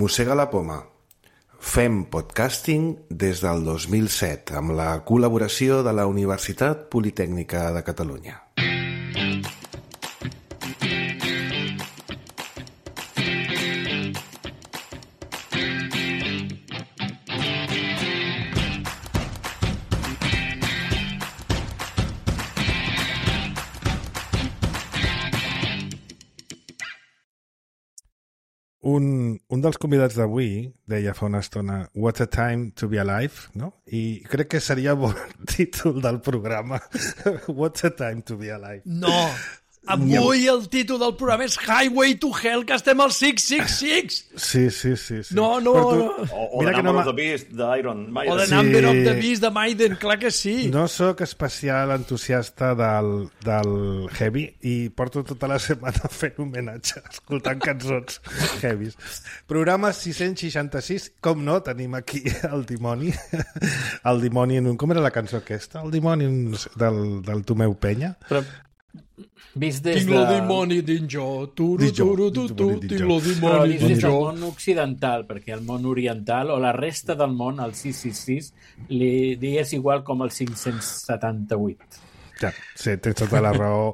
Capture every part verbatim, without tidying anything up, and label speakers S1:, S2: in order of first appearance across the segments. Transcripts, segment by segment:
S1: Mossega la poma. Fem podcasting des del dos mil set amb la col·laboració de la Universitat Politècnica de Catalunya.
S2: Un, un dels convidats d'avui deia fa una estona What a time to be alive, no? I crec que seria bon títol del programa. What a time to be alive.
S3: No, avui el títol del programa és Highway to Hell, que estem al sis sis sis.
S2: Sí, sí, sí. sí.
S3: No, no,
S2: tu,
S3: no.
S4: O, o The Number no of the Beast d'Iron Maiden.
S3: O The
S2: Sí.
S3: Number of the Beast de Maiden, clar que sí.
S2: No sóc especial entusiasta del, del heavy i porto tota la setmana fent homenatge, escoltant cançons heavies. Programa sis-cents seixanta-sis, com no, tenim aquí el dimoni. El dimoni en un... Com era la cançó aquesta? El dimoni del, del Tomeu Penya?
S5: Però vist des
S3: Tinc
S5: de...
S3: lo dimoni dins jo, turu,
S2: Dins jo,
S3: turu, tu, tu,
S2: dins
S3: tinc
S2: jo.
S3: lo
S5: Però
S3: dimoni
S5: vist des
S3: dins
S5: del
S3: jo.
S5: món occidental, perquè el món oriental o la resta del món, el sis sis sis, li, li és igual com el cinc-cents setanta-vuit.
S2: Ja, sí, tens tota la raó,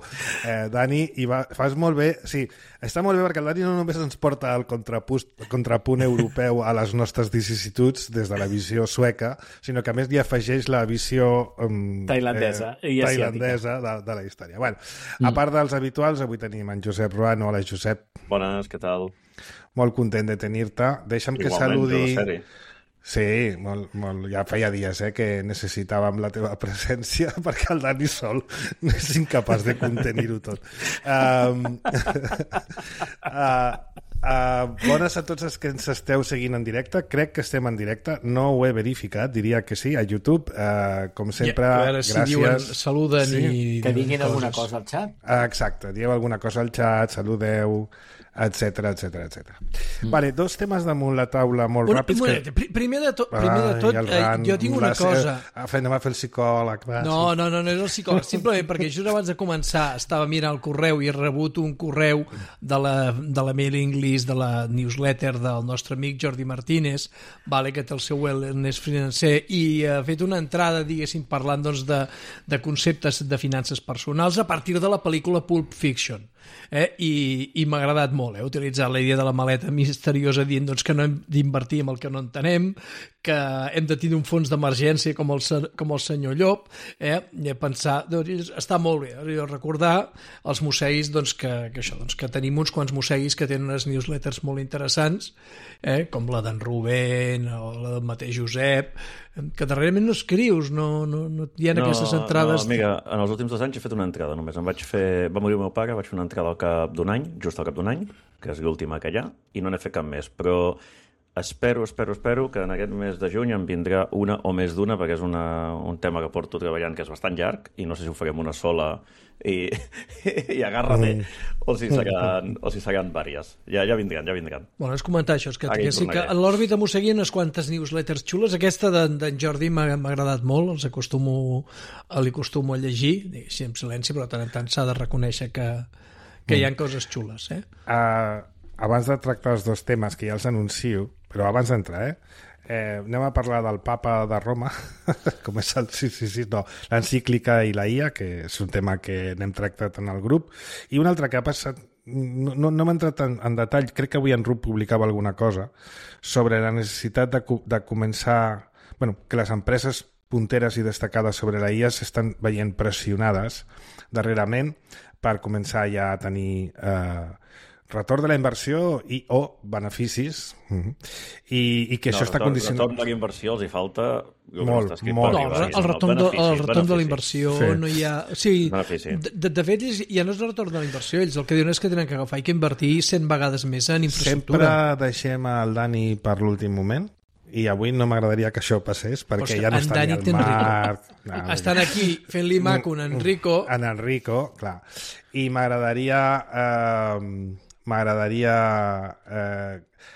S2: eh, Dani, i va, fas molt bé, sí, està molt bé perquè el Dani no només ens porta el contrapunt, el contrapunt europeu a les nostres vicissituds des de la visió sueca, sinó que a més li afegeix la visió um,
S5: Tailandesa
S2: eh,
S5: i asiàtica.
S2: tailandesa de, de la història. Bueno, a part dels habituals, avui tenim en Josep Ruano. Hola, Josep.
S4: Bones, què tal?
S2: Molt content de tenir-te. Deixa'm que
S4: Igualment,
S2: saludi...
S4: de la sèrie.
S2: Sí, molt, molt, ja feia dies eh, que necessitàvem la teva presència perquè el Dani sol és incapaç de contenir-ho tot. Um, uh, uh, bones a tots els que ens esteu seguint en directe. Crec que estem en directe, no ho he verificat, diria que sí, a YouTube. Uh, com sempre,
S3: Ja, a veure si
S2: gràcies.
S3: diuen, saluden
S2: Sí.
S3: i...
S5: Que
S3: diuen
S5: diguin alguna
S3: coses.
S5: cosa al xat.
S2: Uh, exacte, dieu alguna cosa al xat, saludeu, etcètera, etcètera, etcètera. Mm. Vale, dos temes damunt la taula molt
S3: Un,
S2: ràpids.
S3: un moment, pri- primer de tot, primer de tot
S2: Ai, el
S3: eh,
S2: ran,
S3: jo tinc una
S2: la-
S3: cosa...
S2: Eh, anem a fer el psicòleg. Va,
S3: No,
S2: sí.
S3: no, no, no és el psicòleg, simplement perquè just abans de començar estava mirant el correu i he rebut un correu de la, de la mailing list, de la newsletter del nostre amic Jordi Martínez, vale, que té el seu wellness financer, i ha fet una entrada, diguéssim, parlant doncs, de, de conceptes de finances personals a partir de la pel·lícula Pulp Fiction. Eh? I, i m'ha agradat molt, eh? Utilitzar la idea de la maleta misteriosa dient doncs, que no hem d'invertir en el que no entenem, que hem de tenir un fons d'emergència com, el, se- com el senyor Llop, eh? I a pensar, doncs, està molt bé, eh? Recordar els mosseguis doncs, que, que, això, doncs, que tenim uns quants mosseguis que tenen unes newsletters molt interessants, eh? Com la d'en Rubén o la del mateix Josep, que darrerament no escrius, no, no, no hi ha aquestes entrades...
S4: No, amiga, en els últims dos anys he fet una entrada només. Em vaig fer... Va morir el meu pare, vaig fer una entrada al cap d'un any, just al cap d'un any, que és l'última que hi ha, i no n'he fet cap més. Però espero, espero, espero que en aquest mes de juny em vindrà una o més d'una, perquè és una, un tema que porto treballant que és bastant llarg, i no sé si ho farem una sola i, i agarra-te, mm. o si seran, o si seran vàries. Ja, ja vindran, ja vindran.
S3: Bueno, és comentar això, és que,
S4: Aquí
S3: que sí que
S4: tornaré.
S3: en l'òrbita m'ho seguien unes quantes newsletters xules. Aquesta d'en d'en Jordi m'ha m'ha agradat molt, els acostumo, li acostumo a llegir, diguéssim, en silenci, però de tant en tant s'ha de reconèixer que, que hi ha coses xules. Eh?
S2: Uh, abans de tractar els dos temes, que ja els anuncio, però abans d'entrar, eh? Eh, anem a parlar del papa de Roma, com és el sí, sí, sí, no, l'encíclica i la I A, que és un tema que n'hem tractat en el grup, i un altre que ha passat, no, no, no m'he entrat en, en detall, crec que avui en Rup publicava alguna cosa sobre la necessitat de, de començar, bueno, que les empreses punteres i destacades sobre la I A s'estan veient pressionades darrerament per començar ja a tenir eh, retorn de la inversió i o beneficis, uh-huh. I, i que
S4: No,
S2: això està
S4: retorn,
S2: condicionat...
S4: retorn de la inversió els hi falta... el que
S2: Molt,
S4: està escrit
S2: molt.
S4: per
S3: No,
S4: arribar.
S3: el, el retorn, de, el retorn de la inversió
S2: Sí.
S3: no hi ha... O sigui,
S4: Benefici.
S3: de, de fet, ells, ja no és el retorn de la inversió, ells el que diuen és que tenen que agafar i que invertir cent vegades més en
S2: Sempre
S3: infraestructura.
S2: deixem el Dani per l'últim moment i avui no m'agradaria que això passés perquè
S3: Ostres,
S2: ja no
S3: en
S2: està
S3: Dani
S2: ni
S3: té
S2: el
S3: en
S2: Marc... No,
S3: Estan aquí fent-li maco en Enrico.
S2: En Enrico, clar. I m'agradaria... Eh, m'agradaria... Eh,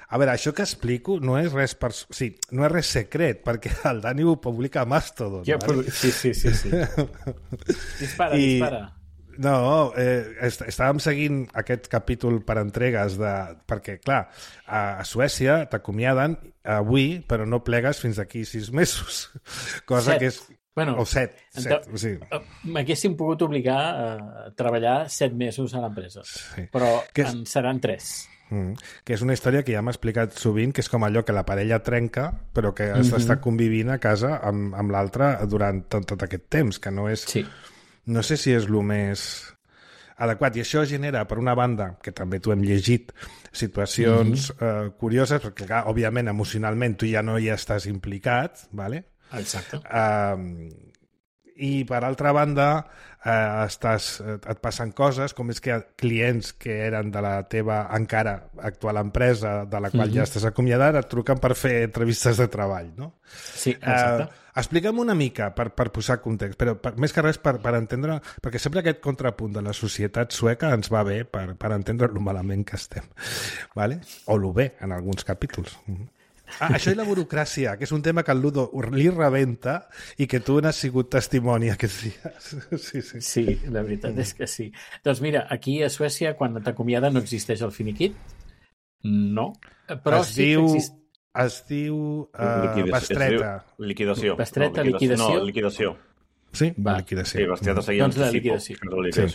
S2: a veure, això que explico no és res per, o sigui, no és res secret, perquè el Dani ho publica a Mastodon.
S5: Ja,
S2: vale?
S5: sí, sí, sí, sí. Dispara,
S2: I-
S5: dispara.
S2: No, eh, est estàvem seguint aquest capítol per entregues de... perquè, clar, a, a Suècia t'acomiaden avui, però no plegues fins d'aquí sis mesos. Cosa
S5: set.
S2: que és...
S5: Bueno,
S2: o set. set sí.
S5: M'haguéssim pogut obligar a treballar set mesos a l'empresa,
S2: sí.
S5: però
S2: és...
S5: en seran tres.
S2: Mm, que és una història que ja m'ha explicat sovint, que és com allò que la parella trenca, però que has d'estar mm-hmm. convivint a casa amb, amb l'altre durant tot, tot aquest temps, que no és...
S5: Sí.
S2: No sé si és el més adequat. I això genera, per una banda, que també t'ho hem llegit, situacions mm-hmm. eh, curioses, perquè, clar, òbviament, emocionalment, tu ja no hi estàs implicat, ¿vale?
S5: Exacte.
S2: Uh, I, per altra banda, eh, estàs, et passen coses, com és que clients que eren de la teva encara actual empresa, de la qual mm-hmm. ja estàs acomiadat, et truquen per fer entrevistes de treball, no?
S5: Sí, exacte.
S2: Uh, explica'm una mica, per, per posar context, però per, més que res per, per entendre, perquè sempre aquest contrapunt de la societat sueca ens va bé per, per entendre lo malament que estem, ¿vale? O lo bé, en alguns capítols. Ah, això i la burocràcia, que és un tema que el Ludo li rebenta i que tu n'has sigut testimoni aquests dies. Sí, sí.
S5: Sí, la veritat mm. és que sí. Doncs mira, aquí a Suècia, quan t'acomiada no existeix el finiquit. No. Però
S2: es
S5: sí
S2: diu,
S5: que exist...
S2: es diu uh, bestreta.
S4: Liquidació.
S5: Bestreta,
S4: no, liquidació.
S5: liquidació.
S4: No, liquidació.
S2: Sí,
S5: va.
S2: liquidació.
S4: Sí, bestreta seguia
S5: doncs la liquidació.
S2: Sí.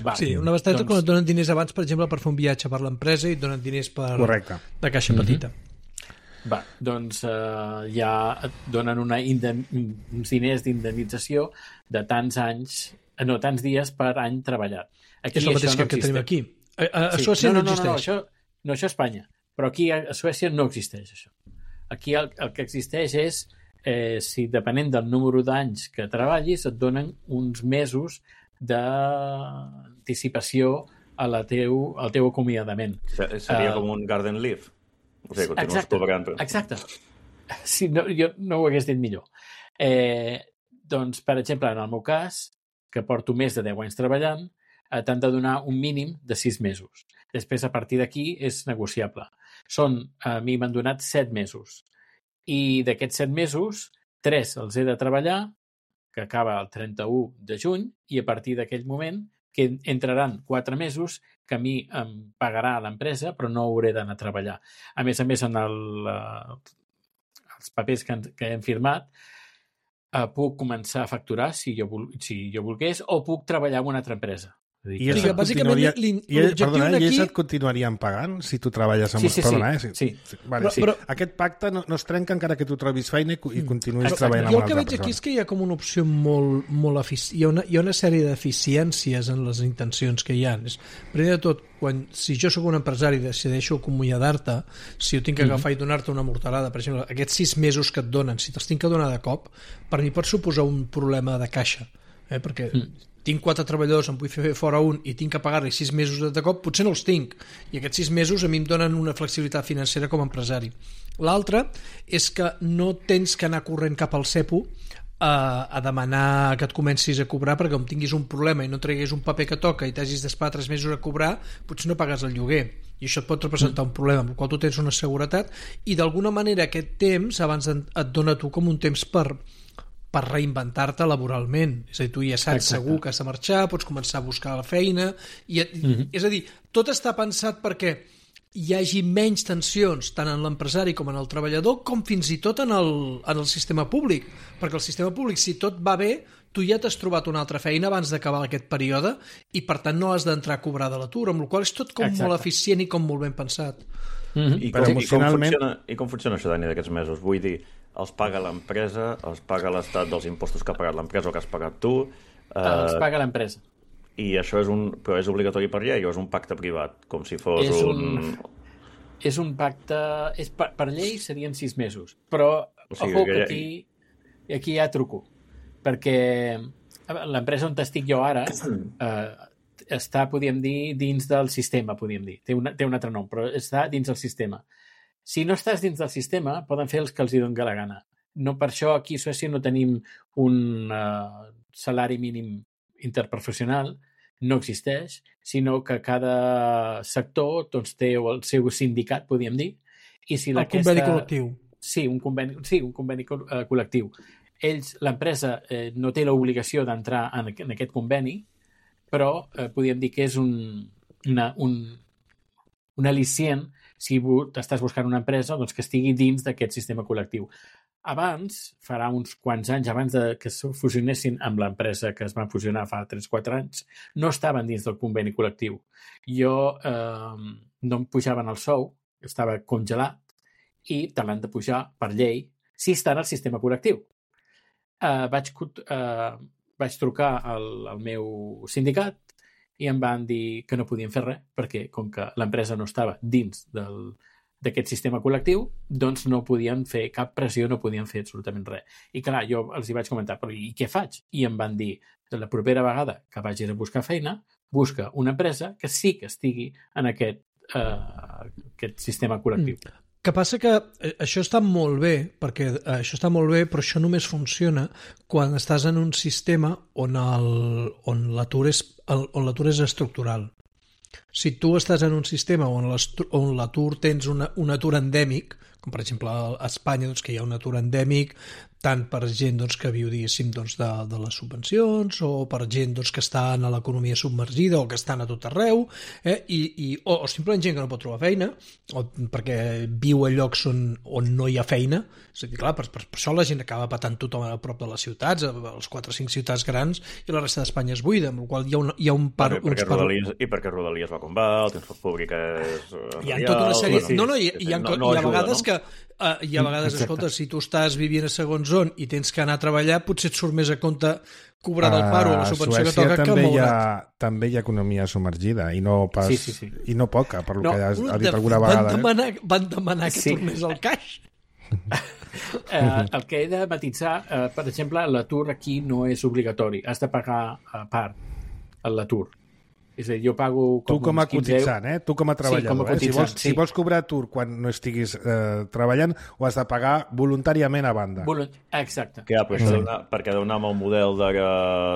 S5: Va.
S3: Sí, una bestreta
S5: doncs...
S3: quan et donen diners abans, per exemple, per fer un viatge per l'empresa i et donen diners per...
S2: Correcte.
S3: de caixa petita.
S5: Mm-hmm. Va, doncs eh, ja et donen una inden... uns diners d'indemnització de tants anys, no, tants dies per any treballat. Aquí
S3: és el mateix
S5: no
S3: que, que tenim aquí. A, a, a
S5: sí.
S3: Suècia
S5: no,
S3: no,
S5: no,
S3: existeix.
S5: No, no, això, no, això a Espanya. Però aquí a, a Suècia no existeix això. Aquí el, el que existeix és, eh, si depenent del número d'anys que treballis, et donen uns mesos d'anticipació a la teu, al teu acomiadament.
S4: Seria uh, com un garden leave. O sigui,
S5: exacte, exacte. Sí, no, jo no ho hagués dit millor. Eh, doncs, per exemple, en el meu cas, que porto més de deu anys treballant, eh, t'han de donar un mínim de sis mesos. Després, a partir d'aquí, és negociable. Són, a mi m'han donat set mesos. I d'aquests set mesos, tres els he de treballar, que acaba el trenta-u de juny, i a partir d'aquell moment que entraran quatre mesos que a mi em pagarà l'empresa, però no hauré d'anar a treballar. A més a més, en el, uh, els papers que, que hem firmat, uh, puc començar a facturar, si jo, si jo volgués, o puc treballar en una altra empresa.
S2: I ells, et continuaria... I, ells, perdona, aquí... ells et continuarien pagant si tu treballes amb...
S5: Sí, sí,
S2: perdona,
S5: sí.
S2: Eh?
S5: sí.
S2: sí. Vale,
S3: però,
S2: sí.
S3: Però...
S2: Aquest pacte no, no es trenca encara que tu trobis feina i, i continuïs
S3: Exacte.
S2: treballant
S3: jo
S2: amb una altra persona. Jo el que veig
S3: aquí és que hi ha com una opció molt, molt efici... hi, ha una, hi ha una sèrie d'eficiències en les intencions que hi ha. Primer de tot, quan, si jo sóc un empresari i decideixo acomiadar-te, si jo tinc que agafar mm-hmm. i donar-te una mortalada, per exemple, aquests sis mesos que et donen, si te'ls tinc que donar de cop, per mi pot suposar un problema de caixa, eh? Perquè mm. tinc quatre treballadors, em vull fer fora un i tinc que pagar-li sis mesos de cop, potser no els tinc. I aquests sis mesos a mi em donen una flexibilitat financera com a empresari. L'altre és que no tens que anar corrent cap al cepo a, a demanar que et comencis a cobrar, perquè com tinguis un problema i no treguis un paper que toca i t'hagis d'esperar tres mesos a cobrar, potser no pagues el lloguer. I això et pot representar un problema, amb el qual tu tens una seguretat i d'alguna manera aquest temps abans et dona tu com un temps per per reinventar-te laboralment. És a dir, tu ja saps Exacte. Segur que has de marxar, pots començar a buscar la feina... I, mm-hmm. És a dir, tot està pensat perquè hi hagi menys tensions tant en l'empresari com en el treballador, com fins i tot en el, en el sistema públic. Perquè el sistema públic, si tot va bé, tu ja t'has trobat una altra feina abans d'acabar aquest període i, per tant, no has d'entrar a cobrar de l'atur, amb la qual cosa és tot com Exacte. Molt eficient i com molt ben pensat.
S4: Mm-hmm. I, com, emocionalment... i, com funciona, I com funciona això, Dani, d'aquests mesos? Vull dir, els paga l'empresa, els paga l'estat dels impostos que ha pagat l'empresa o que has pagat tu...
S5: Eh, els paga l'empresa.
S4: I això és un... Però és obligatori per llei o és un pacte privat? Com si fos
S5: és
S4: un...
S5: un... És un pacte... És per, per llei serien sis mesos, però o sigui, ojo, que aquí, aquí ja truco, perquè l'empresa on estic jo ara eh, està, podríem dir, dins del sistema, podríem dir. Té, una, té un altre nom, però està dins del sistema. Si no estàs dins del sistema, poden fer els que els hi donin la gana. No, per això aquí a Suècia no tenim un uh, salari mínim interprofessional, no existeix, sinó que cada sector doncs, té el seu sindicat, podríem dir. I si
S3: el
S5: aquesta...
S3: conveni col·lectiu.
S5: Sí, un conveni, sí, un conveni uh, col·lectiu. Ells, l'empresa, eh, no té l'obligació d'entrar en, en aquest conveni, però eh, podríem dir que és un, una, un, un al·licient si bu estàs buscant una empresa doncs, que estigui dins d'aquest sistema col·lectiu. Abans, farà uns quants anys, abans de que es fusionessin amb l'empresa que es van fusionar fa tres o quatre anys, no estaven dins del conveni col·lectiu. Jo eh, no em pujaven el sou, estava congelat, i te l'han de pujar per llei si està en el sistema col·lectiu. Uh, vaig, uh, vaig trucar al, al meu sindicat i em van dir que no podien fer res perquè com que l'empresa no estava dins del, d'aquest sistema col·lectiu, doncs no podien fer cap pressió, no podien fer absolutament res. I clar, jo els hi vaig comentar, però i què faig? I em van dir, la propera vegada que vagis a buscar feina, busca una empresa que sí que estigui en aquest, uh, aquest sistema col·lectiu. Mm.
S3: Que passa que això està molt bé, perquè això està molt bé, però això només funciona quan estàs en un sistema on el, on l'atur és, on l'atur és estructural. Si tu estàs en un sistema on l'atur tens una, un atur endèmic, com per exemple a Espanya, doncs, que hi ha un atur endèmic, tant per gent doncs, que viu diguéssim, doncs, de, de les subvencions o per gent doncs, que està en l'economia submergida o que estan a tot arreu, eh? I, i, o, o simplement gent que no pot trobar feina o perquè viu a llocs on, on no hi ha feina. És a dir, clar, per, per, per això la gent acaba patant tothom a prop de les ciutats, a les quatre o cinc ciutats grans, i la resta d'Espanya és buida, amb la qual hi ha un, hi ha un par...
S4: Perquè, perquè
S3: par...
S4: Rodalies, I perquè Rodalies va com va, el transport públic és...
S3: Hi ha tota una sèrie...
S4: Sí,
S3: no, no, hi, hi, ha,
S4: no,
S3: hi
S4: no
S3: ha
S4: ajuda,
S3: vegades
S4: no?
S3: que Uh, hi ha vegades, escolta, si tu estàs vivint a segons on i tens que anar a treballar, potser et surt més a compte cobrar del paro o la subvenció que toca que moure't.
S2: Ha, també hi ha economia submergida i no pas
S5: sí, sí, sí.
S2: i no poca, per lo
S5: no,
S2: que has,
S3: de,
S2: has dit alguna
S3: van
S2: vegada.
S3: Demanar, eh? Van demanar que
S5: sí.
S3: tornés al caix.
S5: eh, el que he de matitzar, eh, per exemple, l'atur aquí no és obligatori. Has de pagar a part l'atur. És a dir, jo pago... Com
S2: tu com a cotitzant, eh? Tu com a treballador.
S5: Sí, com a
S2: eh? Si vols,
S5: sí.
S2: si vols cobrar atur quan no estiguis eh, treballant, ho has de pagar voluntàriament a banda.
S5: Volunt... Exacte.
S4: Que, ja, però sí. Perquè deu anar amb el model de la,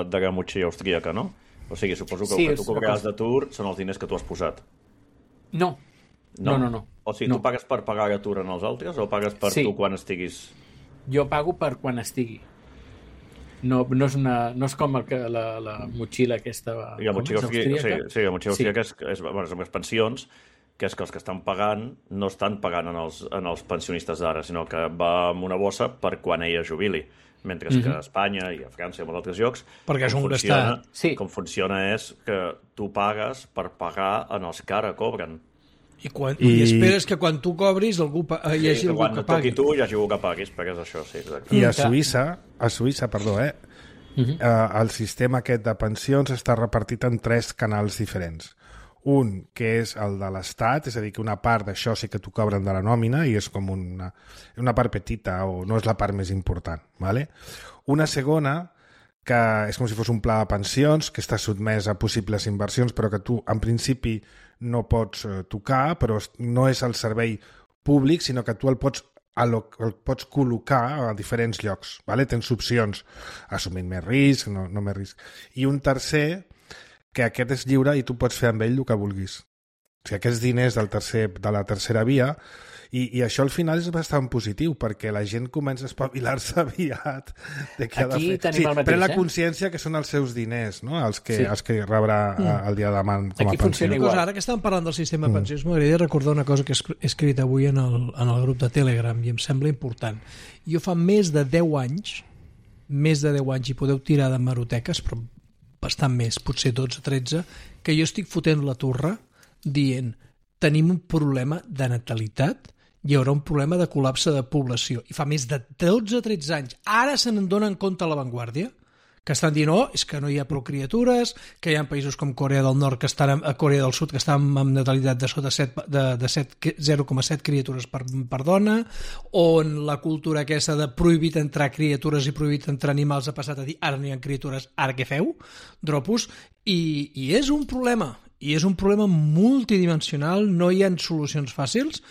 S4: de la motxilla austríaca, no? O sigui, suposo que sí, el que tu cobraràs d'atur són els diners que tu has posat.
S5: No. No, no, no. no.
S4: O sigui,
S5: no.
S4: tu pagues per pagar l'atur en els altres o pagues per
S5: sí.
S4: tu quan estiguis...
S5: Jo pago per quan estigui. No, no, és una, no és com el que, la, la motxilla aquesta...
S4: I la motxilla austríaca, sí, sí, la motxilla austríaca
S5: sí.
S4: és, és, bueno, és amb les pensions, que és que els que estan pagant no estan pagant en els, en els pensionistes d'ara, sinó que va amb una bossa per quan ella jubili. Mentre mm-hmm. que a Espanya i a França i a molts altres llocs,
S3: perquè és un
S4: funciona,
S5: sí.
S4: com funciona és que tu pagues per pagar en els que ara cobren.
S3: I, quan, I... I esperes que quan tu cobris algú pa... hi hagi
S4: sí,
S3: algú que
S4: pagui.
S3: pagui.
S4: I tu hi hagi algú que paguis, perquè és això, sí, exacte.
S2: I a Suïssa, a Suïssa, perdó, eh? Uh-huh. eh, el sistema aquest de pensions està repartit en tres canals diferents. Un, que és el de l'Estat, és a dir, que una part d'això sí que t'ho cobren de la nòmina i és com una, una part petita o no és la part més important. ¿Vale? Una segona, que és com si fos un pla de pensions, que està sotmès a possibles inversions, però que tu, en principi, no pots eh, tocar, però no és el servei públic, sinó que tu el pots el pots col·locar a diferents llocs. ¿Vale? Tens opcions, assumint més risc, no, no més risc. I un tercer, que aquest és lliure i tu pots fer amb ell el que vulguis. O sigui, aquests diners del tercer, de la tercera via, i, i això al final és bastant positiu, perquè la gent comença a espavilar-se aviat de què ha de fer. Sí, pren la consciència que són els seus diners, no? els, que, sí. els que rebrà mm. el dia de demà com
S5: Aquí
S2: a pensió.
S3: Una cosa, ara que estàvem parlant del sistema de pensions, mm. m'agradaria recordar una cosa que he escrit avui en el, en el grup de Telegram i em sembla important. Jo fa més de deu anys, més de deu anys, i podeu tirar de maroteques, però bastant més, potser dotze o tretze, que jo estic fotent la turra dient tenim un problema de natalitat, hi haurà un problema de col·lapse de població. I fa més de dotze o tretze anys. Ara se n'en donen compte a l'avantguàrdia, que estan dient, oh, és que no hi ha prou criatures, que hi ha països com Corea del Nord, que estan a Corea del Sud, que estan amb natalitat de sota set, de, de zero coma set criatures per, per dona, on la cultura aquesta de prohibit entrar criatures i prohibit entrar animals ha passat a dir, ara no hi ha criatures, ara què feu? Dropos. I, i és un problema. I és un problema multidimensional, no hi ha solucions fàcils,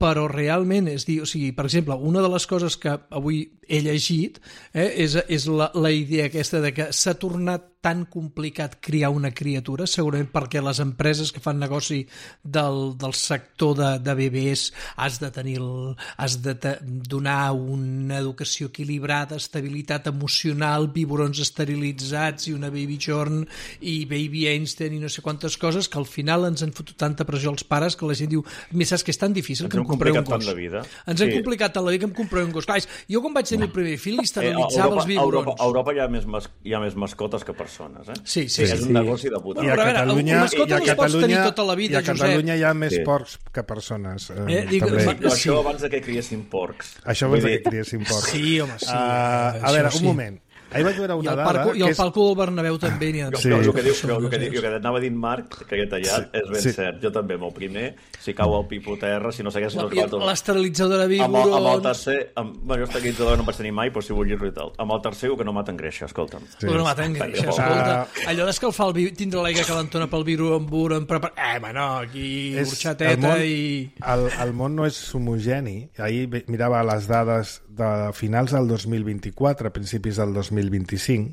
S3: però realment, és dir, o sigui, per exemple, una de les coses que avui he llegit eh, és, és la, la idea aquesta de que s'ha tornat tan complicat criar una criatura, segurament perquè les empreses que fan negoci del, del sector de, de bebès has de tenir el, has de te, donar una educació equilibrada, estabilitat emocional, biberons esterilitzats i una baby jorn i baby Einstein i no sé quantes coses que al final ens han fotut tanta pressió als pares que la gent diu, més saps que és tan difícil ens que em compreu un gos.
S4: Vida.
S3: Ens sí. han complicat tant la vida que em compreu un gos. Clar, jo quan vaig tenir el primer fill esterilitzava eh, els biberons.
S4: A Europa, a Europa hi ha més, mas, hi ha més mascotes que persones, eh?
S3: Sí, sí.
S4: És
S3: sí.
S4: un negoci de puta.
S2: I a Catalunya,
S3: I a Catalunya, tota la vida,
S2: i a Catalunya hi ha més sí. porcs que persones. Eh, eh, dic,
S4: també. Sí. Això abans de que criessin porcs.
S2: Això abans de que criessin porcs.
S3: Sí, home, sí.
S2: Uh, a veure, un sí. moment. Ahir vaig veure una
S3: I el
S2: dada...
S3: Parco, I el palco del Bernabéu també n'hi ha.
S4: Sí. No, el que diu, el que, diu, el que anava dient Marc, que he tallat, sí. és ben sí. cert. Jo també, amb el primer, si cau el pipo terra, si no segueix...
S3: L'esterilitzador de biberons...
S4: Amb, amb el tercer... Amb, bueno, l'esterilitzador no em vaig tenir mai, però si vull dir-ho i tal. Amb el tercer, que no maten greixa, escolta'm.
S3: Sí. Que no maten greixa, escolta. Uh... Allò d'escalfar el vi... tindre l'aigua calentona pel biberon, prepar... Eh, ma no, aquí horxateta món, i...
S2: El, el món no és homogeni. Ahir mirava les dades de finals del dos mil vint-i-quatre, principis del dos mil vint-i-cinc,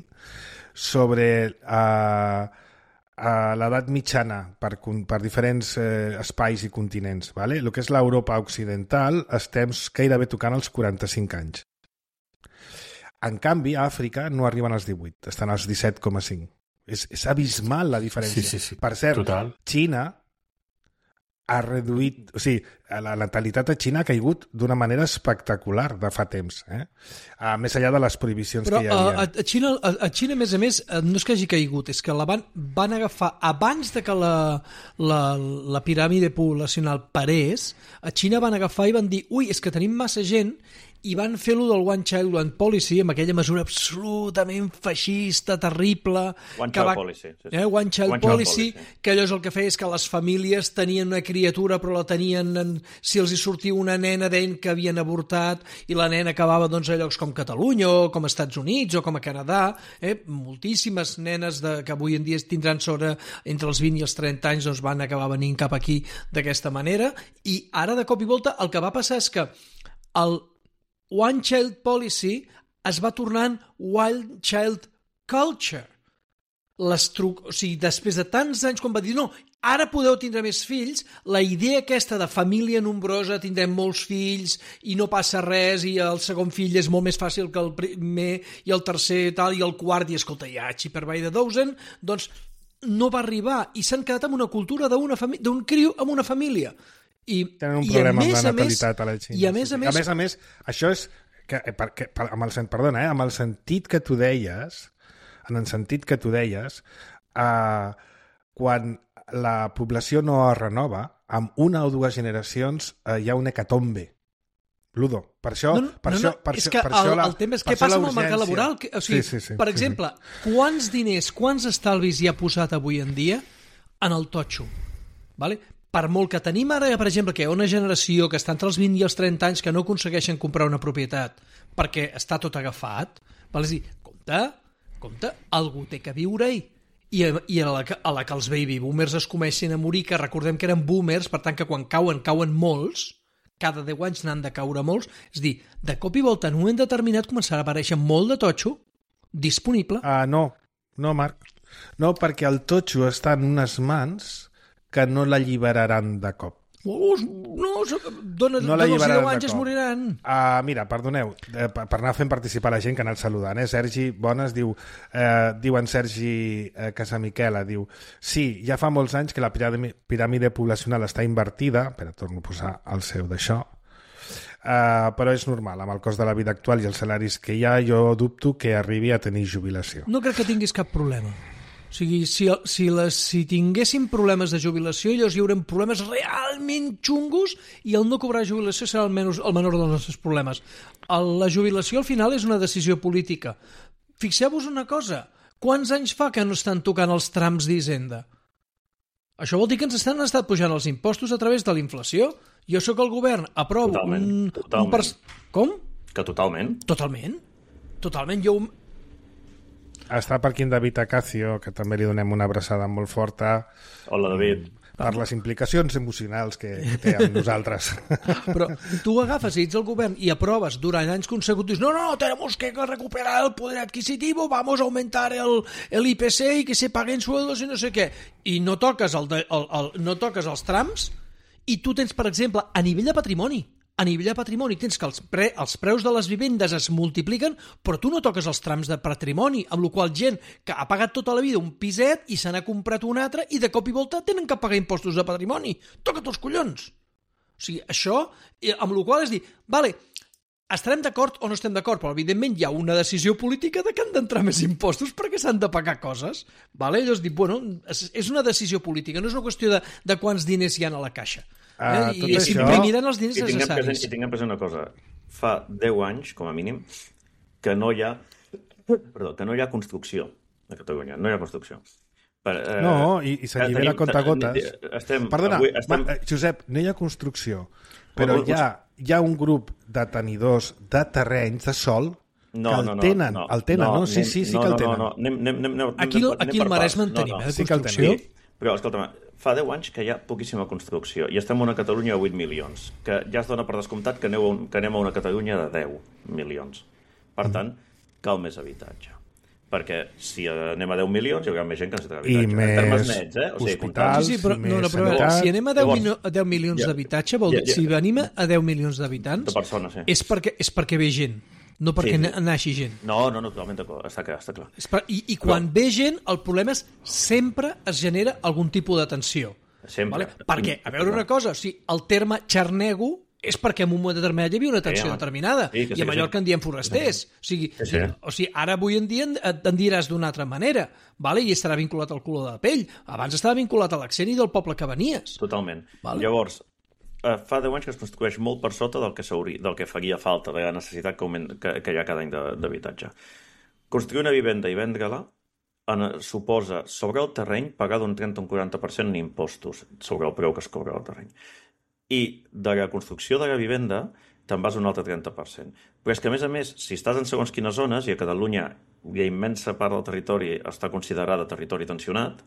S2: sobre uh, uh, l'edat mitjana per, per diferents uh, espais i continents. Vale? El que és l'Europa occidental estem gairebé tocant els quaranta-cinc anys. En canvi, a Àfrica no arriben als divuit, estan als disset coma cinc. És, és abismal la diferència.
S5: Sí, sí, sí.
S2: Per cert,
S5: total.
S2: Xina ha reduït... O sigui, la natalitat a Xina ha caigut d'una manera espectacular de fa temps, eh? Uh, més enllà de les prohibicions
S3: Però,
S2: que hi havia.
S3: Però a, a, Xina, a, a Xina, a més a més, no és que hagi caigut, és que la van, van agafar, abans de que la, la, la piràmide poblacional parés, a Xina van agafar i van dir, ui, és que tenim massa gent, i van fer-lo del One Child One Policy amb aquella mesura absolutament feixista, terrible...
S4: One
S3: que
S4: Child
S3: va,
S4: Policy. Sí, sí.
S3: Eh, One Child
S4: One
S3: Policy,
S4: Child Policy,
S3: que allò és el que feia és que les famílies tenien una criatura però la tenien... En, si els hi sortia una nena deien que havien avortat i la nena acabava doncs, a llocs com Catalunya o com Estats Units o com a Canadà. Eh? Moltíssimes nenes de, que avui en dia tindran sobre entre els vint i els trenta anys doncs, van acabar venint cap aquí d'aquesta manera i ara de cop i volta el que va passar és que el One Child Policy es va tornant Wild Child Culture. L'estru... O sigui, després de tants anys, quan va dir no, ara podeu tindre més fills, la idea aquesta de família nombrosa, tindrem molts fills i no passa res i el segon fill és molt més fàcil que el primer i el tercer tal i el quart i escolta, ja, Chipper by the dozen, doncs no va arribar i s'han quedat amb una cultura d'un fami... criu amb una família. I,
S2: tenen un problema amb la natalitat
S3: més,
S2: a la Xina.
S3: I a més a més...
S2: A més a més, això és... Que, per, que, per, amb, el, perdona, eh, amb el sentit que tu deies, en el sentit que tu deies, eh, quan la població no es renova, amb una o dues generacions eh, hi ha un hecatombe. Ludo. Per això...
S3: No, no,
S2: per
S3: no,
S2: això,
S3: no.
S2: per
S3: és
S2: això,
S3: que
S2: per
S3: el,
S2: això la,
S3: el tema és què passa amb el mercat laboral. Que, o sigui, sí, sí, sí, per exemple, sí. quants diners, quants estalvis hi ha posat avui en dia en el totxo? Vale? Per molt que tenim ara, per exemple, que hi ha una generació que està entre els vint i els trenta anys que no aconsegueixen comprar una propietat perquè està tot agafat, val? És a dir, compte, compte, algú té que viure-hi. I, i a, la, a la que els baby boomers es comencin a morir, que recordem que eren boomers, per tant que quan cauen, cauen molts, cada deu anys n'han de caure molts, és a dir, de cop i volta en un moment determinat començarà a aparèixer molt de totxo disponible.
S2: Ah, uh, no, no, Marc. No, perquè el totxo està en unes mans que no l'alliberaran de cop.
S3: Oh, no, dona,
S2: no
S3: dona els deu anys es moriran.
S2: Uh, mira, perdoneu, eh, per anar fent participar la gent que ha anat saludant, eh? Sergi Bones diu, eh, diu en Sergi eh, Casamiquela, diu, sí, ja fa molts anys que la piràmide, piràmide poblacional està invertida, però torno a posar el seu d'això, uh, però és normal, amb el cost de la vida actual i els salaris que hi ha, jo dubto que arribi a tenir jubilació.
S3: No crec que tinguis cap problema. O sigui, si, si, les, si tinguéssim problemes de jubilació, llavors hi haurem problemes realment xungos i el no cobrar jubilació serà el, menys, el menor dels nostres problemes. El, la jubilació al final és una decisió política. Fixeu-vos una cosa, quants anys fa que no estan tocant els trams d'Hisenda? Això vol dir que ens estan estat pujant els impostos a través de la inflació. Jo sóc el govern, aprovo
S4: totalment,
S3: un...
S4: totalment.
S3: un pers... Com?
S4: Que totalment.
S3: Totalment. Totalment. Jo...
S2: Està per aquí en David Acacio, que també li donem una abraçada molt forta.
S4: Hola, David.
S2: per les implicacions emocionals que, que té amb nosaltres.
S3: Però tu agafes i ets el govern i aproves durant anys consecutius, no, no, tenemos que recuperar el poder adquisitivo, vamos a aumentar el, el I P C y que se paguen sueldos i no sé què, i no toques, el de, el, el, no toques els trams, i tu tens, per exemple, a nivell de patrimoni, a nivell de patrimoni tens que els, pre, els preus de les vivendes es multipliquen, però tu no toques els trams de patrimoni, amb la qual gent que ha pagat tota la vida un piset i se n'ha comprat un altre i de cop i volta tenen que pagar impostos de patrimoni. Toca't els collons! O sigui, això, amb la qual és dir, vale, estarem d'acord o no estem d'acord, però evidentment hi ha una decisió política de que han d'entrar més impostos perquè s'han de pagar coses. Vale? Llavors dic, bueno, és una decisió política, no és una qüestió de, de quants diners hi ha a la caixa.
S2: Uh,
S3: eh? I sempre això... miren els diners
S4: I tinguem
S3: necessaris.
S4: present, I tinguem present una cosa. Fa deu anys, com a mínim, que no hi ha, perdó, que no hi ha construcció a Catalunya. No hi ha construcció. Per, eh,
S2: no, i, i s'allibera a comptagotes.
S4: Estem,
S2: Perdona,
S4: avui estem...
S2: va, Josep, no hi ha construcció, però hi ha, hi ha un grup de tenidors de terrenys de sol
S4: no,
S2: que el
S4: no, no,
S2: tenen.
S4: No,
S2: el tenen, no? no? Sí, sí, sí
S4: no,
S2: que el tenen.
S4: No, no, no. Anem, anem, anem, anem,
S3: aquí
S4: anem,
S3: aquí
S4: anem
S3: el Maresme en tenim,
S4: no, no.
S3: eh, de
S2: sí
S3: construcció.
S2: Sí,
S4: però, escolta'm, fa deu anys que hi ha poquíssima construcció i estem a una Catalunya de vuit milions, que ja es dona per descomptat que, aneu, que anem a una Catalunya de deu milions. Per tant, cal més habitatge. Perquè si anem a deu milions hi haurà més gent que necessitarà habitatge.
S2: I més
S4: en termes nets, eh? O sigui,
S2: hospitals,
S3: sí, sí, però, no, no, però
S2: sanitat.
S3: si anem a deu,
S4: Llavors,
S3: mil, a deu milions
S4: ja,
S3: d'habitatge, vol dir,
S4: ja, ja.
S3: si venim a deu milions d'habitants,
S4: de persones, sí.
S3: és, perquè, és perquè ve gent, no perquè
S4: Sí,
S3: sí,
S4: sí.
S3: naixi gent.
S4: No, no, no, totalment d'acord, està clar, està clar.
S3: És per, I i quan ve gent, el problema és sempre es genera algun tipus de tensió.
S4: Sempre.
S3: Vale? Perquè, a veure una cosa, o sigui, el terme xarnego és perquè en un moment determinat hi havia una tensió
S4: Sí,
S3: sí,
S4: home.
S3: determinada,
S4: Sí, que sí,
S3: i a
S4: que
S3: Mallorca
S4: sí.
S3: en diem forasters. O sigui,
S4: Sí, sí.
S3: o sigui, ara avui en dia en, en diràs d'una altra manera, vale? I estarà vinculat al color de la pell. Abans estava vinculat a l'accent i del poble que venies.
S4: Totalment.
S3: Vale.
S4: Llavors, eh, fa deu anys que es construeix molt per sota del que, del que faria falta, de la necessitat que, augment, que, que hi ha cada any d'habitatge. Construir una vivenda i vendre-la en, suposa, sobre el terreny, pagar d'un trenta a un quaranta per cent en impostos sobre el preu que es cobra al terreny. I de la construcció de la vivenda te'n vas un altre trenta per cent. Però és que, a més a més, si estàs en segons quines zones, i a Catalunya hi ha immensa part del territori està considerada territori tensionat,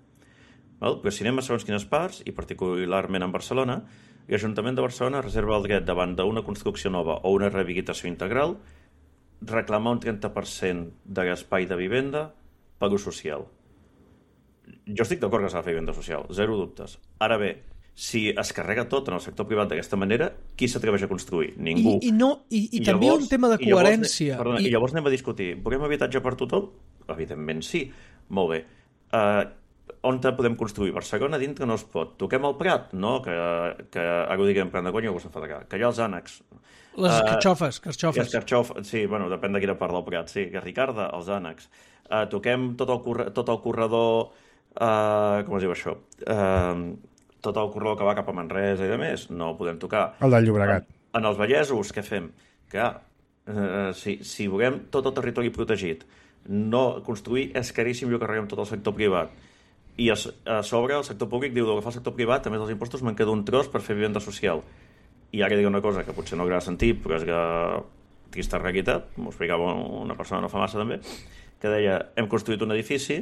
S4: val? Però si anem a segons quines parts, i particularment en Barcelona, l'Ajuntament de Barcelona reserva el dret davant d'una construcció nova o una rehabilitació integral reclamar un trenta per cent de l'espai de vivenda per ús social. Jo estic d'acord que s'ha de fer vivenda social, zero dubtes. Ara bé, si es carrega tot en el sector privat d'aquesta manera, qui s'atreveix a construir? Ningú.
S3: I, i, no, i, i,
S4: I
S3: també
S4: llavors,
S3: un tema de
S4: i llavors,
S3: coherència.
S4: Perdona,
S3: I,
S4: I llavors anem a discutir, volem habitatge per tothom? Evidentment sí. Molt bé. Uh, on te podem construir? Barcelona dintre no es pot. Toquem el Prat? No, que, que ara ho diguem plan de conya, ho s'enfadarà. Que hi ha els ànecs.
S3: les
S4: Uh,
S3: carxofes,
S4: I
S3: carxofes.
S4: els carxofes, sí, bueno, depèn de quina part del Prat, sí. Que Ricarda, els ànecs. Uh, toquem tot el, corre tot el corredor... Uh, com es diu això? Uh, tot el corredor que va cap a Manresa i de més, no ho podem tocar.
S2: El del Llobregat.
S4: En, en els Vallesos, què fem? Que, uh, si, si volem tot el territori protegit, no construir és caríssim i ho carreguem tot el sector privat. I a, a sobre el sector públic diu que fa el sector privat, a més dels impostos, me'n queda un tros per fer vivenda social. I ara diré una cosa que potser no agrada sentir, però és que trista realitat, m'ho explicava una persona no fa massa també, que deia, hem construït un edifici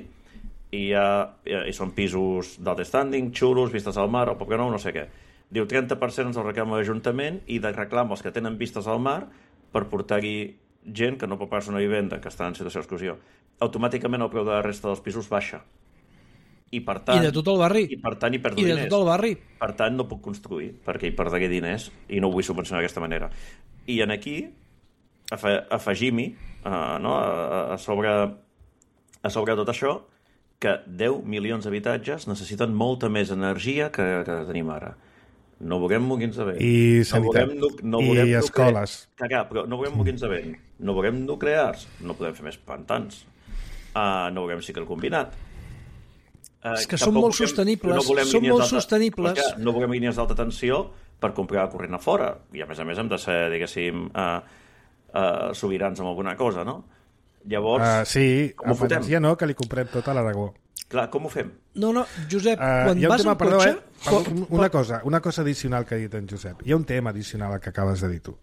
S4: i, hi ha, i són pisos d'alt standing, xulos, vistes al mar, el Poble Nou, no sé què. Diu, trenta per cent ens el reclama l'Ajuntament i de reclam els que tenen vistes al mar per portar-hi gent que no pot pagar una vivenda, que està en situació d'exclusió. Automàticament el preu de la resta dels pisos baixa. I per tant...
S3: I de tot el barri.
S4: I per tant hi perdo
S3: I de
S4: diners.
S3: tot el barri.
S4: Per tant no puc construir, perquè hi perdré diners i no ho vull subvencionar d'aquesta manera. I en aquí afe, afegim-hi uh, no, a, a, sobre, a sobre tot això que deu milions d'habitatges necessiten molta més energia que, que tenim ara. No volem molins de vent.
S2: I sanitat.
S4: No volem, no
S2: I
S4: volem
S2: escoles.
S4: Cagar, però no volem molins de vent. No volem nuclears. No podem fer més pantans. Uh, no volem cicle combinat. Uh,
S3: És que són molt sostenibles, són molt sostenibles.
S4: No volem línies d'alta tensió per comprar corrent a fora. I a més a més hem de ser, diguéssim, uh, uh, sobirans amb alguna cosa, no? Llavors,
S2: uh, sí,
S4: com ho
S2: a
S4: fotem?
S2: València no, que li comprem tot a l'Aragó.
S4: Clar, com ho fem?
S3: No, no, Josep,
S2: Uh,
S3: quan
S2: hi ha un
S3: vas
S2: tema,
S3: en
S2: perdó,
S3: cotxe...
S2: eh? Perdó, una cosa, una cosa addicional que ha dit en Josep. Hi ha un tema addicional que acabes de dir tu.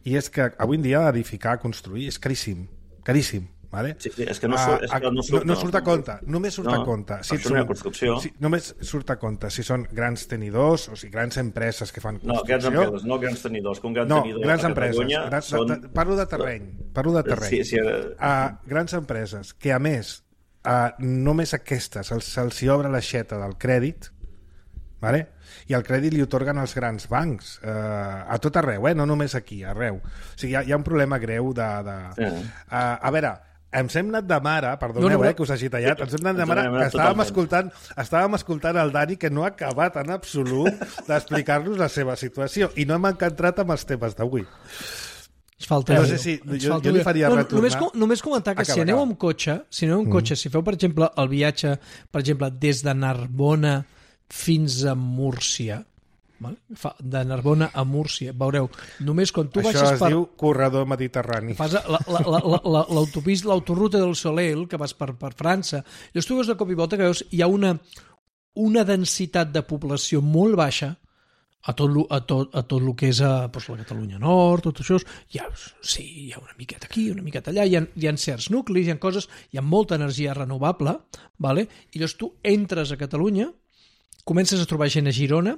S2: I és que avui en dia edificar, construir, és caríssim. Caríssim.
S1: Vale?
S4: Sí, sí, és que no surt, és que no surt,
S1: no, no surt a compte, només surt
S4: no,
S1: a compte.
S4: Si són, construcció.
S1: Si, només surt a compte si són grans tenidors o si grans empreses que fan construcció.
S4: No, grans empreses, no grans tenidors, que un gran
S1: no,
S4: tenidor
S1: grans
S4: a
S1: empreses.
S4: Catalunya
S1: Grans,
S4: són...
S1: de, de, parlo de terreny, parlo de terreny.
S4: Sí, sí, uh...
S1: uh, grans empreses que, a més, uh, només aquestes se'ls, se'ls hi obre l'aixeta del crèdit, vale? I el crèdit li otorguen als grans bancs uh, a tot arreu, eh? No només aquí, arreu. O sigui, hi ha, hi ha un problema greu de... de... Sí. Uh, a veure, ens hem anat de mare, perdoneu, no, no, eh, que us hagi tallat, ens hem anat de mare, que estàvem escoltant, estàvem escoltant el Dani, que no ha acabat en absolut d'explicar-nos la seva situació, i no hem encantrat amb els temes d'avui.
S3: Es falta
S1: no sé si, jo, jo li faria no, retornar...
S3: Només, només comentar que acaba, si aneu amb cotxe, si aneu amb cotxe, mm. si feu, per exemple, el viatge, per exemple, des de Narbona fins a Múrcia, de Narbona a Múrcia, veureu, només quan tu
S1: això
S3: baixes
S1: es
S3: per...
S1: diu corredor mediterrani.
S3: Fas l'autopista, l'autoruta del Soleil, que vas per, per França, i tu veus de cop i volta que veus hi ha una, una densitat de població molt baixa a tot, a tot, a tot el que és a, doncs, la Catalunya Nord, tot això, hi ha, sí, hi ha una miqueta aquí, una miqueta allà, hi ha, hi ha certs nuclis, hi ha coses, hi ha molta energia renovable, vale? I llavors tu entres a Catalunya, comences a trobar gent a Girona,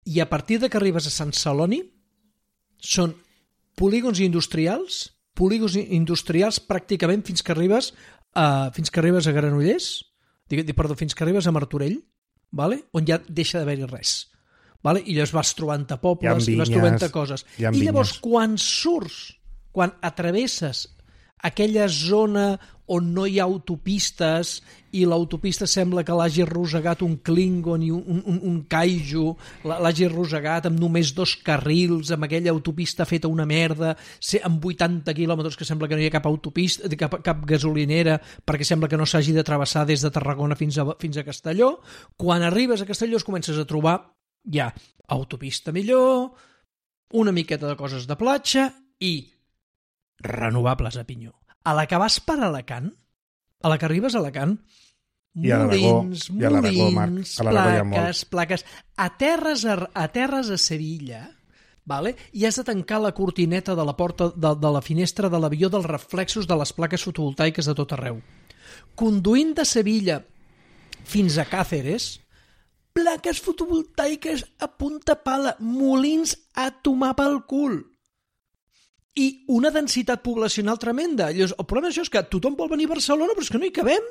S3: i a partir de que arribes a Sant Celoni són polígons industrials, polígons industrials pràcticament fins que arribes a, fins que arribes a Granollers, perdó, fins que arribes a Martorell, vale? On ja deixa d'haver-hi res. Vale? I llavors vas trobant-te pobles, i vas trobant-te coses. I llavors, quan surts, quan atravesses aquella zona on no hi ha autopistes i l'autopista sembla que l'hagi arrossegat un Klingon i un, un, un kaiju, l'hagi arrossegat amb només dos carrils, amb aquella autopista feta una merda, amb vuitanta quilòmetres que sembla que no hi ha cap autopista, cap, cap gasolinera, perquè sembla que no s'hagi de travessar des de Tarragona fins a, fins a Castelló. Quan arribes a Castelló es comences a trobar ja autopista millor, una miqueta de coses de platja i renovables a pinyó. A la que vas per Alacant, a la que arribes a Alacant,
S1: I a
S3: molins,
S1: I a
S3: molins, a plaques, plaques. A terres a, a terres a Sevilla, vale? I has de tancar la cortineta de la porta de, de la finestra de l'avió dels reflexos de les plaques fotovoltaiques de tot arreu. Conduint de Sevilla fins a Càceres, plaques fotovoltaiques a punta pala, molins a tomar pel cul. I una densitat poblacional tremenda. Llavors, el problema d'això és que tothom vol venir a Barcelona, però és que no hi cabem.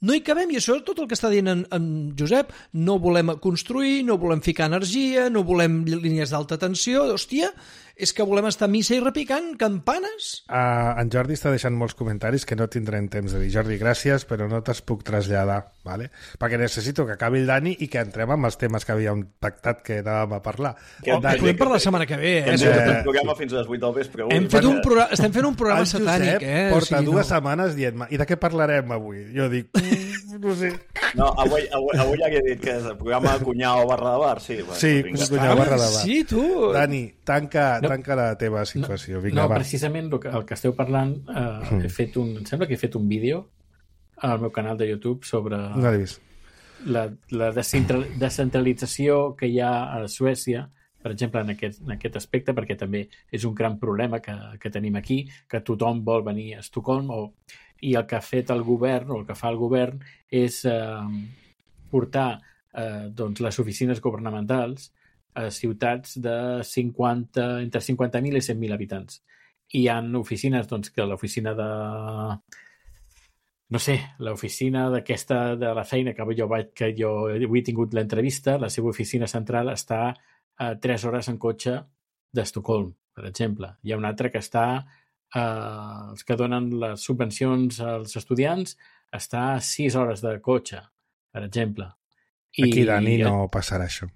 S3: No hi cabem, i això és tot el que està dient en, en Josep. No volem construir, no volem ficar energia, no volem línies d'alta tensió. Hòstia, és que volem estar a missa i repicant campanes.
S1: Uh, en Jordi està deixant molts comentaris que no tindrem temps de dir. Jordi, gràcies, però no te'ls puc traslladar, ¿vale? Perquè necessito que acabi el Dani i que entrem amb els temes que havíem pactat que anàvem a parlar.
S3: Que, oh, Dani, podem parlar la setmana que ve, eh?
S4: Hem fet un programa fins a les vuit del vespre.
S3: Hem fet un programa, estem fent un programa satànic, eh?
S1: Porta o sigui, dues no. setmanes dient-me, i de què parlarem avui? Jo dic, no sé.
S4: No, avui, avui, avui ja he dit que és el programa Cunyao barra de bar, sí. Bueno,
S1: sí, Cunyao barra de bar.
S3: Sí, tu.
S1: Dani, tanca,
S5: no.
S1: tanca la teva situació. Vinga,
S5: no,
S1: va.
S5: Precisament el que, el que esteu parlant, eh, mm. he fet un, em sembla que he fet un vídeo al meu canal de YouTube sobre
S1: no
S5: la, la descentralització que hi ha a Suècia, per exemple, en aquest, en aquest aspecte, perquè també és un gran problema que, que tenim aquí, que tothom vol venir a Estocolm, o, i el que ha fet el govern, o el que fa el govern, és eh, portar eh, doncs, les oficines governamentals a ciutats de cinquanta, entre cinquanta mil i cent mil habitants. I hi ha oficines, doncs, que l'oficina de... No sé, l'oficina d'aquesta, de la feina que jo, vaig, que jo avui he tingut l'entrevista, la seva oficina central està a tres hores en cotxe d'Estocolm, per exemple. Hi ha una altra que està, eh, els que donen les subvencions als estudiants, està a sis hores de cotxe, per exemple.
S1: I, Aquí, Dani, no passarà això.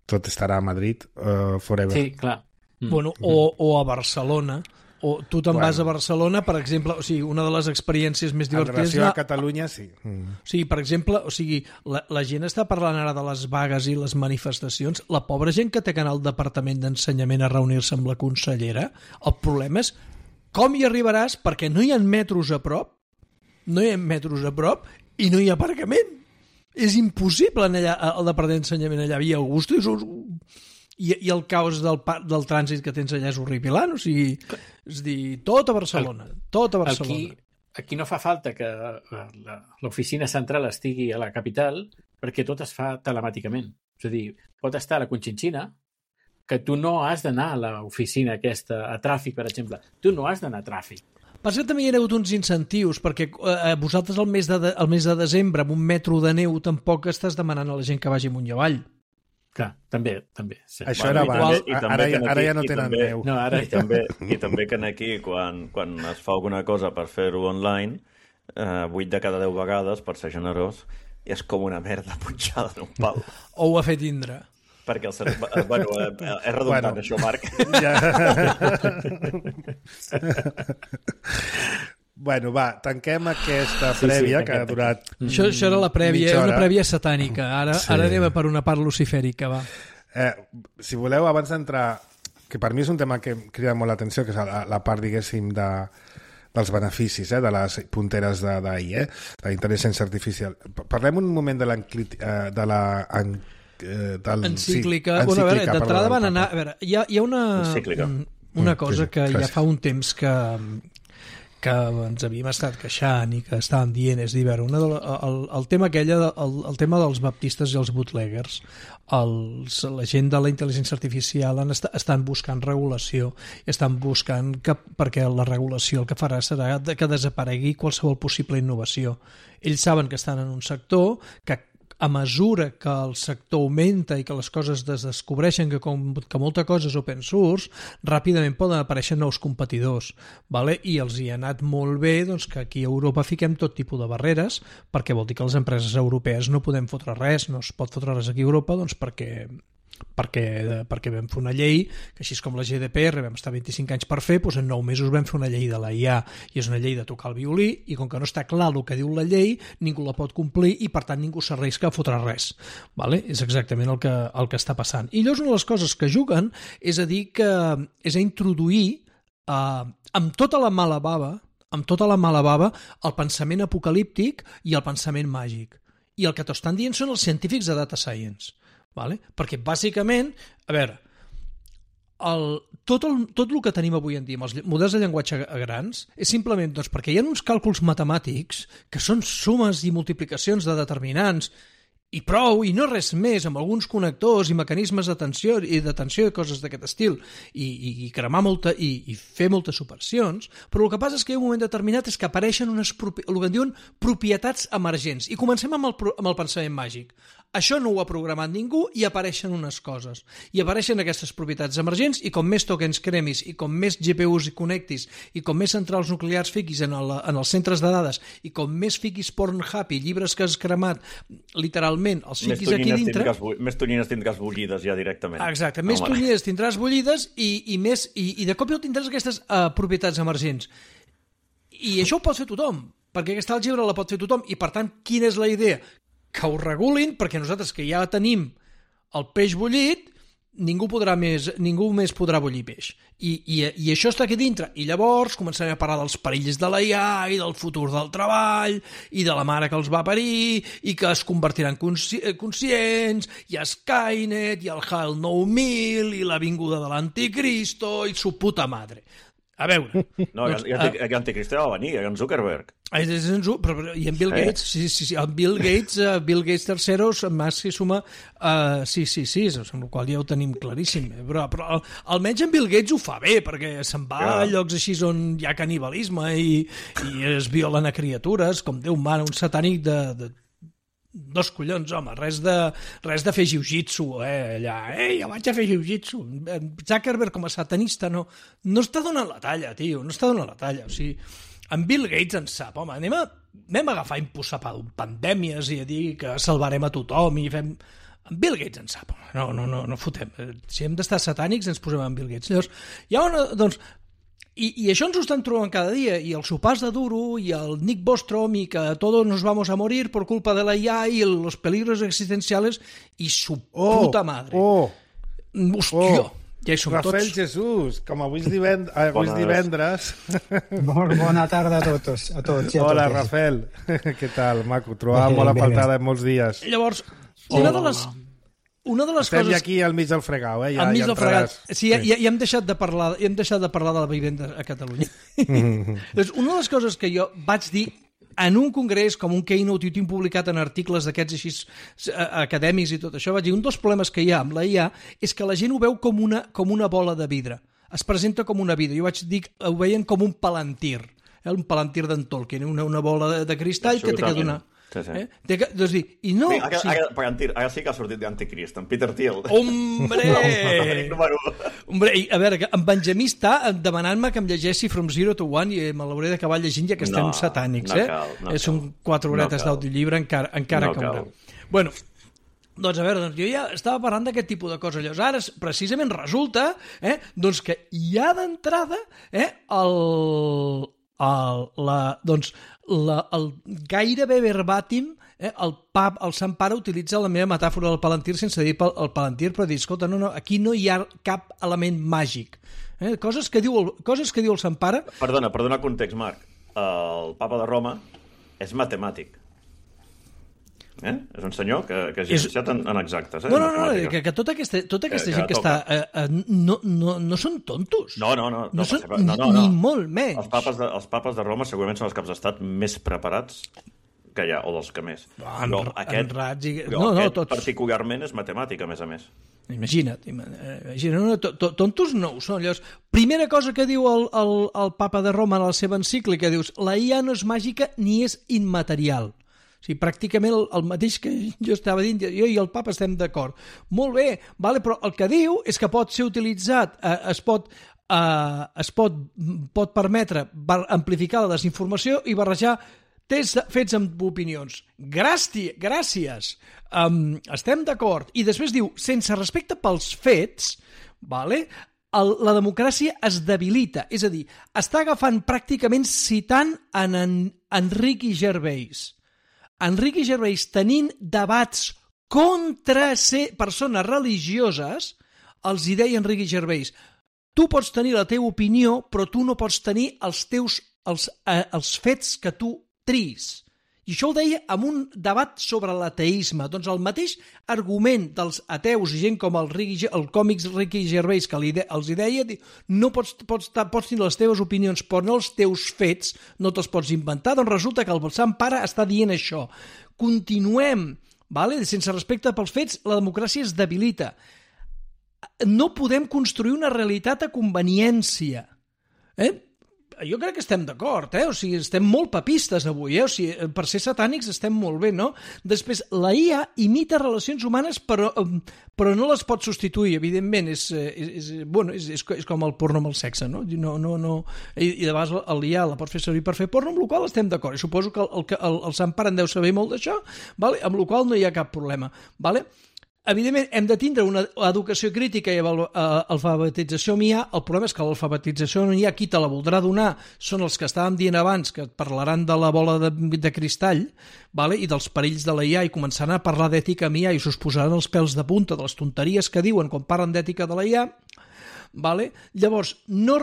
S1: Tot estarà a Madrid uh, forever.
S5: Sí, clar.
S3: Mm. Bueno, o, o a Barcelona, o tu te'n bueno. vas a Barcelona, per exemple, o sigui, una de les experiències més divertides...
S1: En relació a Catalunya, sí. Mm.
S3: O sigui, per exemple, o sigui, la, la gent està parlant ara de les vagues i les manifestacions. La pobra gent que té que anar al Departament d'Ensenyament a reunir-se amb la consellera, el problema és com hi arribaràs perquè no hi ha metros a prop, no hi ha metros a prop i no hi ha aparcament. És impossible anar allà al Departament d'Ensenyament allà a Via Augusta, és un, I, i el caos del, del trànsit que tens allà és horripilant, o sigui, és dir, tot a Barcelona, el, tot a Barcelona.
S5: Aquí, aquí no fa falta que l'oficina central estigui a la capital perquè tot es fa telemàticament. És a dir, pot estar a la Conchinchina, que tu no has d'anar a l'oficina aquesta, a tràfic, per exemple. Tu no has d'anar a tràfic.
S3: Per cert, també hi ha hagut uns incentius, perquè eh, vosaltres al mes, de, al mes de desembre, amb un metro de neu, tampoc estàs demanant a la gent que vagi amunt i avall.
S5: Clar, també, també. Sí.
S1: Això era abans, ara, ara ja no tenen
S4: també,
S1: neu.
S5: No, ara...
S4: I, també, I també que aquí, quan, quan es fa alguna cosa per fer-ho online, eh, vuit de cada deu vegades, per ser generós, és com una merda punxada en un pal.
S3: O ho ha fet Indra.
S4: Perquè el ser... Bueno, és redundant, bueno, això, Marc.
S1: Ja. Bueno, va, tanquem aquesta
S5: sí,
S1: prèvia
S5: sí,
S1: que ha durat...
S3: Això, això era la prèvia, era una prèvia satànica. Ara, sí. ara anem per una part lucifèrica, va.
S1: Eh, si voleu, abans d'entrar, que per mi és un tema que em crida molt l'atenció, que és la, la part, diguéssim, de, dels beneficis, eh, de les punteres d'A I, eh, de la intel·ligència artificial. Parlem un moment de la... De la en, del,
S3: encíclica.
S1: Sí,
S3: bueno, a veure,
S1: encíclica,
S3: d'entrada van anar... A veure, hi ha, hi ha una,
S4: encíclica.
S3: una cosa que ja fa un temps que, que ens havíem estat queixant i que estàvem dient, és dir, veure, una de la, el, el tema aquella, el, el tema dels baptistes i els bootleggers, els, la gent de la intel·ligència artificial han est estan buscant regulació, estan buscant que, perquè la regulació el que farà serà que desaparegui qualsevol possible innovació. Ells saben que estan en un sector que a mesura que el sector augmenta i que les coses es descobreixen que, com, que molta cosa és open source, ràpidament poden aparèixer nous competidors, vale? I els hi ha anat molt bé doncs, que aquí a Europa fiquem tot tipus de barreres, perquè vol dir que les empreses europees no podem fotre res, no es pot fotre res aquí a Europa, doncs perquè... Perquè, perquè vam fer una llei que així com la G D P R vam estar vint-i-cinc anys per fer, doncs en nou mesos vam fer una llei de la I A i és una llei de tocar el violí i com que no està clar el que diu la llei ningú la pot complir i per tant ningú s'arrisca a fotre res, vale? És exactament el que, el que està passant. I llavors una de les coses que juguen és a dir que és a introduir eh, amb tota la mala bava amb tota la mala bava el pensament apocalíptic i el pensament màgic, i el que t'estan dient són els científics de data science. Vale? Perquè bàsicament, a veure, el, tot, el, tot el que tenim avui en dia amb els models de llenguatge grans és simplement doncs, perquè hi ha uns càlculs matemàtics que són sumes i multiplicacions de determinants i prou, i no res més, amb alguns connectors i mecanismes d'atenció i d'atenció i coses d'aquest estil, i, i, i cremar molta, i, i fer moltes operacions, però el que passa és que hi ha un moment determinat és que apareixen unes, el que en diuen propietats emergents, i comencem amb el, amb el pensament màgic. Això no ho ha programat ningú i apareixen unes coses. I apareixen aquestes propietats emergents i com més tokens cremis i com més G P Us hi connectis i com més centrals nuclears fiquis en, el, en els centres de dades i com més fiquis Pornhub i llibres que has cremat, literalment, els fiquis aquí dintre...
S4: Tindràs, més tonyines tindràs bullides ja directament.
S3: Exacte, més Home. tonyines tindràs bullides i, i, més, i, i de cop i tindràs aquestes uh, propietats emergents. I això ho pot fer tothom, perquè aquesta àlgebra la pot fer tothom i per tant, quina és la idea? Que ho regulin, perquè nosaltres que ja tenim el peix bullit, ningú podrà més, ningú més podrà bullir peix. I, i, i això està aquí dintre. I llavors començarem a parlar dels perills de la I A i del futur del treball i de la mare que els va parir i que es convertiran consci conscients i Skynet i el HAL nou mil i la vinguda de l'anticristo i su puta madre. A veure...
S4: No, doncs, i l'anticristo ja va venir, en Zuckerberg.
S3: És en Zuckerberg, però, i en Bill Gates, sí, sí, sí, en Bill Gates, uh, Bill Gates terceros, més si suma, uh, sí, sí, sí, amb el qual ja ho tenim claríssim, però, però almenys en Bill Gates ho fa bé, perquè se'n va ja. a llocs així on hi ha canibalisme i, i es violen a criatures, com Déu mana, un satànic de... de dos collons, home, res de, res de fer jiu-jitsu, eh, allà, eh, jo vaig a fer jiu-jitsu. Zuckerberg com a satanista no, no està donant la talla, tio, no està donant la talla, o sigui, en Bill Gates en sap, home, anem a, anem a agafar imposar pandèmies i a dir que salvarem a tothom i fem... En Bill Gates en sap, home, no, no, no, no fotem. Si hem d'estar satànics ens posem en Bill Gates. Llavors, hi ha una, doncs, I, I això ens ho estan trobant cada dia, i el sopars de duro, i el Nick Bostrom, i que todos nos vamos a morir por culpa de la I A, i los peligros existenciales, i su
S1: oh,
S3: puta madre.
S1: Oh,
S3: Hòstia,
S1: oh.
S3: ja hi som
S1: Rafael
S3: tots.
S1: Jesús, com avui és, divend avui és divendres...
S6: Molt bona tarda a tots. A tots i a
S1: Hola,
S6: totes.
S1: Rafael. Què tal, maco? Trobava molt a faltada en molts dies.
S3: Llavors, una de les... una de les
S1: Estem
S3: coses...
S1: ja aquí al mig del fregau, eh? Ja,
S3: al mig
S1: ja
S3: del fregat.
S1: entraràs.
S3: Sí, ja, ja, ja, hem deixat de parlar, ja hem deixat de parlar de la vivenda a Catalunya. Doncs una de les coses que jo vaig dir en un congrés, com un keynote, i ho tinc publicat en articles d'aquests així acadèmics i tot això, vaig dir, un dels problemes que hi ha amb la I A és que la gent ho veu com una, com una bola de vidre. Es presenta com una vidre. Jo vaig dir, ho veien com un palantir. Eh? Un palantir d'en Tolkien, una, una bola de, de cristall que té que donar...
S4: Sí, sí.
S3: Eh? Té que, doncs dir, i no...
S4: Sí, ara,
S3: sí.
S4: ara, palantir, ara sí que ha sortit d'Anticrist, en Peter Thiel.
S3: Hombre!
S4: Número...
S3: Hombre, i, a veure, en Benjamí està demanant-me que em llegeixi From Zero to One i me l'hauré d'acabar llegint ja que estem
S4: no,
S3: satànics,
S4: no
S3: eh?
S4: cal, no
S3: Són
S4: cal.
S3: quatre horetes
S4: No
S3: d'audiollibre, encara, encara
S4: No
S3: caurà.
S4: cal.
S3: Bueno, doncs a veure, doncs jo ja estava parlant d'aquest tipus de coses. Llavors ara precisament resulta eh, doncs que ja d'entrada eh, el, el, la, doncs, la, el gairebé verbatim eh, el pap, el Sant Pare utilitza la meva metàfora del palantir sense dir el, el palantir, però dir, escolta, no, no, aquí no hi ha cap element màgic. Eh, coses, que diu el, coses que diu el Sant Pare...
S4: Perdona, per donar context, Marc. El papa de Roma és matemàtic. Eh? És un senyor que, que és llicenciat en, en exactes. Eh?
S3: No, no, no, que, que tota aquesta, tota aquesta que, gent que, que està... Eh, eh, no, no, no són tontos.
S4: No, no, no.
S3: No,
S4: no,
S3: són,
S4: no, no, no.
S3: Ni molt menys.
S4: Els papes, de, els papes de Roma segurament són els caps d'estat més preparats que hi ha, o dels que més.
S3: En,
S4: però
S3: en
S4: aquest,
S3: rats i...
S4: però
S3: No, no,
S4: aquest
S3: tots...
S4: particularment és matemàtic, a més a més.
S3: Imagina't, imagina't no, no, tontos no ho són. Llavors, primera cosa que diu el, el, el papa de Roma en la seva encíclica, dius, la I A no és màgica ni és immaterial. O sigui, pràcticament el, el mateix que jo estava dient, jo i el papa estem d'acord. Molt bé, vale, però el que diu és que pot ser utilitzat, eh, es pot... Uh, es pot, pot permetre amplificar la desinformació i barrejar tests fets amb opinions. Gràcies, gràcies. Um, estem d'acord. I després diu, sense respecte pels fets, vale, el, la democràcia es debilita. És a dir, està agafant pràcticament citant en, en Enrique Gervais. Enrique Gervais tenint debats contra ser persones religioses, els hi deia Enrique Gervais, tu pots tenir la teva opinió, però tu no pots tenir els teus els, eh, els fets que tu tris. I això ho deia en un debat sobre l'ateisme. Doncs el mateix argument dels ateus i gent com el, Ricky, el còmics Ricky Gervais que li de, els hi deia, no pots, pots, pots tenir les teves opinions, però no els teus fets, no te'ls pots inventar. Doncs resulta que el Sant Pare està dient això. Continuem, vale? Sense respecte pels fets, la democràcia es debilita. No podem construir una realitat a conveniència. Eh? Jo crec que estem d'acord, eh? O sigui, estem molt papistes avui, eh? O sigui, per ser satànics estem molt bé, no? Després, la I A imita relacions humanes, però, però no les pot substituir, evidentment. És, és, és, bueno, és, és, és com el porno amb el sexe, no? no, no, no. I, i de vegades l'I A la pot fer servir per fer porno, amb la qual estem d'acord. I suposo que el, el, el Sant Pare en deu saber molt d'això, vale? Amb la qual no hi ha cap problema. Vale? Evidentment, hem de tindre una educació crítica i alfabetització amb I A. El problema és que l'alfabetització amb I A, qui te la voldrà donar, són els que estàvem dient abans, que parlaran de la bola de, de cristall, vale? I dels perills de la I A, i començaran a parlar d'ètica amb I A i s'us posaran els pèls de punta de les tonteries que diuen quan parlen d'ètica de la I A. Vale? Llavors, no,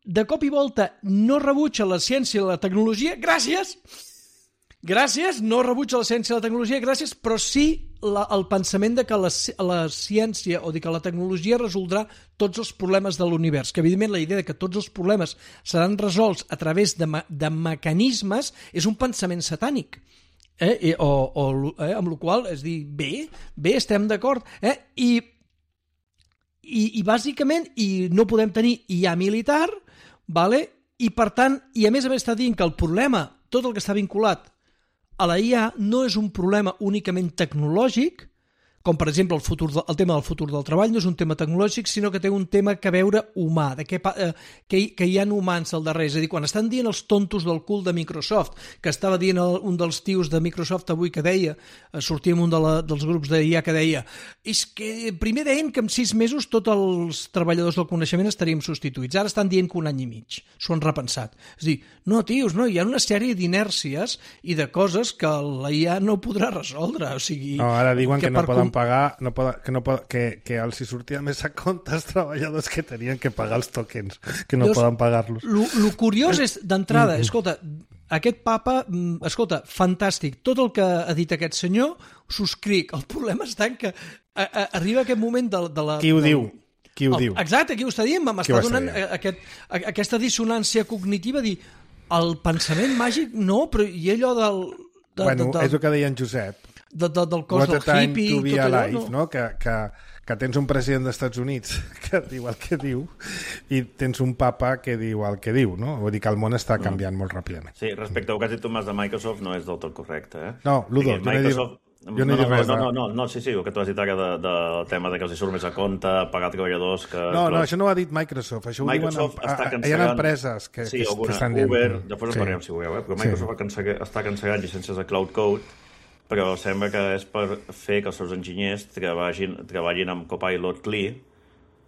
S3: de cop i volta, no rebutja la ciència i la tecnologia. Gràcies! Gràcies, no rebutja la ciència i la tecnologia, gràcies, però sí la, el pensament de que la, la ciència o de que la tecnologia resoldrà tots els problemes de l'univers, que evidentment la idea de que tots els problemes seran resolts a través de, de mecanismes és un pensament satànic. Eh? O, o, eh? Amb la qual és dir, bé, bé, estem d'acord. Eh? I, i, I bàsicament i no podem tenir I A militar, vale? I per tant, i a més a més està dient que el problema, tot el que està vinculat a la I A no és un problema únicament tecnològic, com per exemple el, futur, el tema del futur del treball no és un tema tecnològic, sinó que té un tema que veure humà, de que, eh, que, que hi ha humans al darrere. És a dir, quan estan dient els tontos del cul de Microsoft, que estava dient el, un dels tios de Microsoft avui que deia, eh, sortia en un de la, dels grups d'I A que deia, és que primer deien que en sis mesos tots els treballadors del coneixement estaríem substituïts. Ara estan dient que un any i mig. S'ho han repensat. És a dir, no, tios, no, hi ha una sèrie d'inèrcies i de coses que la I A no podrà resoldre. O sigui,
S1: no, ara diuen que, que no poden pagar, no poden, que, no poden, que, que els hi sortia més a compte els treballadors que tenien que pagar els tokens, que no Llavors, poden pagar-los.
S3: Lo curiós és, d'entrada, escolta, aquest papa, escolta, fantàstic, tot el que ha dit aquest senyor, subscric. El problema està en que a, a, arriba aquest moment de, de la...
S1: Qui ho
S3: del,
S1: diu? Qui ho
S3: el,
S1: diu?
S3: Exacte, qui ho està dient? M'està donant aquest, aquesta dissonància cognitiva, dir, el pensament màgic, no, però i allò del... De,
S1: bueno,
S3: de, de,
S1: és el que deia en Josep.
S3: De, de, del cos del hippie i tot allò,
S1: alive, no? no? Que, que, que tens un president dels Estats Units que diu el que diu i tens un papa que diu el que diu, no? Vull dir que el món està canviant mm. molt ràpidament.
S4: Sí, respecte al que has dit, Tomàs, de Microsoft no és del tot correcte, eh?
S1: No, Ludo, jo
S4: Microsoft...
S1: no he dit, jo no,
S4: no,
S1: he dit res.
S4: No, no, no, no, sí, sí, el que tu has dit ara del de, de tema de que els hi surt més a compte, pagar treballadors... Que,
S1: no, no, això no ho ha dit Microsoft, això
S4: Microsoft
S1: ho diuen...
S4: Està
S1: cancel·lant... Hi ha empreses que,
S4: sí,
S1: que,
S4: alguna,
S1: que estan
S4: dient... Uber,
S1: dient...
S4: després en parlem, si voleu, eh? Però Microsoft sí. està cancel·lant llicències de Cloud Code, però sembla que és per fer que els seus enginyers treballin, treballin amb Copilot C L I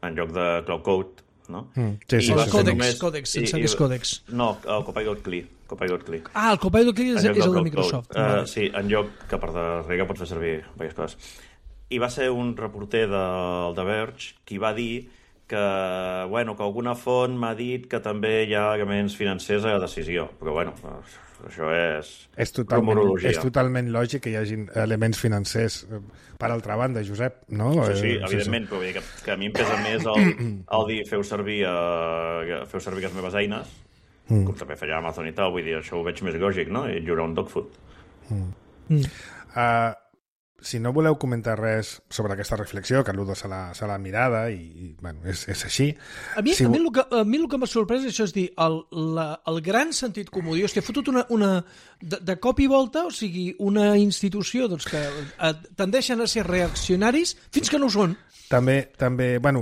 S4: en lloc de Cloud Code, no? Mm,
S3: sí, sí, sí, sí. Còdex, només, còdex, sense que és còdex.
S4: No, el Copilot C L I. Copilot C L I.
S3: Ah, el Copilot C L I és, és el de Microsoft.
S4: Uh, sí, en lloc que per darrere pots fer servir diverses coses. I va ser un reporter del The Verge qui va dir que, bueno, que alguna font m'ha dit que també hi ha elements financers a la decisió, però bueno, això és,
S1: és totalment, és totalment lògic que hi hagi elements financers. Per altra banda, Josep, no?
S4: Sí, sí, evidentment, però vull dir que, que a mi em pesa més el, el dir feu servir, uh, feu servir les meves eines, mm. com també feia Amazon i tal, vull dir, això ho veig més lògic, no? I lliurar un dog food.
S1: Mm. Mm. Uh, si no voleu comentar res sobre aquesta reflexió, que l'Udo se l'ha mirada i, i bueno, és, és així...
S3: A mi,
S1: si...
S3: a mi el que, a mi el que m'ha sorprès això és dir, el, la, el gran sentit comú, dius, t'he fotut una, una de, de cop i volta, o sigui, una institució doncs, que tendeixen a ser reaccionaris fins que no ho són.
S1: També, també, bueno,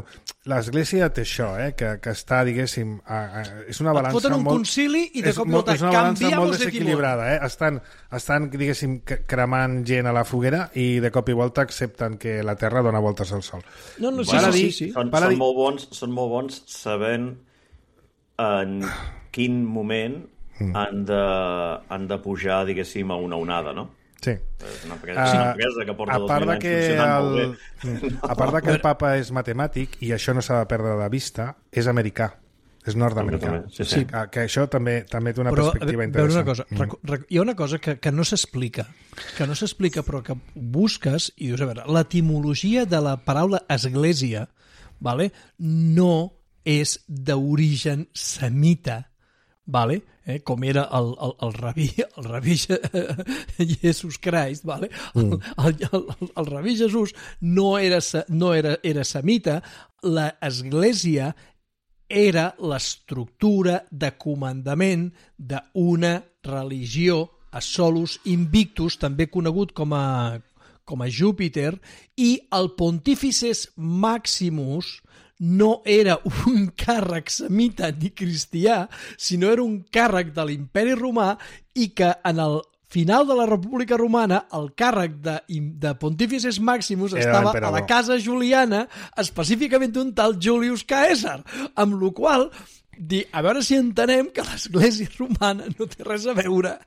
S1: l'Església té això, eh, que, que està, diguéssim, a, a, és una balança molt...
S3: Et foten un
S1: molt,
S3: concili i de
S1: és,
S3: cop i volta
S1: és una balança molt
S3: de
S1: desequilibrada, eh? Estan, estan, diguéssim, cremant gent a la foguera i de cop i volta accepten que la Terra dona voltes al Sol.
S3: No, no, sí,
S4: bueno,
S3: sí, sí, sí.
S4: Són, són, dir... molt bons, són molt bons sabent en quin moment mm. han, de, han de pujar, diguéssim, a una onada, no?
S1: Sí.
S4: És una empresa que porta dos mil anys funcionant molt bé.
S1: A part de que el papa és matemàtic, i això no s'ha de perdre de vista, és americà, és nord-americà.
S4: Sí, sí.
S1: Que, que això també també té una
S3: però,
S1: perspectiva
S3: però
S1: interessant.
S3: Una cosa, mm. Hi ha una cosa que, que no s'explica, que no s'explica, però que busques i dius, a veure, l'etimologia de la paraula església, vale, no és d'origen semita, vale? Eh, com era el, el, el rabí, el rabí Jesús Christ, vale? el, el, el, el rabí Jesús no era, no era, era semita, l'església era l'estructura de comandament d'una religió a Solus Invictus, també conegut com a, com a Júpiter, i el Pontifices Maximus no era un càrrec semita ni cristià, sinó era un càrrec de l'imperi romà i que en el final de la República Romana el càrrec de, de Pontifices Maximus era estava a la casa juliana, específicament d'un tal Julius Caesar, amb la qual dir, a veure si entenem que l'església romana no té res a veure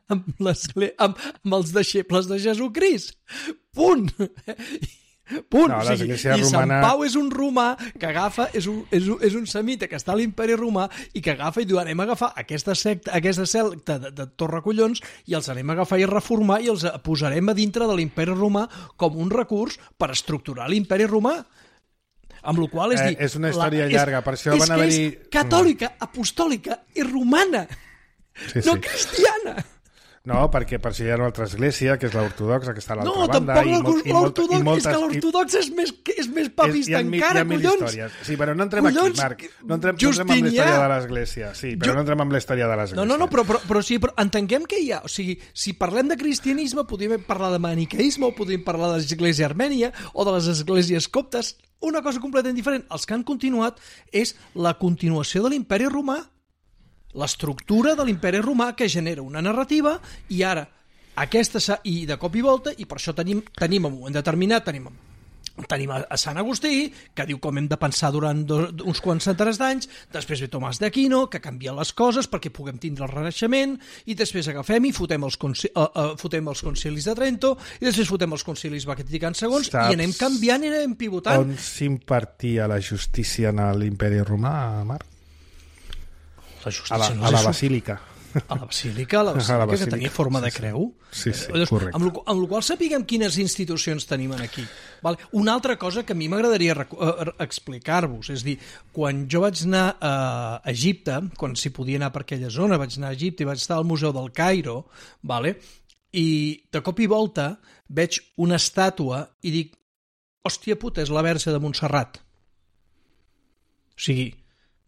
S3: amb, amb, amb els deixebles de Jesucrist. Punt! Punt. No, o sigui, I romana... Sant Pau és un romà que agafa, és un, és, un, és un semita que està a l'imperi romà i que agafa i diu, anem a agafar aquesta secta, aquesta secta de, de Torracollons i els anem a agafar i reformar i els posarem a dintre de l'imperi romà com un recurs per estructurar l'imperi romà. Amb la qual és dir...
S1: Eh, és una història
S3: la,
S1: llarga,
S3: és,
S1: per això
S3: és
S1: van haver-hi...
S3: És catòlica, apostòlica i romana, sí, no sí. cristiana.
S1: No, perquè per això hi ha una altra església, que és l'ortodoxa, que està a l'altra
S3: no,
S1: banda.
S3: No, tampoc l'ortodox, és que l'ortodox és més, és més papista és, encara, collons. Històries.
S1: Sí, però no entrem collons, aquí, Marc. No entrem, no entrem amb la història de l'església. Sí, però jo... no entrem amb la història de l'església.
S3: No, no, no, però, però, però sí, però entenguem que hi ha... O sigui, si parlem de cristianisme, podríem parlar de maniqueisme, o podríem parlar de l'església armènia, o de les esglésies coptes. Una cosa completament diferent. Els que han continuat és la continuació de l'imperi romà, l'estructura de l'imperi romà que genera una narrativa i ara aquesta i de cop i volta i per això tenim, tenim en un moment determinat tenim, tenim a, a Sant Agustí que diu com hem de pensar durant dos, uns quants centenars d'anys, després ve Tomàs d'Aquino que canvia les coses perquè puguem tindre el Renaixement i després agafem i fotem els, conci, uh, uh, fotem els concilis de Trento i després fotem els concilis vaticans segons Saps i anem canviant i anem pivotant.
S1: On s'impartia la justícia en l'imperi romà, Marc?
S3: La
S1: a la, a la basílica.
S3: A la Basílica, a la Basílica,
S1: la Basílica
S3: que tenia forma
S1: sí,
S3: de creu.
S1: Sí, sí,
S3: Llavors,
S1: correcte.
S3: amb, lo, amb la qual sapiguem quines institucions tenim aquí. Vale? Una altra cosa que a mi m'agradaria uh, explicar-vos, és dir, quan jo vaig anar a Egipte, quan s'hi podia anar per aquella zona, vaig anar a Egipte i vaig estar al Museu del Cairo, vale? I de cop i volta veig una estàtua i dic, hòstia puta, és la Verge de Montserrat. O sigui,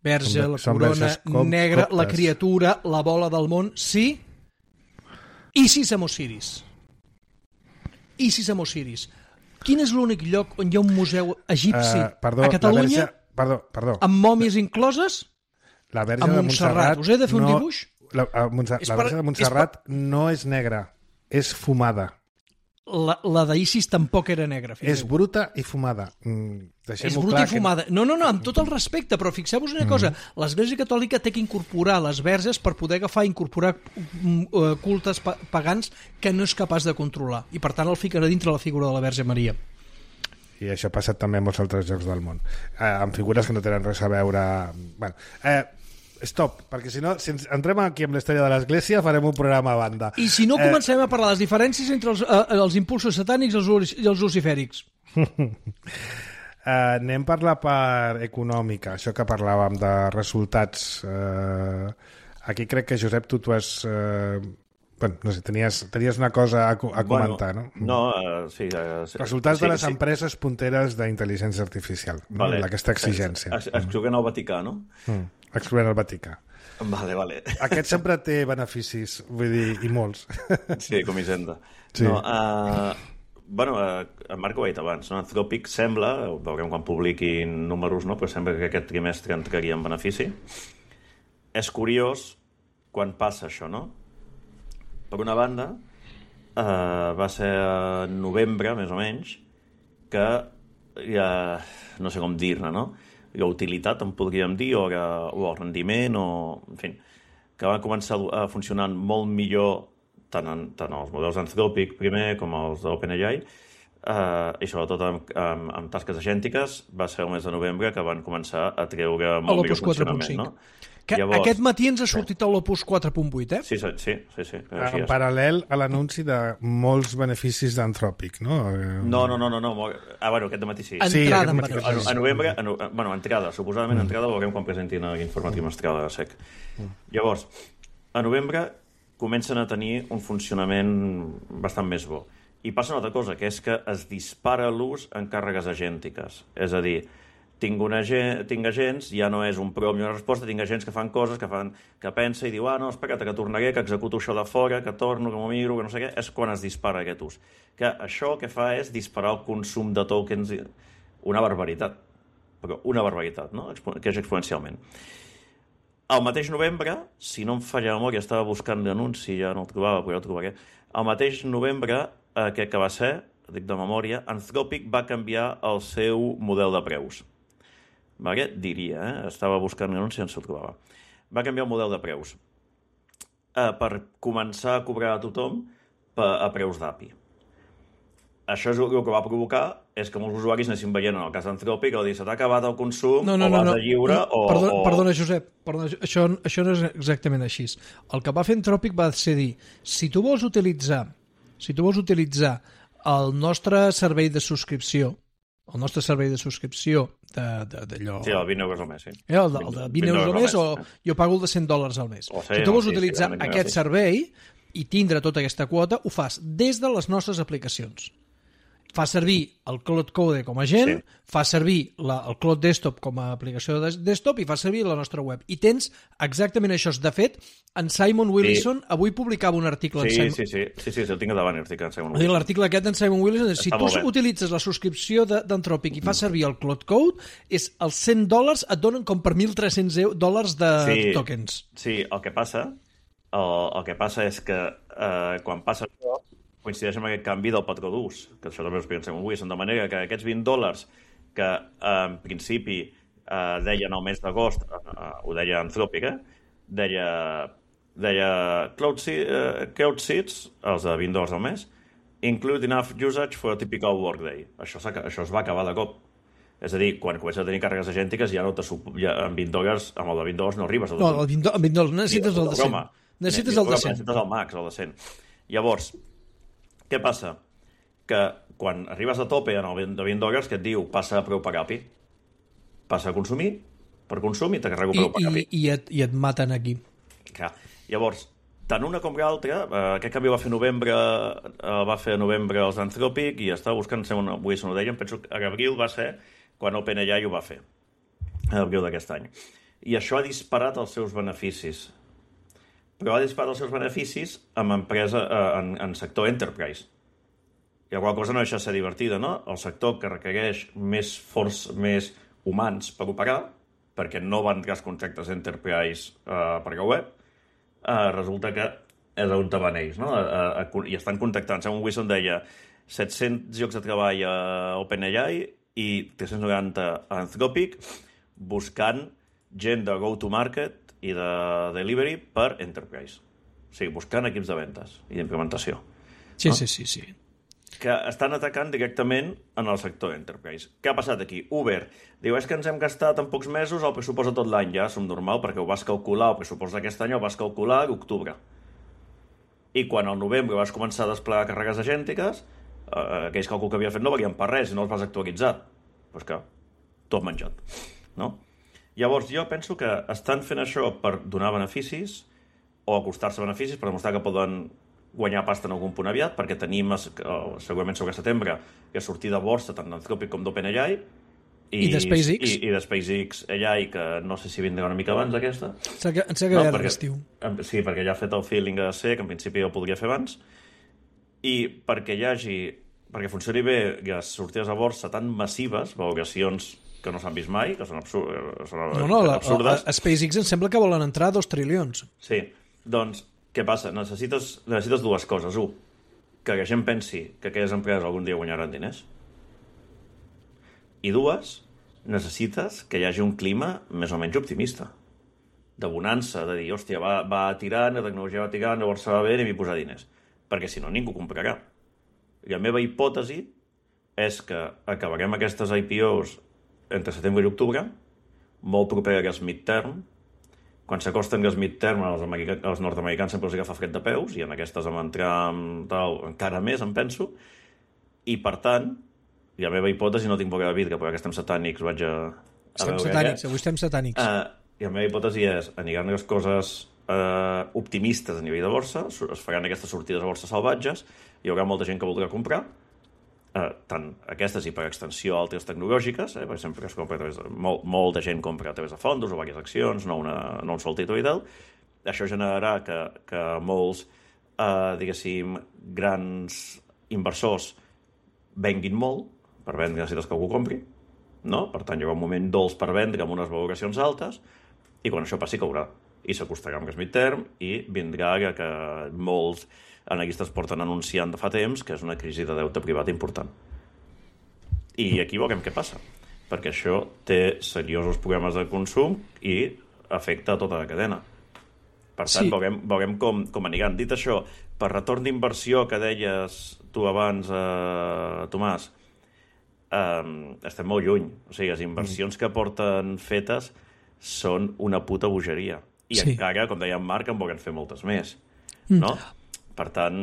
S3: verge, la corona com, negra, coptes. La criatura, la bola del món, sí? Isis amb Osiris. Isis amb Osiris. Quin és l'únic lloc on hi ha un museu egipci uh, perdó, a Catalunya? Verge,
S1: perdó, perdó.
S3: Amb mòmies incloses?
S1: La Verge
S3: a
S1: de
S3: Montserrat.
S1: Montserrat.
S3: Us he de fer un
S1: no,
S3: dibuix?
S1: La, a Montserrat, la Verge per, de Montserrat per... no és negra, és fumada.
S3: La, la d'Isis tampoc era negra.
S1: És bruta i fumada. Mm,
S3: és bruta i fumada. Que... No, no, no, amb tot el respecte, però fixeu-vos una mm. cosa. L'Església Catòlica té que incorporar les verges per poder agafar i incorporar uh, cultes pagans que no és capaç de controlar. I per tant el ficarà dintre la figura de la Verge Maria.
S1: I això ha passat també en molts altres llocs del món. Eh, amb figures que no tenen res a veure... Bueno, eh, stop, perquè si no, si ens entrem aquí amb la història de l'Església, farem un programa a banda.
S3: I si no, comencem eh... a parlar de les diferències entre els, eh, els impulsos satànics i els, i els lucifèrics.
S1: uh, anem per la part econòmica, això que parlàvem de resultats. Uh, aquí crec que, Josep, tu t'ho has... Uh, bueno, no sé, tenies, tenies una cosa a, a comentar,
S4: bueno,
S1: no?
S4: No, uh, sí. Uh,
S1: Resultats
S4: sí,
S1: de les
S4: sí.
S1: empreses punteres d'intel·ligència artificial,
S4: vale.
S1: no? Aquesta exigència.
S4: Ex, ex, excloent el Vaticà, no?
S1: Mm. Excloent el Vaticà.
S4: Vale, vale.
S1: Aquest sempre té beneficis, vull dir, i molts.
S4: Sí, com Hisenda.
S1: Sí.
S4: No, uh, bueno, uh, en Marc ho ha dit abans, no? Anthropic sembla, veurem quan publiquin números, no? Però sembla que aquest trimestre entraria en benefici. És curiós quan passa això, no? Per una banda, uh, va ser a novembre, més o menys, que ja, no sé com dir-ne, no? La utilitat, en podríem dir, o, o el rendiment, o, en fi, que van començar a funcionar molt millor tant, en, tant els models Anthropic primer com els d'OpenAI, eh, i sobretot amb, amb, amb tasques agèntiques, va ser el mes de novembre que van començar a treure molt millor funcionament, no?
S3: Que Llavors, aquest matí ens ha sortit a l'Opus quatre punt vuit, eh?
S4: Sí, sí, sí. sí, sí
S1: en paral·lel a l'anunci de molts beneficis d'Anthropic, no?
S4: No, no, no, no, no. Ah, bueno, aquest matí sí.
S3: Entrada
S1: sí,
S3: en
S1: matí,
S4: a, a novembre, a no, bueno, entrada, suposadament mm. entrada, veurem quan presentin l'informe trimestral de SEC. Mm. Llavors, a novembre comencen a tenir un funcionament bastant més bo. I passa una altra cosa, que és que es dispara l'ús en càrregues agèntiques. És a dir, tinc, una, tinc agents, ja no és un prompt i una resposta, tinc agents que fan coses, que, fan, que pensa i diu, ah, no, espera't, que tornaré, que executo això de fora, que torno, que m'ho miro, que no sé què, és quan es dispara aquest ús. Que això que fa és disparar el consum de tokens, una barbaritat, però una barbaritat, no? Que és exponencialment. Al mateix novembre, si no em falla la memòria, estava buscant l'anunci, ja no el trobava, però ja el trobaré, al mateix novembre, aquest que va ser, dic de memòria, Anthropic va canviar el seu model de preus. Vale? Diria, eh? Estava buscant l'anunci i no se'l trobava. Va canviar el model de preus eh, per començar a cobrar a tothom per, a preus d'A P I. Això és el que va provocar és que molts usuaris anessin veient en el cas d'Anthropic o dir, se t'ha acabat el consum,
S3: no, no,
S4: o vas
S3: no,
S4: a lliure,
S3: no.
S4: o...
S3: Perdona,
S4: o...
S3: perdona Josep, perdona, això, això no és exactament així. El que va fer Anthropic va ser dir, si tu vols utilitzar, si tu vols utilitzar el nostre servei de subscripció, el nostre servei de subscripció d'allò...
S4: Sí, el vint euros al mes, sí.
S3: Eh, el, de, el de vint euros al mes, o jo pago el de cent dòlars al mes.
S4: O
S3: si tu vols utilitzar aquest servei i tindre tota aquesta quota, ho fas des de les nostres aplicacions. Fa servir el Cloud Code com a agent, sí. fa servir la, el Cloud Desktop com a aplicació de desktop i fa servir la nostra web. I tens exactament això. De fet, en Simon Willison sí. avui publicava un article...
S4: Sí,
S3: en Simon...
S4: sí, sí, sí, sí, sí, el tinc davant, l'article en Simon Willison.
S3: L'article aquest d'en Simon Willison, si tu utilitzes la subscripció d'Anthropic i fas servir el Cloud Code, és els cent dòlars et donen com per mil tres-cents dòlars de
S4: sí,
S3: tokens.
S4: Sí, el que passa, el, el que passa és que eh, quan passa això, coincideix amb aquest canvi del patró d'ús, que això també ho expliquem en Wilson, de manera que aquests vint dòlars que eh, en principi eh, deien al mes d'agost, eh, ho deia Anthropic, eh? deia, deia Cloud, uh, Cloud Seats, els de vint dòlars al mes, include enough usage for a typical workday. Això, això es va acabar de cop. És a dir, quan comences a tenir càrregues agèntiques ja no te ja, amb vint dòlars, amb el de vint dòlars no arribes.
S3: No, el vint, amb vint dòlars necessites el de cent. Necessites el de cent.
S4: Necessites el max, el de cent. Llavors, què passa? Que quan arribes a tope en el de vint dòlars, que et diu passa a preu pagapi, passa a consumir, per consum i te carrego preu pagapi.
S3: I, i, et, I et maten aquí.
S4: Clar. Llavors, tant una com l'altra, eh, aquest canvi va fer novembre, eh, va fer a novembre els d'Anthropic i estava buscant, sembla, avui se no ho deien, penso que a abril va ser quan OpenAI ho va fer, a l'abril d'aquest any. I això ha disparat els seus beneficis. Però ha disparat els seus beneficis en empresa, eh, en, en sector enterprise. I la qual cosa no deixa de ser divertida, no? El sector que requereix més forç, més humans per operar, perquè no van entrar els contractes enterprise eh, per la web, Uh, resulta que és on te van ells, no? Uh, uh, i estan contactant. Segons Wilson deia set-cents llocs de treball a OpenAI i tres-cents noranta a Anthropic, buscant gent de go-to-market i de delivery per enterprise. O sigui, buscant equips de ventes i d'implementació.
S3: Sí,
S4: no?
S3: sí, sí, sí.
S4: Que estan atacant directament en el sector enterprise. Què ha passat aquí? Uber diu, és que ens hem gastat en pocs mesos el pressupost de tot l'any, ja som normal, perquè ho vas calcular, el pressupost d'aquest any ho vas calcular a l'octubre. I quan al novembre vas començar a desplegar càrregues agèntiques, eh, aquells càlculs que havia fet no valien per res i no els vas actualitzar. Doncs que tot menjat, no? Llavors jo penso que estan fent això per donar beneficis o acostar-se beneficis per demostrar que poden guanyar pasta en algun punt aviat, perquè tenim segurament sobre setembre que sortir de borsa tant d'Anthropic com d'OpenAI
S3: i, i de SpaceX
S4: i, i de SpaceX A I, que no sé si vindrà una mica abans aquesta.
S3: Em sembla que no, perquè, l'estiu.
S4: Sí, perquè ja ha fet el feeling de ser, que en principi ho podria fer abans, i perquè hi hagi, perquè funcioni bé les sortides a borsa tan massives, valoracions que no s'han vist mai, que són, absurd, són
S3: no, no,
S4: absurdes.
S3: A, a SpaceX em sembla que volen entrar dos trilions.
S4: Sí, doncs què passa? Necessites, necessites dues coses. Un, que la gent pensi que aquelles empreses algun dia guanyaran diners. I dues, necessites que hi hagi un clima més o menys optimista. De bonança, de dir, hòstia, va, va tirant, la tecnologia va tirant, llavors se va bé i m'hi posar diners. Perquè si no, ningú comprarà. I la meva hipòtesi és que acabarem aquestes I P Os entre setembre i octubre, molt proper als midterm. Quan s'acosten els midterm, els, els nord-americans sempre els agafa fred de peus, i en aquestes vam entrar tal, encara més, em penso, i per tant, i la meva hipòtesi, no tinc boca de vidre, però que estem satànics, vaig a, a
S3: estem
S4: veure
S3: satànics,
S4: què.
S3: Avui estem satànics.
S4: Uh, I la meva hipòtesi és, aniran les coses uh, optimistes a nivell de borsa, es faran aquestes sortides a borsa salvatges, hi haurà molta gent que voldrà comprar, Uh, tant aquestes i per extensió altres tecnològiques, eh, per exemple, que es compra a través de, molt, molt de gent compra a través de fondos o diverses accions, no, una, no un sol títol i tal. Això generarà que, que molts, uh, diguéssim, grans inversors venguin molt per vendre necessites que algú compri, no? Per tant, hi haurà un moment dolç per vendre amb unes valoracions altes i quan això passi caurà i s'acostarà amb el midterm i vindrà que, que molts analistes porten anunciant de fa temps que és una crisi de deute privat important. I aquí veurem què passa, perquè això té seriosos problemes de consum i afecta a tota la cadena. Per tant, sí. veurem, veurem com, com aniran. Dit això, per retorn d'inversió que deies tu abans, eh, Tomàs, eh, estem molt lluny. O sigui, les inversions mm. que porten fetes són una puta bogeria. I sí. encara, com deia en Marc, en volen fer moltes més. Mm. No? Per tant,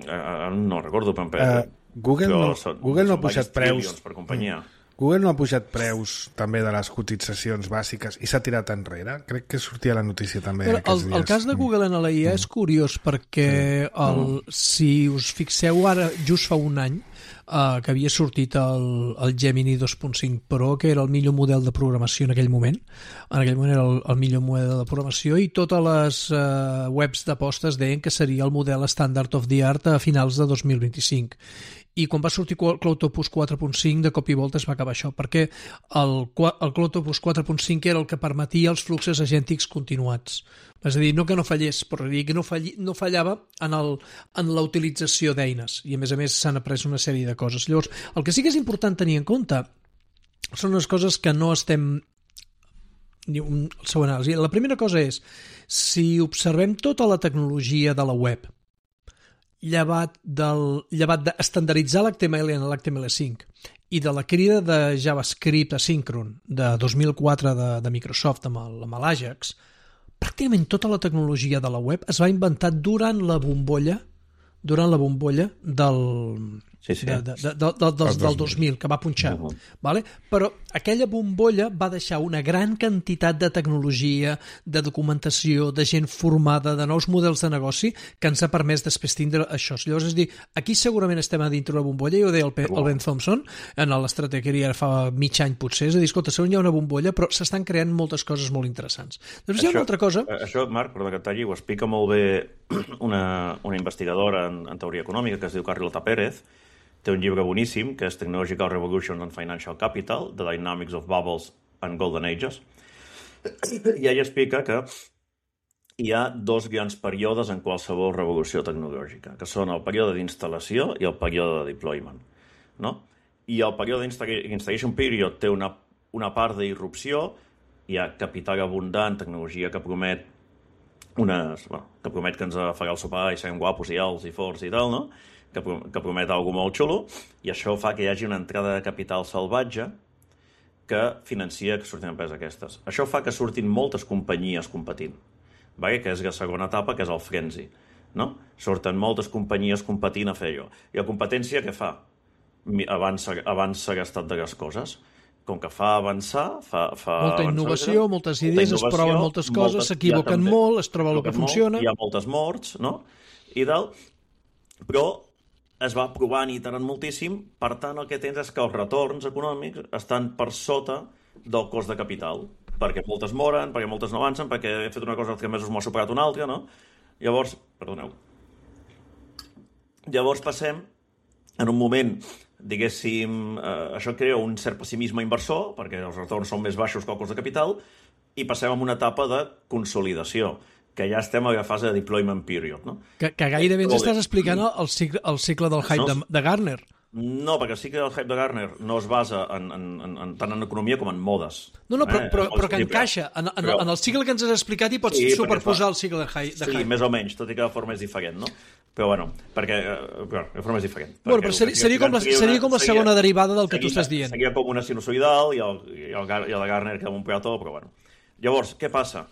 S4: eh, no recordo, però,
S1: uh, Google, no, són, Google no ha pujat preus
S4: per companyia.
S1: Google no ha pujat preus també de les cotitzacions bàsiques i s'ha tirat enrere. Crec que sortia la notícia també
S3: però
S1: aquests
S3: el,
S1: dies.
S3: El cas de Google en la I A mm. és curiós perquè el, si us fixeu ara, just fa un any, Uh, que havia sortit el, el Gemini dos punt cinc Pro, que era el millor model de programació en aquell moment. En aquell moment era el, el millor model de programació i totes les uh, webs d'apostes deien que seria el model standard of the art a finals de dos mil vint-i-cinc. I quan va sortir CloudTopus quatre punt cinc, de cop i volta es va acabar això, perquè el, el CloudTopus quatre punt cinc era el que permetia els fluxos agèntics continuats. És a dir, no que no fallés, però que no, falli, no fallava en, el, en la utilització d'eines. I a més a més s'han après una sèrie de coses. Llavors, el que sí que és important tenir en compte són les coses que no estem... El seu anàlisi. La primera cosa és, si observem tota la tecnologia de la web, llevat, del, llevat d'estandarditzar l'H T M L en l'H T M L cinc i de la crida de JavaScript asíncron de dos mil quatre de, de Microsoft amb l'Ajax, pràcticament tota la tecnologia de la web es va inventar durant la bombolla durant la bombolla del...
S4: Sí, sí.
S3: De, de, de, de, de, del, del dos mil, que va punxar. Uh -huh. Vale? Però aquella bombolla va deixar una gran quantitat de tecnologia, de documentació, de gent formada, de nous models de negoci, que ens ha permès després tindre això. Llavors, és dir, aquí segurament estem a dintre la bombolla, i ho deia el, el Ben Thompson, en l'estratègia fa mig any potser, és a dir, escolta, segons hi ha una bombolla, però s'estan creant moltes coses molt interessants. Després hi ha una altra cosa...
S4: Això, Marc, perdó que et talli, ho explica molt bé una, una investigadora en, en teoria econòmica que es diu Carlota Pérez. Té un llibre boníssim, que és Technological Revolutions and Financial Capital, The Dynamics of Bubbles and Golden Ages. I ella explica que hi ha dos grans períodes en qualsevol revolució tecnològica, que són el període d'instal·lació i el període de deployment. No? I el període d'installation period té una, una part d'irrupció, hi ha capital abundant, tecnologia que promet unes, bueno, que promet que ens farà el sopar i serem guapos i alts i forts i tal, no? que, que promet alguna molt xulo, i això fa que hi hagi una entrada de capital salvatge que financia que surtin empreses aquestes. Això fa que surtin moltes companyies competint, vale? Que és la segona etapa, que és el frenzy. No? Surten moltes companyies competint a fer allò. I la competència què fa? Avança, avança l'estat de les coses. Com que fa avançar... Fa, fa
S3: molta
S4: avançar,
S3: innovació, moltes idees, es proven moltes coses, s'equivoquen molt, es troba el que funciona...
S4: Hi ha moltes morts, no? I tal, però es va provant i iterant moltíssim, per tant el que tens és que els retorns econòmics estan per sota del cost de capital, perquè moltes moren, perquè moltes no avancen, perquè he fet una cosa els tres mesos m'ho ha superat una altra, no? Llavors, perdoneu, llavors passem en un moment, diguéssim, eh, això crea un cert pessimisme inversor, perquè els retorns són més baixos que el cost de capital, i passem a una etapa de consolidació, que ja estem a la fase de deployment period, no?
S3: Que, que gairebé ens estàs explicant el cicle, el cicle del hype no, de, de Gartner.
S4: No, perquè el cicle del hype de Gartner no es basa en, en, en, en, tant en economia com en modes.
S3: No, no, però, eh? però, però que encaixa. En, en, però, en el cicle que ens has explicat hi pots sí, superposar fa, el cicle de hype.
S4: Sí, més o menys, tot i que de forma és diferent, no? Però bueno, perquè però, de forma és diferent.
S3: Bueno, però seria, seria, com la, seria com la segona seria, derivada del que
S4: seria,
S3: tu estàs dient.
S4: Seria com una sinusoidal i el, i el, i el de Gartner que un peató, però bueno. Llavors, què passa?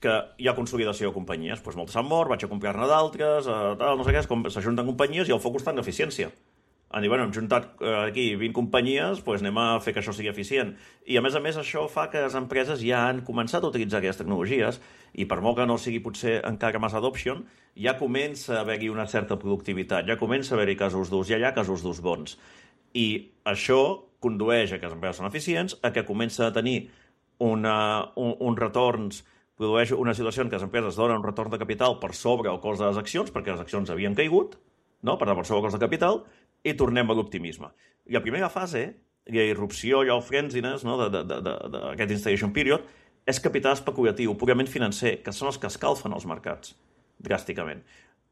S4: Que hi ha consolidació de companyies. Doncs moltes han mort, vaig a comprar-ne d'altres, eh, tal, no sé què, s'ajunten companyies i el focus està en eficiència. Han dit, bueno, hem juntat eh, aquí vint companyies, doncs anem a fer que això sigui eficient. I a més a més això fa que les empreses ja han començat a utilitzar aquestes tecnologies i per molt que no sigui potser encara massa adoption, ja comença a haver-hi una certa productivitat, ja comença a haver-hi casos d'ús, ja hi ha casos d'ús bons. I això condueix a que les empreses són eficients, a que comença a tenir una, un, uns retorns, produeix una situació en què les empreses donen un retorn de capital per sobre el cost de les accions, perquè les accions havien caigut, no? Per tant, per sobre el cost de capital, i tornem a l'optimisme. I la primera fase, la irrupció i el frenziness, no? d'aquest installation period, és capital especulatiu, purament financer, que són els que escalfen els mercats, dràsticament.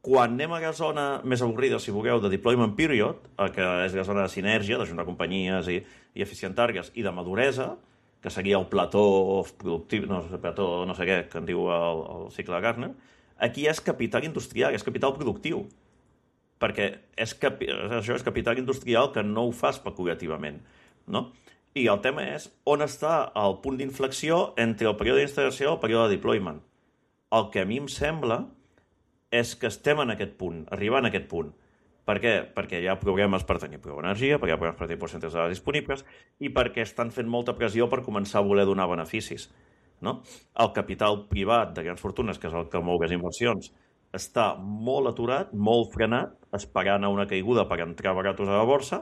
S4: Quan anem a la zona més avorrida, si vulgueu, de deployment period, que és la zona de sinergia, d'ajuntar companyies i, i eficientar-les, i de maduresa, que seria el plató productiu, no, el plató no sé què, que en diu el, el cicle de Gartner, aquí és capital industrial, és capital productiu, perquè és, capi, això és capital industrial que no ho fa especulativament, no? I el tema és on està el punt d'inflexió entre el període d'instal·lació i el període de deployment. El que a mi em sembla és que estem en aquest punt, arribant a aquest punt. Per què? Perquè hi ha problemes per tenir prou energia, perquè hi ha problemes per tenir percentatges de dades disponibles i perquè estan fent molta pressió per començar a voler donar beneficis. No? El capital privat de grans fortunes, que és el que mou les inversions, està molt aturat, molt frenat, esperant a una caiguda per entrar baratos a la borsa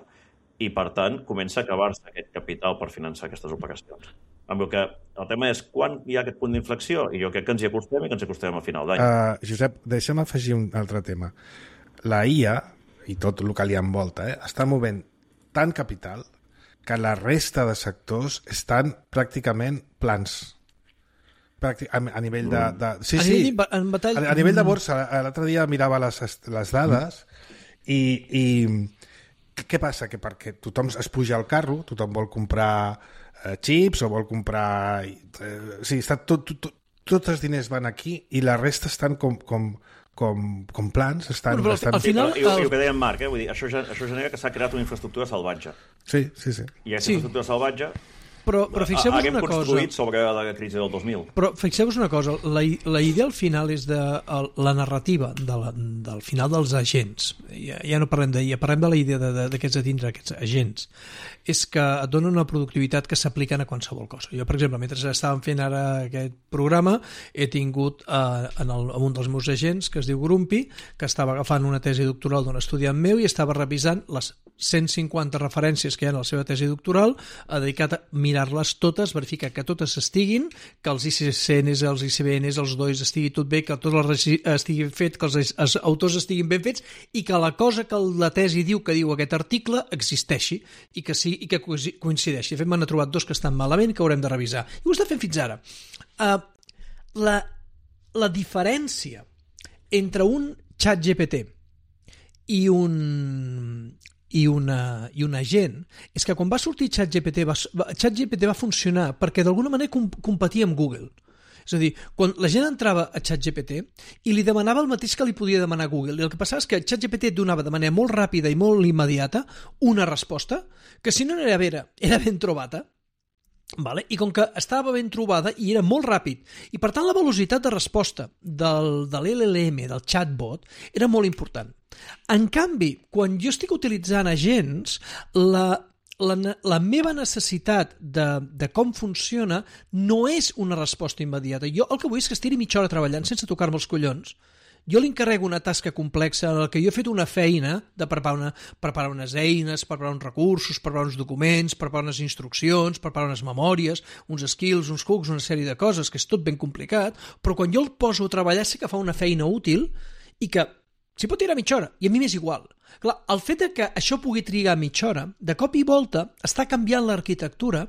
S4: i, per tant, comença a acabar-se aquest capital per finançar aquestes operacions. Amb el que el tema és quan hi ha aquest punt d'inflexió i jo crec que ens hi acostem i que ens hi acostem a final d'any.
S1: Uh, Josep, deixa'm afegir un altre tema. La I A i tot el que li envolta, eh? està movent tant capital que la resta de sectors estan pràcticament plans. Pràctic, a, a nivell de... de sí,
S3: a,
S1: sí,
S3: nivell, en batall...
S1: a, a nivell de borsa, l'altre dia mirava les, les dades i, i què passa? Que perquè tothom es puja al carro, tothom vol comprar eh, xips o vol comprar... Eh, sí, està tot, tot, tot, tots els diners van aquí i la resta estan com... com Com, com plans estan...
S3: Bueno, però
S1: estan...
S3: al final...
S4: I, i, i el que deia en Marc, eh? Vull dir, això, això genera que s'ha creat una infraestructura salvatge.
S1: Sí, sí, sí.
S4: I aquesta
S3: sí.
S4: infraestructura salvatge...
S3: però, però fixeu-vos una cosa...
S4: construït sobre la crisi del dos mil.
S3: Però fixeu-vos una cosa, la, la idea al final és de el, la narrativa de la, del final dels agents. Ja, ja no parlem d'ella, parlem de la idea de, de, d'aquests a tindre aquests agents. És que et donen una productivitat que s'apliquen a qualsevol cosa. Jo, per exemple, mentre estàvem fent ara aquest programa, he tingut eh, en, el, en un dels meus agents, que es diu Grumpy, que estava agafant una tesi doctoral d'un estudiant meu i estava revisant les cent cinquanta referències que hi ha en la seva tesi doctoral, ha dedicat a mirar-les totes, verificar que totes estiguin, que els I C C Ns, els I C B Ns, els D O Is estigui tot bé, que tot el estigui fet, que els, els autors estiguin ben fets i que la cosa que la tesi diu que diu aquest article existeixi i que, sí, i que coincideixi. De fet, m'han trobat dos que estan malament que haurem de revisar. I ho està fent fins ara. Uh, la, la diferència entre un xat G P T i un... i una, i un agent, és que quan va sortir ChatGPT va, ChatGPT va funcionar perquè d'alguna manera com, competia amb Google. És a dir, quan la gent entrava a ChatGPT i li demanava el mateix que li podia demanar Google, i el que passava és que ChatGPT donava de manera molt ràpida i molt immediata una resposta que si no era vera, era ben trobada. Vale? I com que estava ben trobada i era molt ràpid, i per tant la velocitat de resposta del, de l'L L M, del chatbot, era molt important. En canvi, quan jo estic utilitzant agents, la, la, la meva necessitat de, de com funciona no és una resposta immediata. Jo el que vull és que estiri mitja hora treballant sense tocar-me els collons. Jo li encarrego una tasca complexa en què jo he fet una feina de preparar, una, preparar unes eines, preparar uns recursos, preparar uns documents, preparar unes instruccions, preparar unes memòries, uns skills, uns hooks, una sèrie de coses, que és tot ben complicat, però quan jo el poso a treballar sé que fa una feina útil i que s'hi pot tirar mitja hora, i a mi m'és igual. Clar, el fet de que això pugui trigar mitja hora, de cop i volta, està canviant l'arquitectura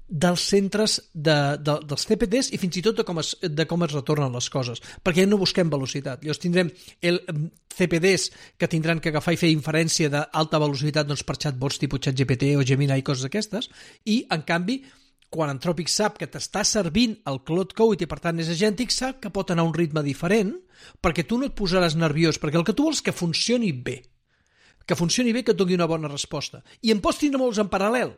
S3: dels centres de, de, dels C P Ds i fins i tot de com, es, de com es retornen les coses, perquè ja no busquem velocitat. Llavors tindrem el C P Ds que tindran que agafar i fer inferència d'alta velocitat doncs, per chatbots tipus ChatGPT o Gemini i coses d'aquestes, i en canvi quan Anthropic sap que t'està servint el Claude Code i per tant és agèntic, sap que pot anar a un ritme diferent perquè tu no et posaràs nerviós, perquè el que tu vols és que funcioni bé, que funcioni bé, que et doni una bona resposta. I en pots tindre molts en paral·lel.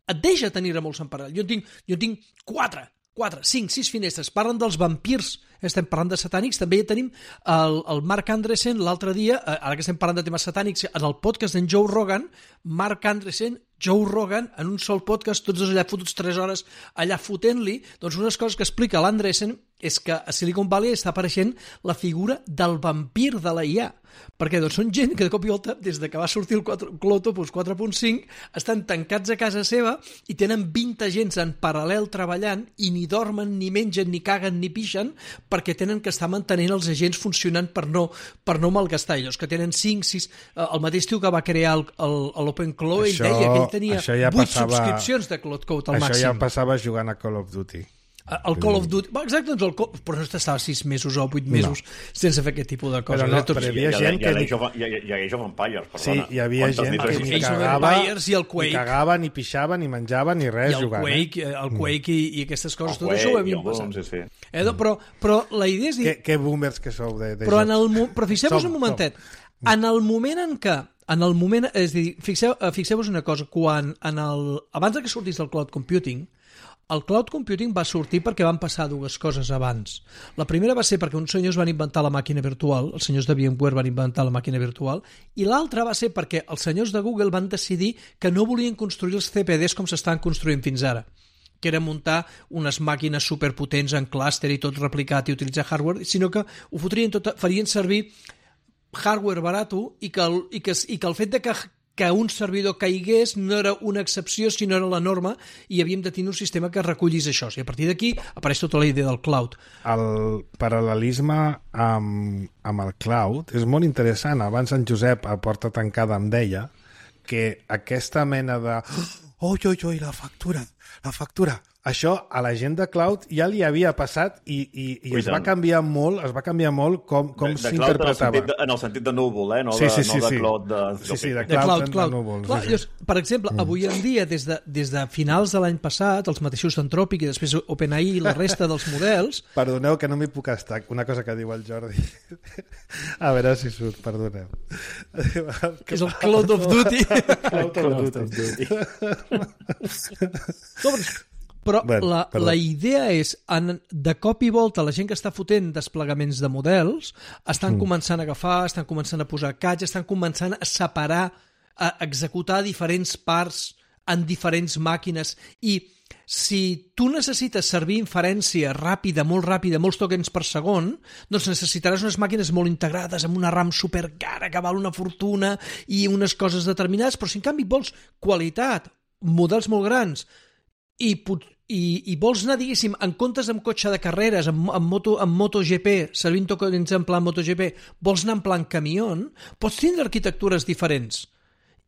S3: Et deixa tenir-ne molts en paral·lel. Jo en tinc, jo en tinc quatre, quatre, cinc, sis finestres. Parlen dels vampirs, estem parlant de satànics. També ja tenim el, el Mark Andreessen l'altre dia, ara que estem parlant de temes satànics, en el podcast d'en Joe Rogan, Mark Andreessen, Joe Rogan, en un sol podcast, tots dos allà fotuts tres hores allà fotent-li, doncs unes coses que explica l'Andreessen és que a Silicon Valley està apareixent la figura del vampir de la I A, perquè doncs són gent que de cop i volta, des de que va sortir el Clotopus quatre punt cinc, estan tancats a casa seva i tenen vint agents en paral·lel treballant i ni dormen, ni mengen, ni caguen, ni pixen, perquè tenen que estar mantenint els agents funcionant per no, per no malgastar ells, que tenen cinc, sis... El mateix tio que va crear l'OpenClaw, ell deia que ell tenia
S1: ja
S3: vuit
S1: passava,
S3: subscripcions de Claude Code al
S1: això
S3: màxim.
S1: Això ja passava jugant a Call of Duty.
S3: El Call of Duty, exacte, doncs el Call... però no estava sis mesos o vuit mesos no. sense fer aquest tipus de coses.
S1: Però, no, però hi havia gent que...
S4: Hi ha Age of Empires, perdona.
S1: Sí, hi havia gent que ni cagava, ni cagava, ni pixava, ni menjava, ni res jugant.
S3: I el Quake, el Quake i, i aquestes coses, tot això ho havíem passat.
S4: Sí, sí.
S3: Eh, però, però la idea és dir...
S1: Que, que boomers que sou de, de
S3: però, en el, però fixeu-vos un momentet.
S1: Som.
S3: En el moment en què en el moment, és a dir, fixeu, fixeu-vos una cosa, quan en el, abans que sortís el cloud computing, el cloud computing va sortir perquè van passar dues coses abans. La primera va ser perquè uns senyors van inventar la màquina virtual, els senyors de VMware van inventar la màquina virtual, i l'altra va ser perquè els senyors de Google van decidir que no volien construir els C P Ds com s'estan construint fins ara, que era muntar unes màquines superpotents en clúster i tot replicat i utilitzar hardware, sinó que ho fotrien tot, farien servir hardware barato i que el, i que, i que el fet de que que un servidor caigués no era una excepció, sinó era la norma, i havíem de tenir un sistema que recollís això. I a partir d'aquí apareix tota la idea del cloud.
S1: El paral·lelisme amb, amb el cloud és molt interessant. Abans en Josep, a Porta Tancada, em deia que aquesta mena de... Oi, oi, oi, la factura, la factura... Això a la gent de cloud ja li havia passat i, i, i es va canviar molt, es va canviar molt com, com s'interpretava.
S4: En, en el sentit de núvol, eh? No
S1: sí, sí,
S4: de,
S1: sí,
S4: no de
S1: sí.
S4: cloud. De...
S1: Sí, sí, de
S3: cloud, de cloud, cloud.
S1: De núvol.
S3: Clar,
S1: sí, sí.
S3: llavors, per exemple, mm. avui en dia, des de, des de finals de l'any passat, els mateixos d'Anthropic i després OpenAI i la resta dels models...
S1: Perdoneu que no m'hi puc estar. Una cosa que diu el Jordi. A veure si surt, perdoneu.
S3: És el Cloud of Duty.
S1: Cloud of Duty.
S3: No, Però
S1: bueno,
S3: la, la idea és, en, de cop i volta, la gent que està fotent desplegaments de models estan mm. començant a agafar, estan començant a posar catch, estan començant a separar, a executar diferents parts en diferents màquines. I si tu necessites servir inferència ràpida, molt ràpida, molts tokens per segon, doncs necessitaràs unes màquines molt integrades amb una RAM supercara que val una fortuna i unes coses determinades, però si en canvi vols qualitat, models molt grans, i, i, i vols anar, diguéssim, en comptes amb cotxe de carreres, amb, amb, moto, amb MotoGP, servint tokens en plan MotoGP, vols anar en plan camió, pots tindre arquitectures diferents.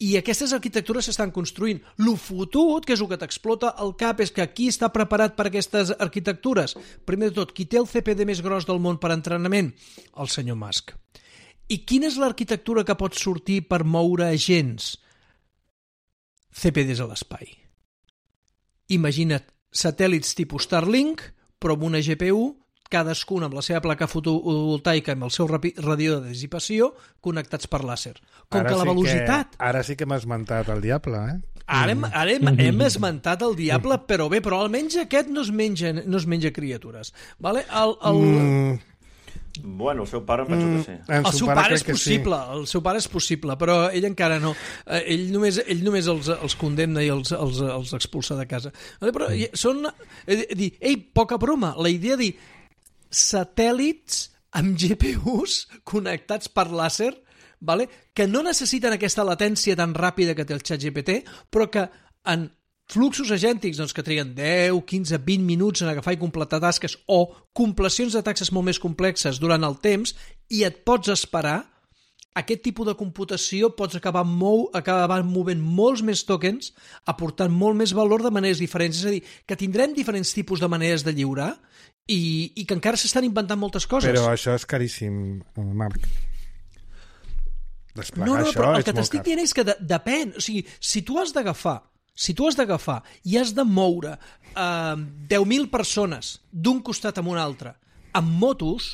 S3: I aquestes arquitectures s'estan construint. Lo fotut, que és el que t'explota el cap, és que qui està preparat per aquestes arquitectures? Primer de tot, qui té el C P D més gros del món per entrenament? El senyor Musk. I quina és l'arquitectura que pot sortir per moure agents? C P Ds a l'espai. Imagina't satèl·lits tipus Starlink, però amb una G P U, cadascun amb la seva placa fotovoltaica amb el seu radiador de dissipació connectats per làser. Com
S1: ara
S3: que la
S1: sí
S3: velocitat...
S1: Que, ara sí que hem esmentat el diable, eh?
S3: Ara hem, ara hem, hem esmentat el diable, però bé, però almenys aquest no es menja, no es menja criatures. Vale? El, el...
S1: Mm.
S4: Bueno, el seu pare penso que sí.
S3: El, el seu pare, pare és possible, sí. el seu pare és possible, però ell encara no. Ell només, ell només els, els condemna i els, els, els expulsa de casa. Però són... Dir, ei, poca broma, la idea de dir satèl·lits amb G P Us connectats per làser, vale? Que no necessiten aquesta latència tan ràpida que té el ChatGPT, però que en fluxos agèntics doncs, que triguen deu, quinze, vint minuts en agafar i completar tasques o complecions de taxes molt més complexes durant el temps i et pots esperar, aquest tipus de computació pots acabar, mou, acabar movent molts més tokens, aportant molt més valor de maneres diferents. És a dir, que tindrem diferents tipus de maneres de lliurar i, i que encara s'estan inventant moltes coses.
S1: Però això és caríssim, Marc. Desplegar
S3: no, no,
S1: això
S3: però el
S1: és
S3: que t'estic dient és que de, depèn. O sigui, si tu has d'agafar si tu has d'agafar i has de moure eh, deu mil persones d'un costat a un altre amb motos,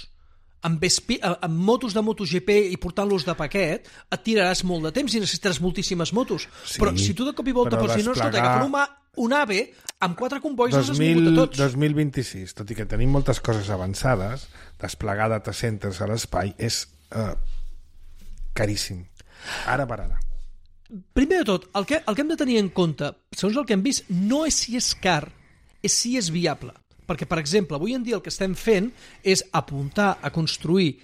S3: amb, vespi, amb motos de MotoGP i portant-los de paquet, et tiraràs molt de temps i necessitaràs moltíssimes motos. Sí, però si tu de cop i volta pots dir, no, escolta, agafar un, un AVE amb quatre combois els has mogut a tots.
S1: dos mil vint-i-sis, tot i que tenim moltes coses avançades, desplegar data centers a l'espai és eh, caríssim. Ara per ara.
S3: Primer de tot, el que, el que hem de tenir en compte, segons el que hem vist, no és si és car, és si és viable. Perquè, per exemple, avui en dia el que estem fent és apuntar a construir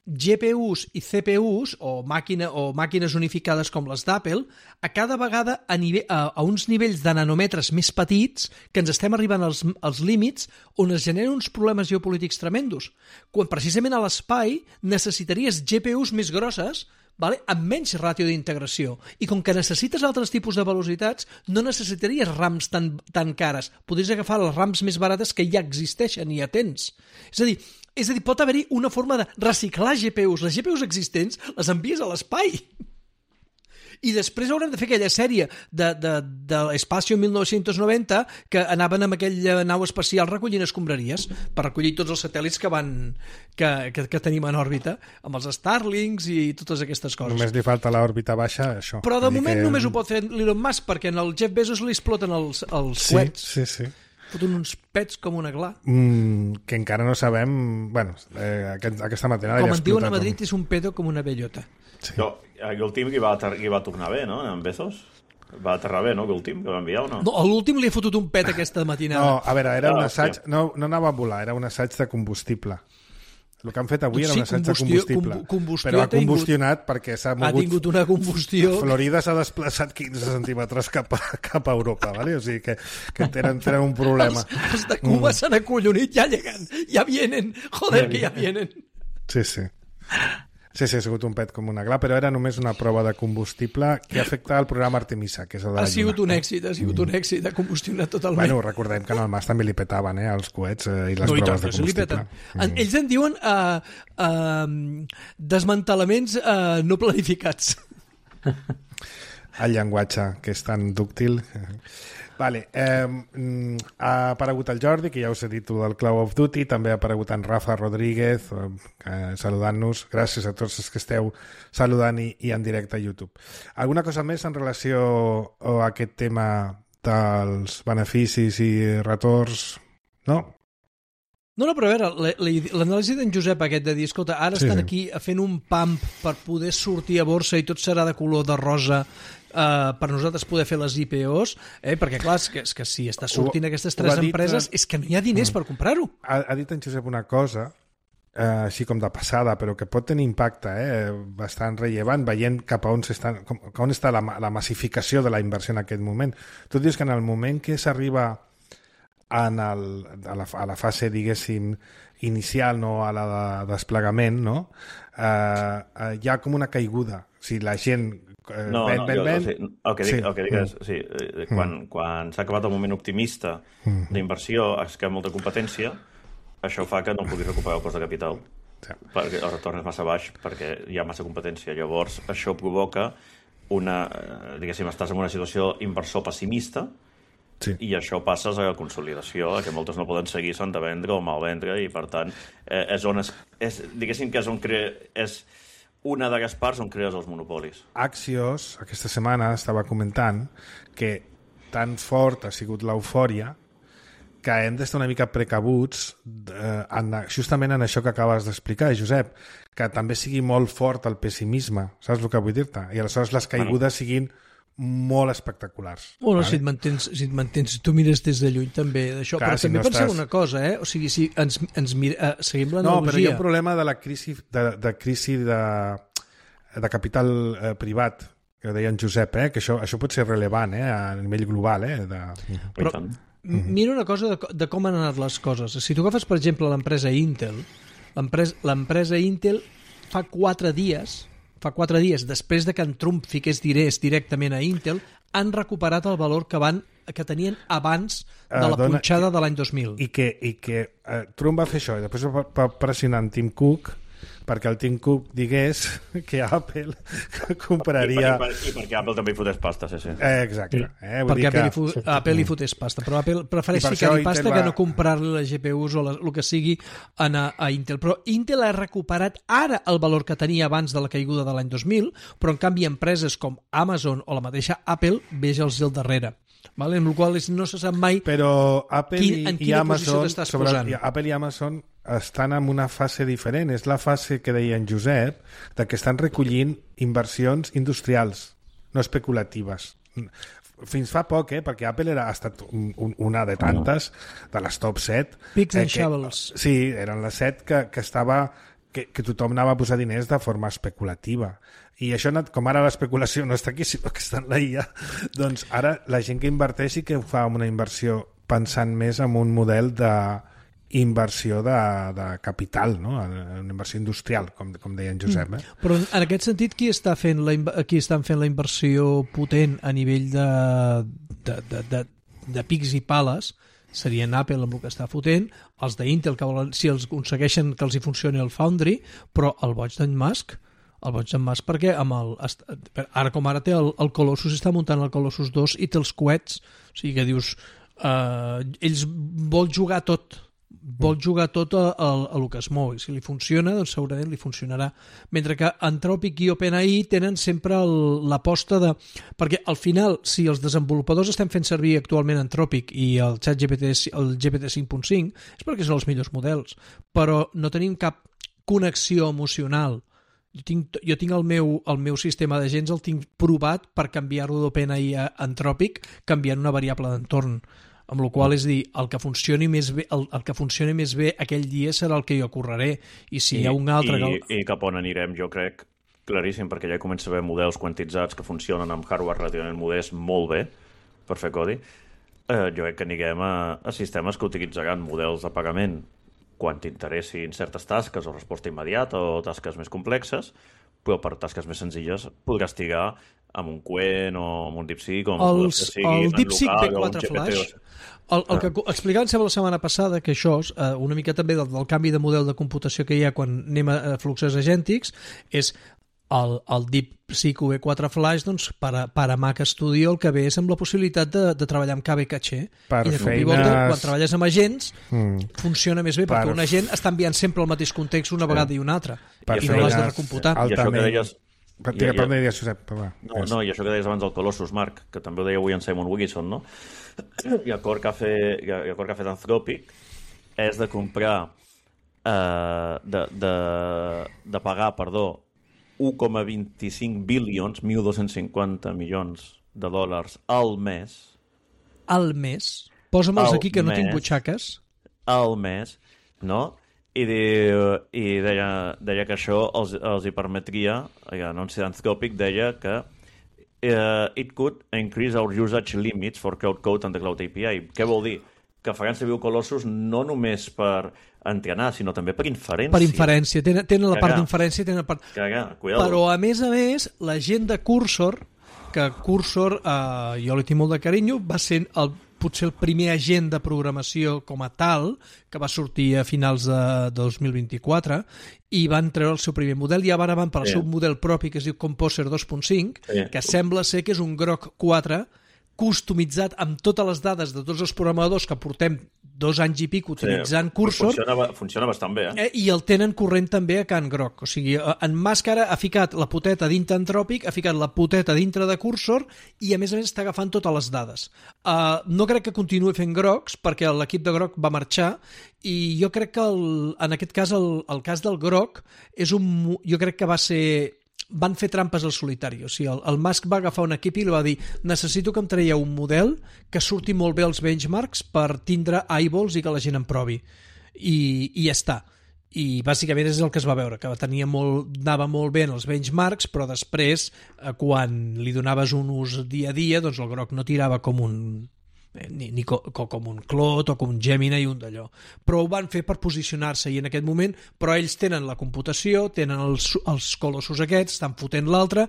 S3: G P Us i C P Us, o, màquina, o màquines unificades com les d'Apple, a cada vegada a, nivell, a, a uns nivells de nanòmetres més petits que ens estem arribant als, als límits on es generen uns problemes geopolítics tremendos. Quan precisament a l'espai necessitaries G P Us més grosses, vale? Amb menys ràtio d'integració. I com que necessites altres tipus de velocitats, no necessitaries rams tan, tan cares. Podries agafar les rams més barates que ja existeixen i ja tens. És a dir, és a dir pot haver-hi una forma de reciclar G P Us. Les G P Us existents les envies a l'espai. I després haurem de fer aquella sèrie de, de, de l'Espacio mil nou-cents noranta que anaven amb aquella nau espacial recollint escombraries per recollir tots els satèl·lits que van que, que, que tenim en òrbita, amb els Starlinks i totes aquestes coses.
S1: Només li falta l'òrbita baixa, això.
S3: Però de moment que... només ho pot fer l'Elon Musk, perquè en el Jeff Bezos li exploten els, els
S1: sí,
S3: coets.
S1: Sí, sí.
S3: Foten uns pets com una gla.
S1: Mm, que encara no sabem... Bueno, eh, aquest, aquesta matinada...
S3: Com en diuen a Madrid, un... és un pedo com una bellota.
S4: Sí. No, l'últim que va, que va tornar bé, no? En Bezos? Va aterrar bé, no? L'últim que va enviar, o no?
S3: No, l'últim li he fotut un pet aquesta matinada.
S1: No, a veure, era
S4: ah,
S1: un assaig... No, no anava a volar, era un assaig de combustible. El que han fet avui era
S3: sí,
S1: un assaig de combustible.
S3: Combustió
S1: però ha combustionat
S3: tingut,
S1: perquè s'ha mogut...
S3: Ha tingut una combustió...
S1: Florida s'ha desplaçat quinze centímetres cap a, cap a Europa, ¿vale? O sigui que, que tenen, tenen un problema.
S3: Els, els de Cuba mm. s'han acollonit, ja lleguen, ja vienen, joder, que ja vienen.
S1: Sí, sí. Sí, sí, ha sigut un pet com una gla, però era només una prova de combustible que afecta el programa Artemisa, que és el de la
S3: Ha sigut
S1: Lluna.
S3: un èxit, ha sigut un èxit, ha combustionat totalment.
S1: Bueno, recordem que en el Mas també li petaven, eh, els coets eh, i les
S3: no,
S1: proves
S3: i
S1: de combustible.
S3: Mm. Ells en diuen uh, uh, desmantelaments uh, no planificats.
S1: El llenguatge, que és tan dúctil... Vale, eh, ha aparegut el Jordi, que ja us he dit del Call of Duty, també ha aparegut en Rafa Rodríguez, eh, saludant-nos. Gràcies a tots els que esteu saludant i, i en directe a YouTube. Alguna cosa més en relació a aquest tema dels beneficis i retorns, no?
S3: No, no, però a veure, l'anàlisi d'en Josep aquest de dir, escolta, ara
S1: Sí,
S3: estan
S1: sí.
S3: aquí fent un pump per poder sortir a borsa i tot serà de color de rosa eh, per nosaltres poder fer les I P Os, eh? Perquè clar, és que, és que si està sortint
S1: Ho-
S3: aquestes
S1: ho
S3: tres
S1: ha dit,
S3: empreses
S1: eh?
S3: és que no hi ha diners per comprar-ho.
S1: Ha, ha dit en Josep una cosa, eh, així com de passada, però que pot tenir impacte eh, bastant rellevant, veient cap a on, s'estan, com, on està la, la massificació de la inversió en aquest moment. Tu dius que en el moment que s'arriba en el, a, la, a la fase, diguéssim, inicial, no, a la de desplegament, no? Eh, eh, hi ha com una caiguda. O sigui, la gent eh,
S4: No,
S1: ven,
S4: no,
S1: ven,
S4: jo,
S1: ven...
S4: o sigui, el que dic,
S1: Sí.
S4: el que dic és, sí, eh, quan, quan s'ha acabat el moment optimista d'inversió, és que hi ha molta competència, això fa que no puguis recuperar el cost de capital,
S1: Sí.
S4: perquè el retorn és massa baix, perquè hi ha massa competència. Llavors, això provoca una, eh, diguéssim, estàs en una situació inversor pessimista,
S1: Sí.
S4: i això passes a la consolidació, que moltes no poden seguir, s'han de vendre o mal vendre, i per tant, eh, és on es, és, diguéssim que és on crea, és una de les parts on crees els monopolis.
S1: Axios, aquesta setmana, estava comentant que tan fort ha sigut l'eufòria que hem d'estar una mica precabuts eh, en, justament en això que acabes d'explicar, Josep, que també sigui molt fort el pessimisme, saps el que vull dir-te? I aleshores les caigudes siguin molt espectaculars.
S3: Bueno,
S1: vale?
S3: si et mantens, si et mantens, si tu mires des de lluny també d'això,
S1: Clar,
S3: però
S1: si
S3: també
S1: no
S3: penseu
S1: estàs-
S3: una cosa, eh? O sigui, si ens, ens mira, eh, seguim
S1: No, però hi ha
S3: l'analogia...
S1: un problema de la crisi de, de crisi de, de capital eh, privat, que deia en Josep, eh? Que això, això pot ser rellevant eh? A nivell global. Eh? De...
S3: Però-
S4: I tant.
S3: M- Mira una cosa de, co- de com han anat les coses. Si tu agafes, per exemple, l'empresa Intel, l'empresa l'empresa Intel fa quatre dies, fa quatre dies, després de que en Trump fiqués diners directament a Intel, han recuperat el valor que van que tenien abans de
S1: Eh,
S3: la
S1: dona-
S3: punxada de l'any dos mil.
S1: I que, i que eh, Trump va fer això i després va, va pressionar en Tim Cook perquè el Tim Cook digués que Apple compraria...
S4: I, per, i, per, I perquè Apple també hi fotés pasta, sí, sí.
S1: Eh, exacte. Eh? Vull
S3: Perquè
S1: dir
S3: Apple,
S1: que...
S3: li fu Apple li fotés pasta, però Apple prefereix
S1: I per
S3: ficar-hi
S1: això
S3: pasta
S1: Intel
S3: que
S1: va-
S3: no comprar-li les G P Us o la, el que sigui a, a Intel. Però Intel ha recuperat ara el valor que tenia abans de la caiguda de l'any dos mil, però en canvi empreses com Amazon o la mateixa Apple veja'ls al darrere. Vale? En el qual no se sap mai
S1: Però Apple
S3: Quin- en
S1: i, i
S3: quina posició
S1: Amazon
S3: t'estàs
S1: sobre,
S3: posant?
S1: i Apple i Amazon estan en una fase diferent. És la fase que deia en Josep de que estan recollint inversions industrials, no especulatives. Fins fa poc, eh? Perquè Apple era, ha estat un, un, una de tantes, de les top set.
S3: Picks and
S1: que,
S3: shovels.
S1: Sí, eren les set que, que estava... Que, que tothom anava a posar diners de forma especulativa. I això, ha anat, com ara l'especulació no està aquí, sinó que està en la I A, doncs ara la gent que inverteix sí que ho fa amb una inversió pensant més en un model de inversió de, de capital, no? Una inversió industrial, com, com deia en Josep. Eh?
S3: Però en aquest sentit, qui està fent la, inv- qui estan fent la inversió potent a nivell de, de, de, de, de pics i pales serien Apple amb el que està fotent, els d'Intel que volen, si els aconsegueixen que els hi funcioni el Foundry, però el boig d'en Musk, el boig d'en Musk perquè amb el, ara com ara té el, el Colossus, està muntant el Colossus dos i té els coets, o sigui que dius eh, ells vol jugar tot vol jugar tot a, a, a el que es mou i si li funciona, doncs segurament li funcionarà, mentre que Anthropic i OpenAI tenen sempre el- l'aposta de... perquè al final, si els desenvolupadors estem fent servir actualment Anthropic i el ChatGPT, el G P T cinc punt cinc, és perquè són els millors models, però no tenim cap connexió emocional. Jo tinc, jo tinc el meu, el meu sistema d'agents, el tinc provat per canviar-lo d'OpenAI a Anthropic canviant una variable d'entorn, amb la qual és dir, el que funcioni més bé, el, el que funcioni més bé aquell dia serà el que jo correré, i si
S4: I,
S3: hi ha un altre...
S4: I,
S3: que...
S4: I cap on anirem, jo crec, claríssim, perquè ja comença a haver models quantitzats que funcionen amb hardware relativament modest molt bé per fer codi. Eh, jo crec que anirem a, a sistemes que utilitzaran models de pagament quan t'interessin certes tasques o resposta immediata o tasques més complexes, però per tasques més senzilles podràs trigar amb un Quen o amb un DeepSeek o amb
S3: Els,
S4: models que siguin
S3: el
S4: en
S3: DeepSeek
S4: local
S3: B
S4: o un
S3: quatre
S4: G P T.
S3: Flash, el, el que explicàvem sempre la setmana passada, que això, eh, una mica també del, del canvi de model de computació que hi ha quan anem a, a fluxos agèntics, és el, el DeepSeek V quatre Flash, doncs, per a, per a Mac Studio el que ve és amb la possibilitat de, de treballar amb K V caché.
S1: Per
S3: I de cop i
S1: feines-
S3: volta, quan treballes amb agents,
S1: Mm.
S3: funciona més bé, perquè
S1: Per-
S3: un agent està enviant sempre el mateix context una vegada i una altra,
S1: Per
S3: i no l'has de
S1: feines
S3: recomputar.
S4: I això que
S1: altament-
S4: deies,
S1: Per, I, per on deies, Josep? Va,
S4: no, no, i això que deies abans del Colossus, Marc, que també ho deia avui en Simon Wilkinson, no? I acord que ha fet, i acord que ha fet Anthropic és de comprar, eh, de, de, de pagar, perdó, un coma vint-i-cinc bilions, mil dos-cents cinquanta milions de dòlars al mes.
S3: Al mes? Posa'm-els aquí, que no tinc butxaques.
S4: Al mes, no? I, diu, i deia, deia que això els, els hi permetria, l'anunci d'Anthropic deia que uh, it could increase our usage limits for cloud code and the cloud A P I. Què vol dir? Que faran servir Colossus no només per entrenar, sinó també per inferència.
S3: Per inferència. Tenen, tenen la
S4: Caga.
S3: part d'inferència, tenen la part...
S4: Caga, cuidado.
S3: Però, a més a més, la gent de Cursor, que Cursor, eh, jo li tinc molt de carinyo, va ser el potser el primer agent de programació com a tal, que va sortir a finals de dos mil vint-i-quatre, i van treure el seu primer model, i ara van per al sí. seu model propi, que es diu Composer dos punt cinc, sí. que sembla ser que és un Grok quatre, customitzat amb totes les dades de tots els programadors que portem dos anys i pic utilitzant sí, Cursor.
S4: Funciona, funciona bastant bé, eh?
S3: I el tenen corrent també a Can Grok. O sigui, en Màscara ha ficat la poteta dintre Anthropic, ha ficat la poteta dintre de Cursor i, a més a més, està agafant totes les dades. Uh, no crec que continuï fent Groks, perquè l'equip de Grok va marxar, i jo crec que, el, en aquest cas, el, el cas del Grok és un... Jo crec que va ser... van fer trampes al solitari, o sigui, el, el Musk va agafar un equip i li va dir, necessito que em traieu un model que surti molt bé als benchmarks per tindre eyeballs i que la gent em provi, i, i ja està. I bàsicament és el que es va veure, que tenia molt, anava molt bé en els benchmarks, però després, quan li donaves un ús dia a dia, doncs el Grok no tirava com un... ni, ni co, com un Clot o com un Gemini i un d'allò. Però ho van fer per posicionar-se i en aquest moment, però ells tenen la computació, tenen els, els colossos aquests, estan fotent l'altre.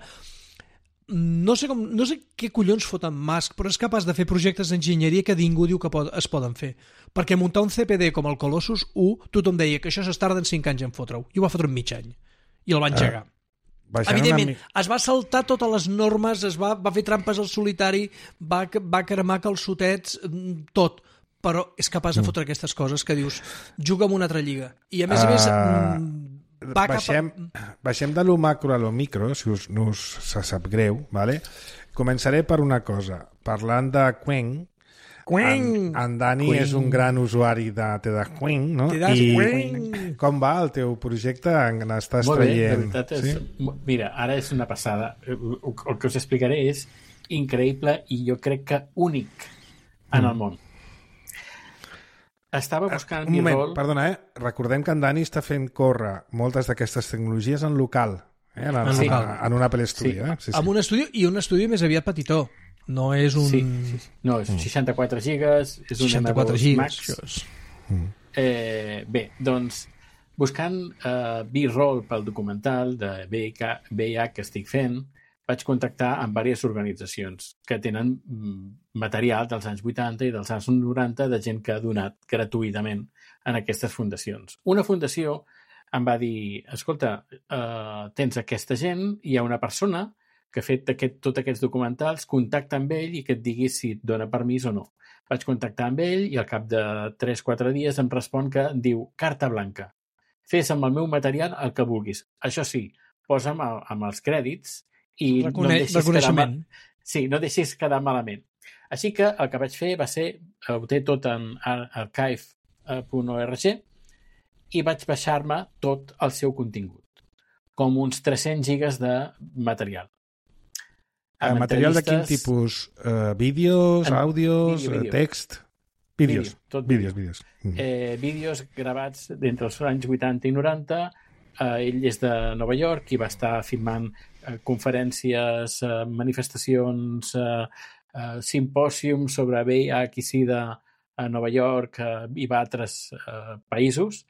S3: No sé, com, no sé què collons foten Musk, però és capaç de fer projectes d'enginyeria que ningú diu que pot, es poden fer. Perquè muntar un C P D com el Colossus u, tothom deia que això s'estarda en cinc anys en fotre-ho. I ho va fotre en mig any. I el van engegar. Ah. Evidentment, mi... es va saltar totes les normes, es va, va fer trampes al solitari, va, va cremar calçotets, tot, però és capaç de fotre mm. aquestes coses que dius, juga en una altra lliga. I a més a més... Uh, va
S1: baixem, cap a... baixem de lo macro a lo micro, si us, no us se sap greu, vale? Començaré per una cosa. Parlant de Qwen, En, en Dani Queen. És un gran usuari de TEDxQueen, no? I com va el teu projecte? N'estàs
S5: Molt
S1: traient...
S5: Bé, és, sí? Mira, ara és una passada. El, el que us explicaré és increïble i jo crec que únic en mm. el món. Estava buscant
S1: un moment,
S5: B-roll...
S1: perdona, eh? Recordem que en Dani està fent córrer moltes d'aquestes tecnologies en local, eh? en, en,
S3: sí.
S1: en, en un Apple Studio.
S3: Sí.
S1: Eh? Sí, sí.
S3: Amb un estudi, i un estudi més aviat petitó. No és un...
S5: Sí, sí, sí. No, és seixanta-quatre gigas, és un
S3: seixanta-quatre
S5: M dos
S3: gigas,
S5: Max. Mm. Eh, bé, doncs, buscant uh, B-roll pel documental de V I H que estic fent, vaig contactar amb diverses organitzacions que tenen material dels anys vuitanta i dels anys noranta de gent que ha donat gratuïtament en aquestes fundacions. Una fundació em va dir, escolta, uh, tens aquesta gent, hi ha una persona que ha fet aquest, tots aquests documentals, contacta amb ell i que et digui si et dona permís o no. Vaig contactar amb ell i al cap de tres o quatre dies em respon que diu carta blanca. Fes amb el meu material el que vulguis. Això sí, posa'm amb els crèdits i
S3: Recone
S5: no em deixis
S3: reconeixement.
S5: Quedar, sí, no deixis quedar malament. Així que el que vaig fer va ser, ho té tot en archive punt org i vaig baixar-me tot el seu contingut, com uns tres-cents gigas de material.
S1: Uh, material de quin tipus? Uh, vídeos, en... àudios, vídeo, vídeo. text? Vídeos.
S5: Vídeo, tot
S1: vídeos, vídeos. Mm.
S5: Eh, vídeos gravats d'entre els anys vuitanta i noranta. Eh, ell és de Nova York i va estar filmant eh, conferències, eh, manifestacions, eh, eh, simpòsiums sobre V I H i SIDA a Nova York eh, i va a altres eh, països.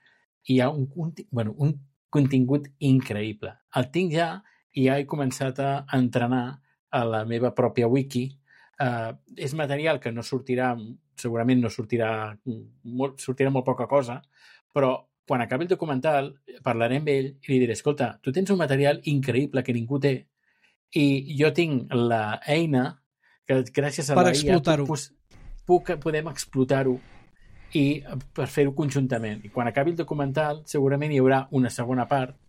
S5: I hi ha un, un, bueno, un contingut increïble. El tinc ja i ja he començat a entrenar a la meva pròpia wiki. Uh, és material que no sortirà, segurament no sortirà molt, sortirà molt poca cosa, però quan acabi el documental parlaré amb ell i li diré, escolta, tu tens un material increïble que ningú té i jo tinc l'eina que gràcies a
S3: per
S5: la I A
S3: explotar-ho.
S5: Puc, puc, podem explotar-ho i per fer-ho conjuntament. I quan acabi el documental segurament hi haurà una segona part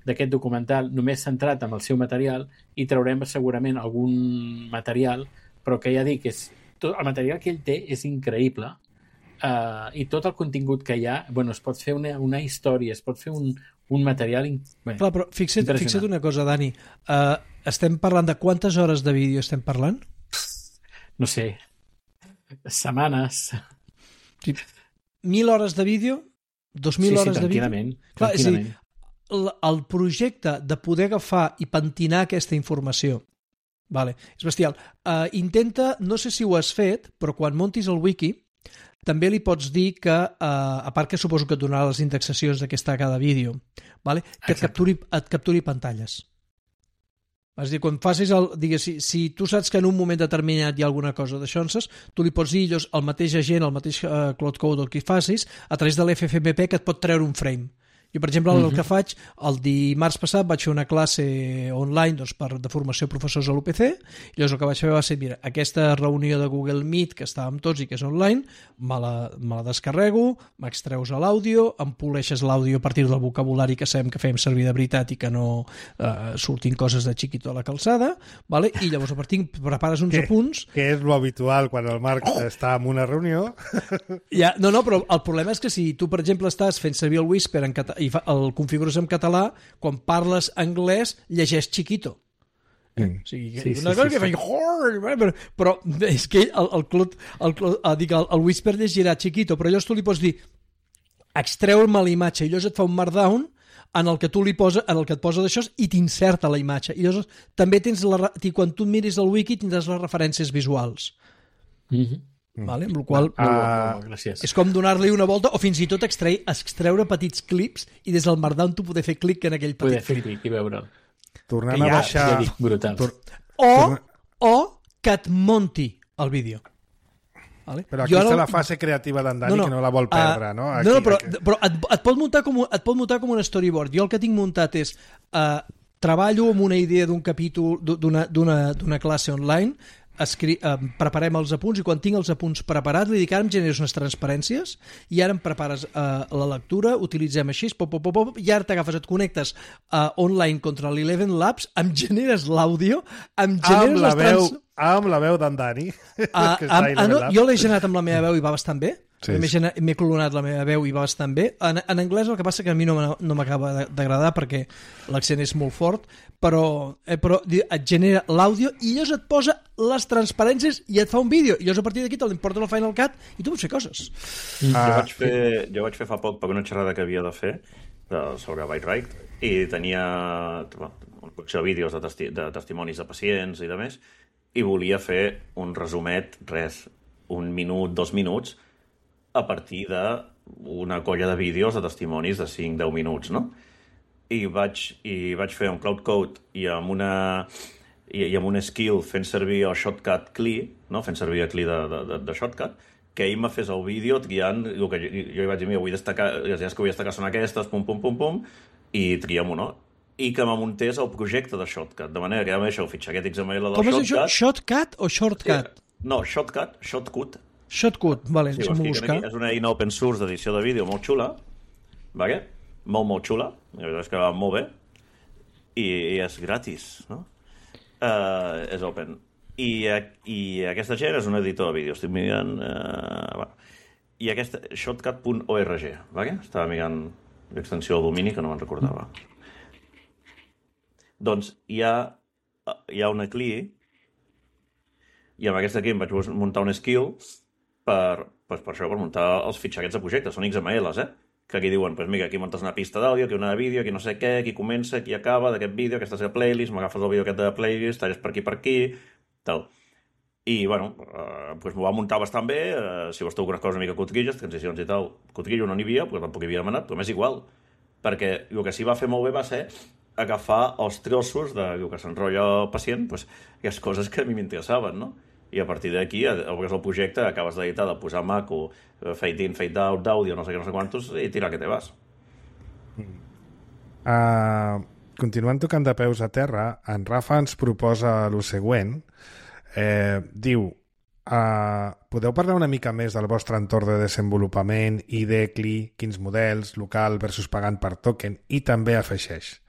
S5: d'aquest documental només centrat en el seu material i traurem segurament algun material, però que ja dic, és, tot, el material que ell té és increïble uh, i tot el contingut que hi ha, bueno, es pot fer una, una història, es pot fer un, un material in... Bé,
S3: clar, però fixa't, fixa't una cosa, Dani, uh, estem parlant de quantes hores de vídeo estem parlant?
S5: No sé, setmanes...
S3: Sí. Mil hores de vídeo? Dos mil
S5: sí,
S3: hores
S5: sí,
S3: de vídeo?
S5: tranquil·lament.
S3: Clar,
S5: tranquil·lament.
S3: és a dir, el, el projecte de poder agafar i pentinar aquesta informació, vale, és bestial. Uh, intenta, no sé si ho has fet, però quan montis el wiki, també li pots dir que, uh, a part que suposo que et donarà les indexacions d'aquesta cada vídeo, vale, que et capturi, et capturi pantalles. És a dir, quan facis el... Digues, si, si tu saps que en un moment determinat hi ha alguna cosa d'això, tu li pots dir llavors, el mateix agent, el mateix uh, Cloud Code o el que facis, a través de l'F F M P que et pot treure un frame. Jo, per exemple, el que faig, el dimarts passat vaig fer una classe online doncs, per, de formació de professors a l'U P C, i llavors el que vaig fer va ser, mira, aquesta reunió de Google Meet que estàvem tots i que és online, me la, me la descarrego, m'extreus a l'àudio, em poleixes l'àudio a partir del vocabulari que sabem que fem servir de veritat i que no eh, surtin coses de xiquito a la calçada, vale? I llavors a partir prepares uns
S1: que,
S3: apunts...
S1: Que és lo habitual quan el Marc oh! està en una reunió.
S3: Ja, no, no, però el problema és que si tu, per exemple, estàs fent servir el Whisper en català i fa, el configures en català, quan parles anglès, llegeix chiquito. Mm. O sigui, sí, una sí, cosa sí, que sí. Feia... Però, però és que el, el, Cloud, el, el, dic, el, el Whisper llegirà chiquito, però llavors tu li pots dir extreu-me la imatge, i llavors et fa un markdown en el que tu li posa, en el que et posa d'això i t'inserta la imatge. I llavors també tens la, quan tu miris el wiki tindràs les referències visuals.
S5: Mm-hmm.
S3: Vale? Amb la qual
S5: uh, uh,
S3: és com donar-li una volta o fins i tot extrair, extreure petits clips i des del markdown tu poder fer clic en aquell petit
S5: poder fer
S3: clip
S5: clic i veure'l.
S1: Tornem a baixar...
S5: Ja dic, brutal.
S3: Tor... O, o que et monti el vídeo. Vale?
S1: Però aquí està no... la fase creativa d'en Dani, no, no, que no la vol perdre, uh, no? Aquí,
S3: no, no, però,
S1: aquí...
S3: però et, et, pot muntar com, et pot muntar com un storyboard. Jo el que tinc muntat és uh, treballo amb una idea d'un capítol d'una classe online, Escri eh, preparem els apunts i quan tinc els apunts preparats li dic ara em generes unes transparències i ara em prepares eh, la lectura, utilitzem així pop, pop, pop, pop, i ara t'agafes, et connectes eh, online contra l'Eleven Labs, em generes l'àudio, em generes
S1: amb la
S3: les trans...
S1: veu, amb la veu d'en Dani
S3: ah, amb, ah, no, jo l'he generat amb la meva veu i va bastant bé.
S1: Sí,
S3: M'he clonat la meva veu i va bastant bé. En, en anglès el que passa que a mi no, no m'acaba d'agradar perquè l'accent és molt fort, però, eh, però et genera l'àudio i llavors et posa les transparències i et fa un vídeo. I llavors a partir d'aquí te l'importa el Final Cut i tu pots fer coses.
S4: Mm. Ah. Jo, vaig fer, jo vaig fer fa poc per una xerrada que havia de fer de, sobre Byte i tenia una col·lecció de vídeos de, testi de testimonis de pacients i de més, i volia fer un resumet, res, un minut, dos minuts, a partir d'una colla de vídeos de testimonis de cinc a deu minuts, no? I vaig, i vaig fer un Cloud Code i amb una i, i amb un skill fent servir el Shotcut C L I, no? Fent servir el C L I de, de, de Shotcut, que ell me fes el vídeo triant el que jo, jo vaig dir, mira, vull destacar, les idees que vull destacar són aquestes, pum, pum, pum, pum, i triem-ho, no? I que me muntés el projecte de Shotcut, de manera que ja m'he el fitxaquet X M L del
S3: Com
S4: Shotcut.
S3: Com és això? Shotcut o Shortcut?
S4: Sí. No, Shotcut, Shotcut.
S3: Shotcut, vale,
S4: sí,
S3: deixa'm buscar.
S4: És una eina open source d'edició de vídeo molt xula, vale? Molt, molt xula, la veritat és que va molt bé, i, i és gratis, no? Uh, és open. I, I aquesta gent és un editor de vídeo, estic mirant... Uh, bueno. I aquesta, shotcut punt org, vale? Estava mirant l'extensió del domini que no me'n recordava. Doncs hi ha, hi ha una C L I, i amb aquesta aquí em vaig muntar un skill per, per, per això, per muntar els fitxaquets de projecte. Són X M Ls, eh? Que aquí diuen, pues mira, aquí muntes una pista d'àudio, aquí una de vídeo, aquí no sé què, aquí comença, aquí acaba d'aquest vídeo, aquesta és la playlist, m'agafes el vídeo aquest de la playlist, talles per aquí, per aquí, tal. I, bueno, eh, pues m'ho va muntar bastant bé, eh, si vols algunes coses una mica cotrilles, transicions i tal, cotrillo no n'hi havia, pues tampoc hi havia demanat, però m'és igual, perquè el que sí va fer molt bé va ser agafar els trossos del que s'enrotlla el pacient, pues, aquelles coses que a mi m'interessaven, no? I a partir d'aquí, obres el projecte, acabes d'editar, de posar maco, fade in, fade out, d'àudio, no sé què, no sé quantos, i tira que te vas.
S1: Uh, continuant tocant de peus a terra, en Rafa ens proposa el següent. Eh, diu, uh, podeu parlar una mica més del vostre entorn de desenvolupament, I D, C L I, quins models, local versus pagant per token, i també afegeix.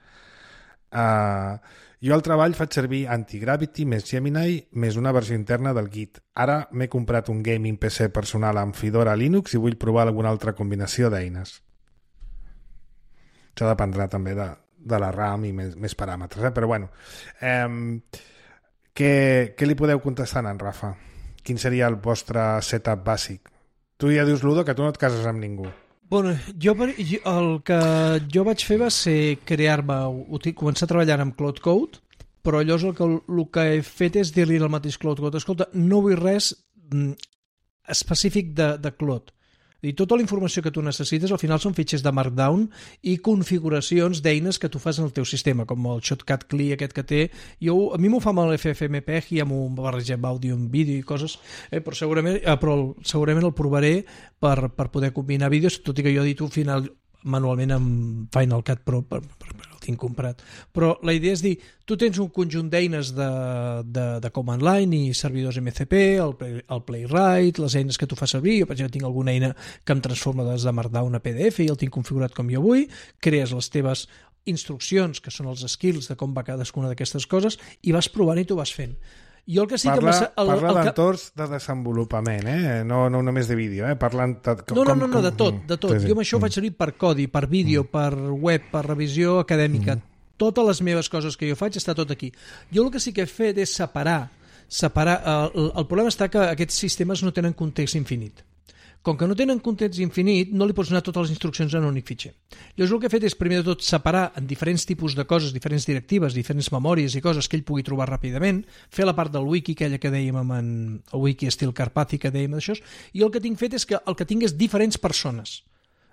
S1: Uh, jo al treball faig servir Antigravity més Gemini més una versió interna del Git. Ara m'he comprat un gaming P C personal amb Fedora Linux i vull provar alguna altra combinació d'eines. Això dependrà també de, de la RAM i més, més paràmetres, eh? Però bueno, eh, què, què li podeu contestar a en Rafa? Quin seria el vostre setup bàsic? Tu ja dius, Ludo, que tu no et cases amb ningú.
S3: Bueno, jo, el que jo vaig fer va ser crear-me, començar a treballar amb Cloud Code, però llavors el que, el que he fet és dir-li al mateix Cloud Code, escolta, no vull res específic de, de Cloud. I tota la informació que tu necessites al final són fitxers de Markdown i configuracions d'eines que tu fas en el teu sistema, com el Shotcut C L I aquest que té. Jo, a mi m'ho fa amb l'F F M P E G i amb un barregem àudio amb vídeo i coses, eh, però, segurament, eh, però segurament el provaré per, per poder combinar vídeos, tot i que jo edito al final manualment amb Final Cut Pro, per, per, per, el tinc comprat. Però la idea és dir, tu tens un conjunt d'eines de, de, de command line i servidors M C P, el, el Playwright, les eines que tu fas servir. Jo, per exemple, tinc alguna eina que em transforma des de Markdown a P D F i el tinc configurat com jo vull, crees les teves instruccions, que són els skills de com va cadascuna d'aquestes coses, i vas provant i tu vas fent. Jo el que sí
S1: parla,
S3: que el,
S1: parla
S3: el
S1: d'entorns de desenvolupament, eh? no, no només de vídeo, eh? Parlant de, com,
S3: no, no, no, no,
S1: com,
S3: de tot, de tot. Jo amb això ho faig servir per codi, per vídeo, mm. per web, per revisió acadèmica. Mm. Totes les meves coses que jo faig està tot aquí. Jo el que sí que he fet és separar. separar el, el problema està que aquests sistemes no tenen context infinit. Com que no tenen context infinit, no li pots donar totes les instruccions en un únic fitxer. Llavors el que he fet és, primer de tot, separar en diferents tipus de coses, diferents directives, diferents memòries i coses que ell pugui trobar ràpidament, fer la part del wiki, aquella que dèiem amb en, el wiki estil Carpathi, que dèiem d'això, i el que tinc fet és que el que tinc és diferents persones.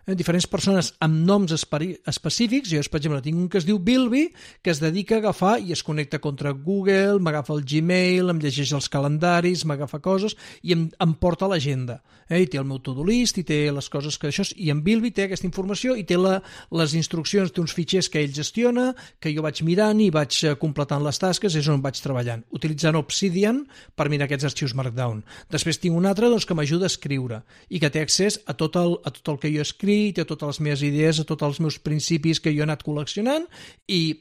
S3: Eh, diferents persones amb noms específics. Jo, per exemple, tinc un que es diu Bilby, que es dedica a agafar i es connecta contra Google, m'agafa el Gmail, em llegeix els calendaris, m'agafa coses i em, em porta l'agenda. Eh, I té el meu to-do list, i té les coses que això... I en Bilby té aquesta informació i té la, les instruccions d'uns fitxers que ell gestiona, que jo vaig mirant i vaig completant les tasques, és on vaig treballant, utilitzant Obsidian per mirar aquests arxius Markdown. Després tinc un altre doncs, que m'ajuda a escriure i que té accés a tot el, a tot el que jo escric, té totes les meves idees, a tots els meus principis que jo he anat col·leccionant i,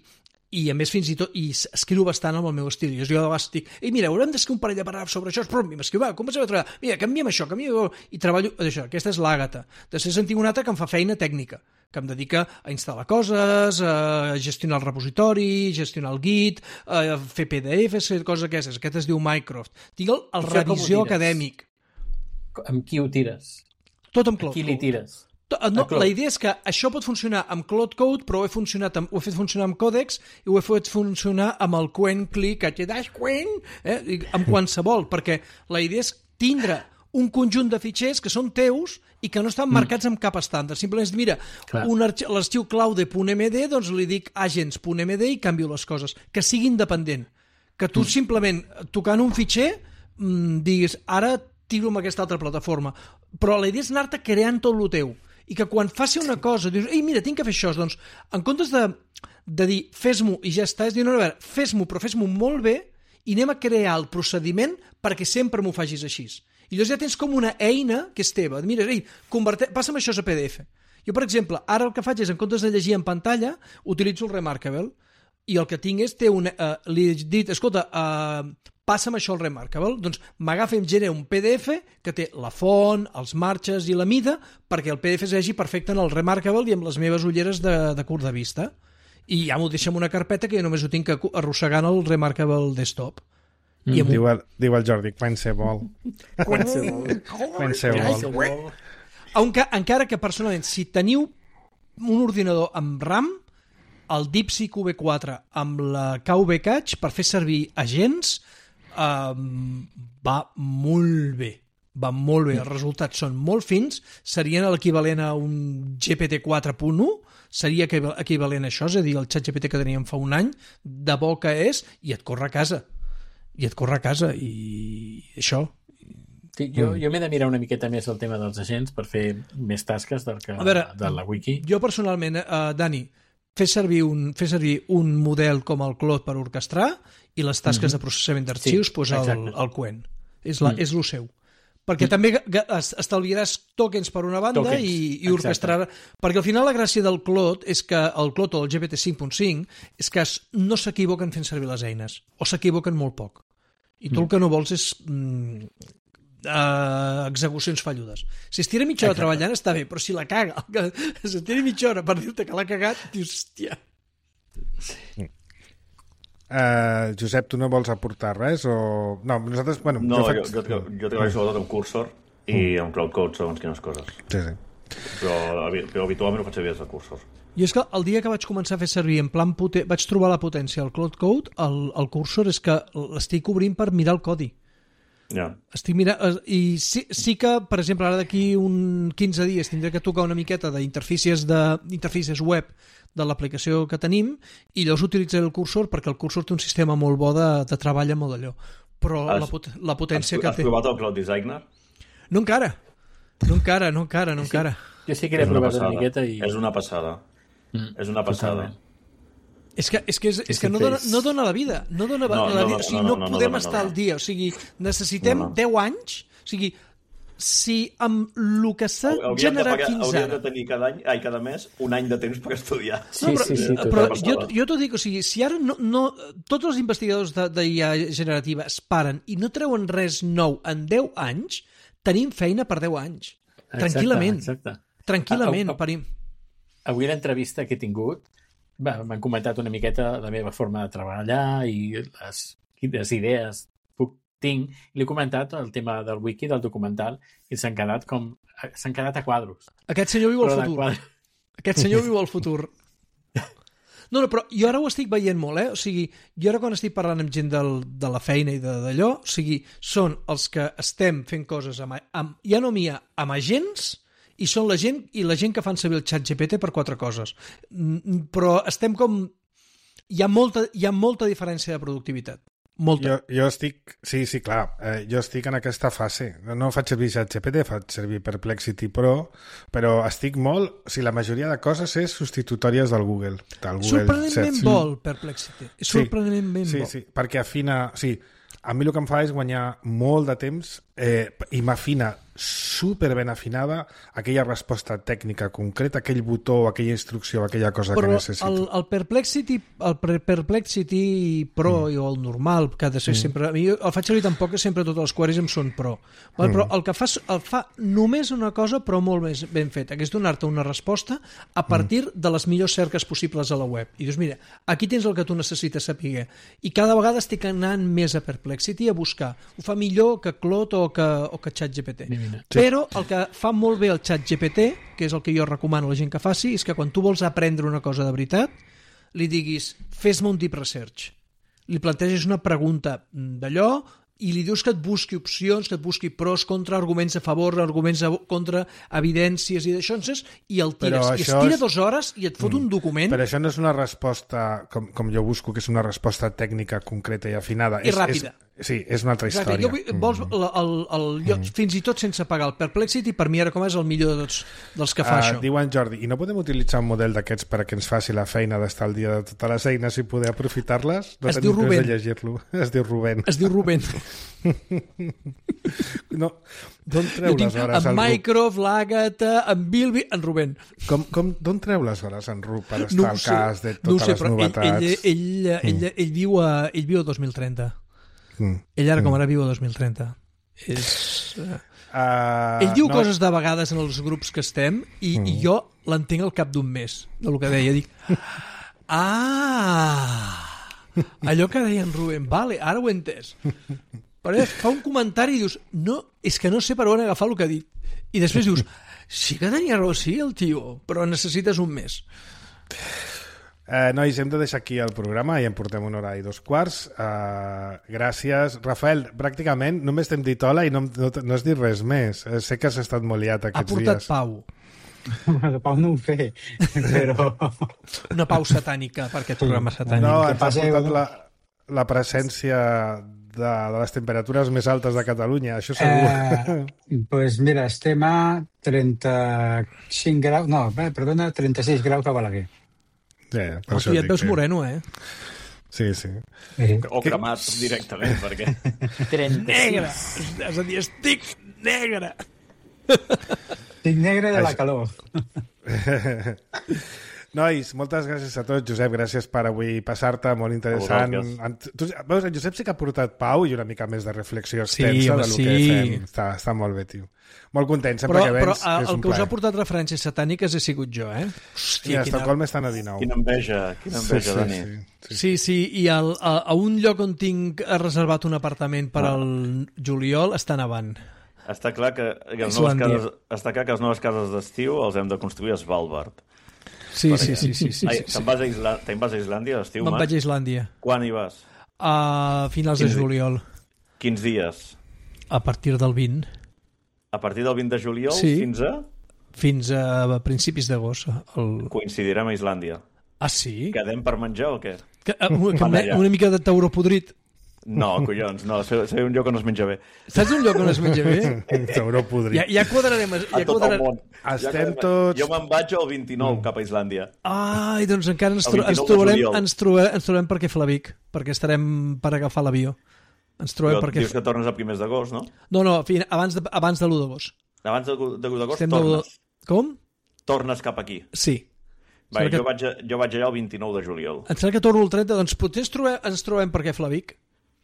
S3: i a més fins i tot i escriu bastant amb el meu estil. Jo de vegades dic, ei mira, haurem d'escriure un parell de paràgrafs sobre això, però m'escriu, va, comencem a treballar, mira, canviem això, canviem i treballo això. Aquesta és l'Àgata. Després en tinc una altra que em fa feina tècnica, que em dedica a instal·lar coses, a gestionar el repositori, gestionar el Git, a fer P D Fs, coses aquestes. Aquest es diu Mycroft. Tinc el, el revisió acadèmic.
S5: Amb qui ho tires?
S3: Tot amb Cloud.
S5: A qui li tires?
S3: No, la idea és que això pot funcionar amb Cloud Code, però ho he, funcionat amb, ho he fet funcionar amb Codex i ho he fet funcionar amb el Quen Click, Quen, eh, amb qualsevol, perquè la idea és tindre un conjunt de fitxers que són teus i que no estan marcats amb cap estàndard. Simplement, mira, l'arxiu claude.md, doncs li dic agents.md i canvio les coses. Que sigui independent. Que tu simplement, tocant un fitxer, diguis, ara tiro amb aquesta altra plataforma. Però la idea és anar-te creant tot el teu. I que quan faci una cosa, dius, ei, mira, tinc que fer això, doncs, en comptes de, de dir, fes-m'ho i ja està, és dir, no, a veure, fes-m'ho, però fes-m'ho molt bé i anem a crear el procediment perquè sempre m'ho facis així. I llavors ja tens com una eina que és teva. Mira, ei, converte... passa'm això a P D F. Jo, per exemple, ara el que faig és, en comptes de llegir en pantalla, utilitzo el Remarkable i el que tinc és, té una, uh, li he dit, escolta, uh, passa'm això al Remarkable, doncs m'agafa i em genera un P D F que té la font, els marges i la mida perquè el P D F es vegi perfecte en el Remarkable i amb les meves ulleres de, de curt de vista. I ja m'ho deixa en una carpeta que jo només ho tinc arrossegant al Remarkable Desktop.
S1: Mm. I diu, el, diu el Jordi, qualsevol. Qualsevol.
S3: Encara que personalment, si teniu un ordinador amb RAM, el DeepSeek V quatre amb la K V Cache per fer servir agents um, va molt bé. Va molt bé, els resultats són molt fins, serien l'equivalent a un G P T quatre punt u, seria equivalent a això, és a dir, el ChatGPT que teníem fa un any, de bo que és, i et corre a casa. I et corre a casa, i això.
S5: Sí, jo, jo m'he de mirar una miqueta més el tema dels agents per fer més tasques del que,
S3: veure,
S5: de la wiki.
S3: Jo personalment, uh, Dani, fer servir, un, fer servir un model com el Claude per orquestrar i les tasques mm-hmm. de processament d'arxius, sí, pues el, el Quen. És, la, mm. és el seu. perquè també estalviaràs tokens per una banda tokens. i, i orquestrar... Perquè al final la gràcia del Claude és que el Claude o el G P T cinc punt cinc és que no s'equivoquen fent servir les eines, o s'equivoquen molt poc. I tu el que no vols és mm, uh, execucions falludes. Si es tira mitja hora treballant està bé, però si la caga, si es tira mitja hora per dir-te que l'ha cagat, dius, hòstia...
S1: Sí. Uh, Josep, tu no vols aportar res? O... No, nosaltres... Bueno,
S4: no,
S1: jo, faig...
S4: jo, jo, jo treballo sobretot amb Cursor i mm. amb Cloud Code, segons quines coses.
S1: Sí, sí.
S4: Però, però habitualment ho faig servir des de Cursor.
S3: I és que el dia que vaig començar a fer servir en plan poten... vaig trobar la potència al Cloud Code, el, el Cursor és que l'estic obrint per mirar el codi.
S4: Ja.
S3: Estic mirant... I sí, sí que, per exemple, ara d'aquí un quinze dies tindré que tocar una miqueta d'interfícies de... interfícies web de l'aplicació que tenim i llavors utilitzaré el Cursor perquè el Cursor té un sistema molt bo de, de treball amb molt d'allò. Però has, la, pot, la potència
S4: has,
S3: que
S4: has
S3: té...
S4: Has provat el Cloud Designer?
S3: No encara. No encara, no encara, no
S5: sí,
S3: encara.
S5: Jo sí que l'he provat una miqueta i...
S4: És una passada. Mm. És una passada.
S5: Totalment.
S3: És que, és que, és, és que no, dona, no dona la vida. No dona no, la vida. No, no, o sigui, no, no, no podem no, no, estar no, no. al dia. O sigui, necessitem no, no. deu anys. O sigui, si amb el que s'ha generat
S4: pagar,
S3: fins
S4: hauríem
S3: ara...
S4: de tenir cada any, ai, cada mes un any de temps per estudiar.
S5: Sí,
S3: no, però,
S5: sí, sí,
S3: però jo, jo t'ho dic, o sigui, si ara no, no, tots els investigadors d'I A generativa es paren i no treuen res nou en deu anys, tenim feina per deu anys.
S5: Exacte,
S3: tranquil·lament.
S5: Exacte.
S3: Tranquil·lament.
S5: A, a, a, avui l'entrevista que he tingut m'han comentat una miqueta la meva forma de treballar i les, les idees puc, tinc, i li he comentat el tema del wiki, del documental, i s'han quedat com s'han quedat a quadros.
S3: Aquest senyor viu el futur. Aquest senyor viu el futur. No, no, però jo ara ho estic veient molt, eh? O sigui, jo ara quan estic parlant amb gent del, de la feina i d'allò, o sigui, són els que estem fent coses amb, amb ja no mia, amb agents, i són la gent i la gent que fan servir el xat G P T per quatre coses. Però estem com... Hi ha molta, hi ha molta diferència de productivitat. Molta.
S1: Jo, jo estic... Sí, sí, clar. Eh, jo estic en aquesta fase. No faig servir xat G P T, faig servir Perplexity Pro, però estic molt... O sigui, la majoria de coses és substitutòries del Google. Del Google
S3: sorprenentment
S1: Search.
S3: bo, el Perplexity. És sorprenentment
S1: sí,
S3: bo.
S1: Sí, sí, perquè afina... O sigui, a mi el que em fa és guanyar molt de temps eh, i m'afina super ben afinada aquella resposta tècnica concreta, aquell botó, aquella instrucció, aquella cosa
S3: però
S1: que necessito.
S3: El, el Perplexity el Perplexity Pro mm. o el normal, que ha de ser mm. sempre... A mi el faig servir tampoc que sempre totes les queries em són Pro. Val? Mm. Però el que fa, el fa només una cosa, però molt més ben feta, que és donar-te una resposta a partir mm. de les millors cerques possibles a la web. I dius, mira, aquí tens el que tu necessites saber. I cada vegada estic anant més a Perplexity a buscar. Ho fa millor que Claude o que, o que ChatGPT. Sí. Però el que fa molt bé el ChatGPT, que és el que jo recomano a la gent que faci, és que quan tu vols aprendre una cosa de veritat, li diguis, fes-me un deep research. Li planteges una pregunta d'allò i li dius que et busqui opcions, que et busqui pros, contra, arguments a favor, arguments a contra, evidències i d'això, i el tires. I es tira és... dues hores i et fot mm. un document...
S1: Però això no és una resposta, com, com jo busco, que és una resposta tècnica concreta i afinada.
S3: I
S1: és,
S3: ràpida.
S1: És, sí, és una altra
S3: Exacte.
S1: història.
S3: Jo, vols, el, el, el, jo, mm. fins i tot sense pagar el Perplexity, per mi ara com és el millor de tots dels que fa uh, això.
S1: Diuen, Jordi, i no podem utilitzar un model d'aquests perquè ens faci la feina d'estar al dia de totes les eines i poder aprofitar-les? No
S3: es diu Rubén.
S1: De llegir-lo. Es diu Rubén.
S3: Es diu Rubén.
S1: No, d'on treu les hores
S3: en Mycroft, l'Àgata, en Bilby, en Rubén.
S1: Com, com, d'on treu les hores en Ru per estar no al sé, cas de totes
S3: no sé,
S1: les novetats?
S3: Ell, ell, ell, mm. ell, ell, viu a, ell viu a dos mil trenta. Mm. Ell ara com ara viu a dos mil trenta. És... Uh, ell diu no. coses de vegades en els grups que estem i, mm. i jo l'entenc al cap d'un mes del que deia. Dic, ah... Allò que deia en Rubén, vale, ara ho he entès. Però fa un comentari i dius, no, és que no sé per on agafar el que ha dit. I després dius, sí que tenia raó, sí, el tio, però necessites un mes.
S1: Eh, nois, hem de deixar aquí el programa i en portem una hora i dos quarts. Eh, gràcies. Rafael, pràcticament només t'hem dit hola i no, no, no has dit res més. Eh, sé que has estat molt liat aquests dies.
S3: Ha portat
S1: dies.
S3: pau.
S6: De pau no ho sé, però...
S3: Una pau satànica per aquest programa satànic.
S1: No, ens ha portat la, la presència de, de les temperatures més altes de Catalunya, això segur.
S6: Eh, pues mira, estem a trenta-cinc graus, no, perdona, trenta-sis graus a Balaguer.
S1: Sí, per
S3: oh, tu ja et veus moreno, eh?
S1: Sí, sí.
S4: O cremat directament, perquè...
S3: trenta-sis. Negre! És a dir, estic Negre!
S6: Estic negre de la calor.
S1: Nois, moltes gràcies a tots. Josep, gràcies per avui passar-te, molt interessant. En, tu, veus, en Josep sí que ha portat pau i una mica més de reflexió extensa
S3: sí, home,
S1: del
S3: sí.
S1: que fem. Està, està molt bé, tio. Molt content, sempre
S3: però,
S1: que vens.
S3: Però
S1: és
S3: el
S1: un
S3: que us
S1: plaer.
S3: ha portat referències satàniques he sigut jo, eh?
S1: Hòstia, I a Estocolm estan a dinou.
S4: Quina enveja, quina enveja,
S1: sí,
S4: Dani.
S1: Sí, sí,
S3: sí, sí i el, a, a un lloc on tinc reservat un apartament per al juliol està nevant.
S4: Està clar que, que les noves cases, està clar que les noves cases d'estiu els hem de construir a Svalbard.
S3: Sí, sí, sí, sí, sí,
S4: Ai,
S3: sí,
S4: te'n vas a Islàndia, te'n vas a Islàndia a l'estiu,
S3: Me'n vaig a Islàndia.
S4: Quan hi vas?
S3: A finals
S4: Quins
S3: de juliol.
S4: Quins dies?
S3: A partir del vint.
S4: A partir del vint de juliol
S3: sí.
S4: fins a?
S3: Fins a principis d'agost. El...
S4: Coincidirem a Islàndia.
S3: Ah, sí?
S4: Quedem per menjar o què?
S3: Que, que me, una mica de tauró podrit.
S4: No, collons, no, sé, sé un lloc on es menja bé.
S3: Saps un lloc on es menja bé?
S1: Tauró podrit.
S3: Ja, ja quadrarem... Ja
S4: a tot
S3: quadrar...
S4: el món.
S1: Estem
S4: ja
S1: tots...
S4: Jo me'n vaig el vint-i-nou mm. cap a Islàndia.
S3: Ai, doncs encara ens, tro ens, trobarem, ens, trobem, ens trobem perquè fa la Vic, perquè estarem per agafar l'avió. Ens trobem
S4: Però
S3: perquè...
S4: dius que tornes a primers d'agost, no?
S3: No, no, abans de, abans de l'u d'agost.
S4: Abans de l'u d'agost
S3: Estem
S4: tornes.
S3: De... Com?
S4: Tornes cap aquí.
S3: Sí.
S4: Va,
S3: que...
S4: jo, vaig a, jo vaig allà el vint-i-nou de juliol.
S3: Em sembla que torno el trenta, doncs potser ens trobem, ens trobem perquè fa la Vic.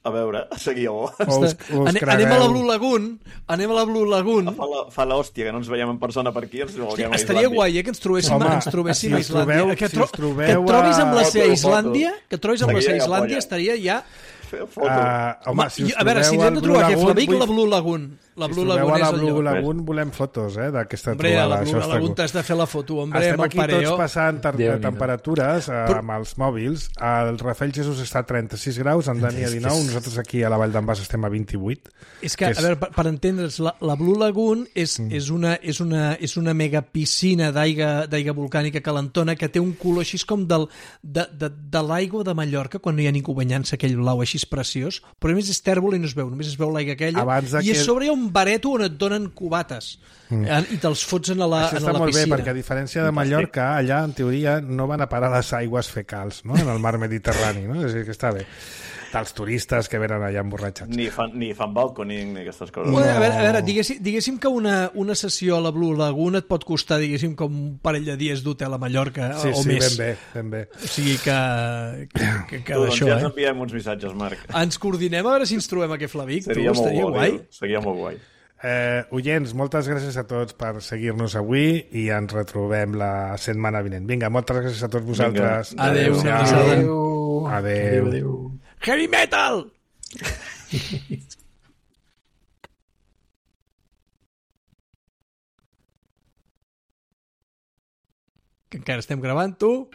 S4: A veure, seguiu.
S1: Us, us
S3: Ane, anem a la Blue Lagoon. Anem a la Blue Lagoon.
S4: Fa la, fa l'hòstia, que no ens veiem en persona per aquí. Ens
S3: sí, estaria guai, eh, que ens trobéssim,
S1: Home,
S3: ens trobéssim
S1: si
S3: a Islàndia.
S1: Trobeu,
S3: que, tro
S1: si trobeu
S3: que et trobis amb la
S4: a...
S3: seva Islàndia, que et trobis amb la seva
S4: Seguia
S3: Islàndia,
S4: polla.
S3: estaria ja...
S1: Uh, home,
S3: home,
S1: si us
S3: a veure, si ens hem de trobar aquí a Flavic, la Blue Lagoon. La Blue
S1: si
S3: Lagoon
S1: a la
S3: és el
S1: Blue
S3: lloc.
S1: Lagoon volem fotos, eh, d'aquesta
S3: Hombre,
S1: trobada.
S3: a la Blue
S1: Això
S3: Lagoon t'has de fer la foto, hombre,
S1: Estem
S3: amb el
S1: aquí
S3: pareo.
S1: tots passant temperatures eh,
S3: Però...
S1: amb els mòbils. El Rafael Jesús està a trenta-sis graus, en Dani a dinou, nosaltres aquí a la Vall d'en Bas estem a vint-i-vuit.
S3: És que,
S1: que és...
S3: a veure, per, per entendre's, la, la Blue Lagoon és, mm. és, una, és, una, és una mega piscina d'aigua volcànica calentona que té un color així com del, de, de, de l'aigua de Mallorca quan no hi ha ningú banyant-se, aquell blau així preciós, però a més és tèrbol i no es veu, només es veu l'aigua aquella, i a sobre hi ha un bareto on et donen cubates mm. eh, i te'ls fots en la,
S1: Això
S3: en
S1: està
S3: la
S1: molt
S3: piscina.
S1: bé, perquè a diferència de Mallorca, allà, en teoria, no van a parar les aigües fecals, no?, en el mar Mediterrani, no? És a dir, que està bé. Dels turistes que venen allà emborratxats.
S4: Ni fan, ni fan balconing ni aquestes coses.
S3: No. A veure, a veure diguéssim, diguéssim que una, una sessió a la Blue Lagoon et pot costar, diguéssim, com un parell de dies d'hotel a Mallorca
S1: sí,
S3: o
S1: sí,
S3: més.
S1: Sí, ben bé, ben bé.
S3: O sigui que, que, que, que
S4: tu, doncs
S3: d'això,
S4: ja ens
S3: eh?
S4: enviem uns missatges, Marc.
S3: Ens coordinem a veure si ens trobem aquí a Flavic.
S4: Seria
S3: tu,
S4: molt
S3: estaria
S4: bo,
S3: guai.
S4: Déu. Seria molt guai.
S1: Eh, oients, moltes gràcies a tots per seguir-nos avui i ens retrobem la setmana vinent. Vinga, moltes gràcies a tots vosaltres.
S3: Vinga. Adéu.
S1: Adéu.
S3: Adéu.
S1: Adéu. Adéu.
S3: Heavy metal! Que encara estem gravant, tu?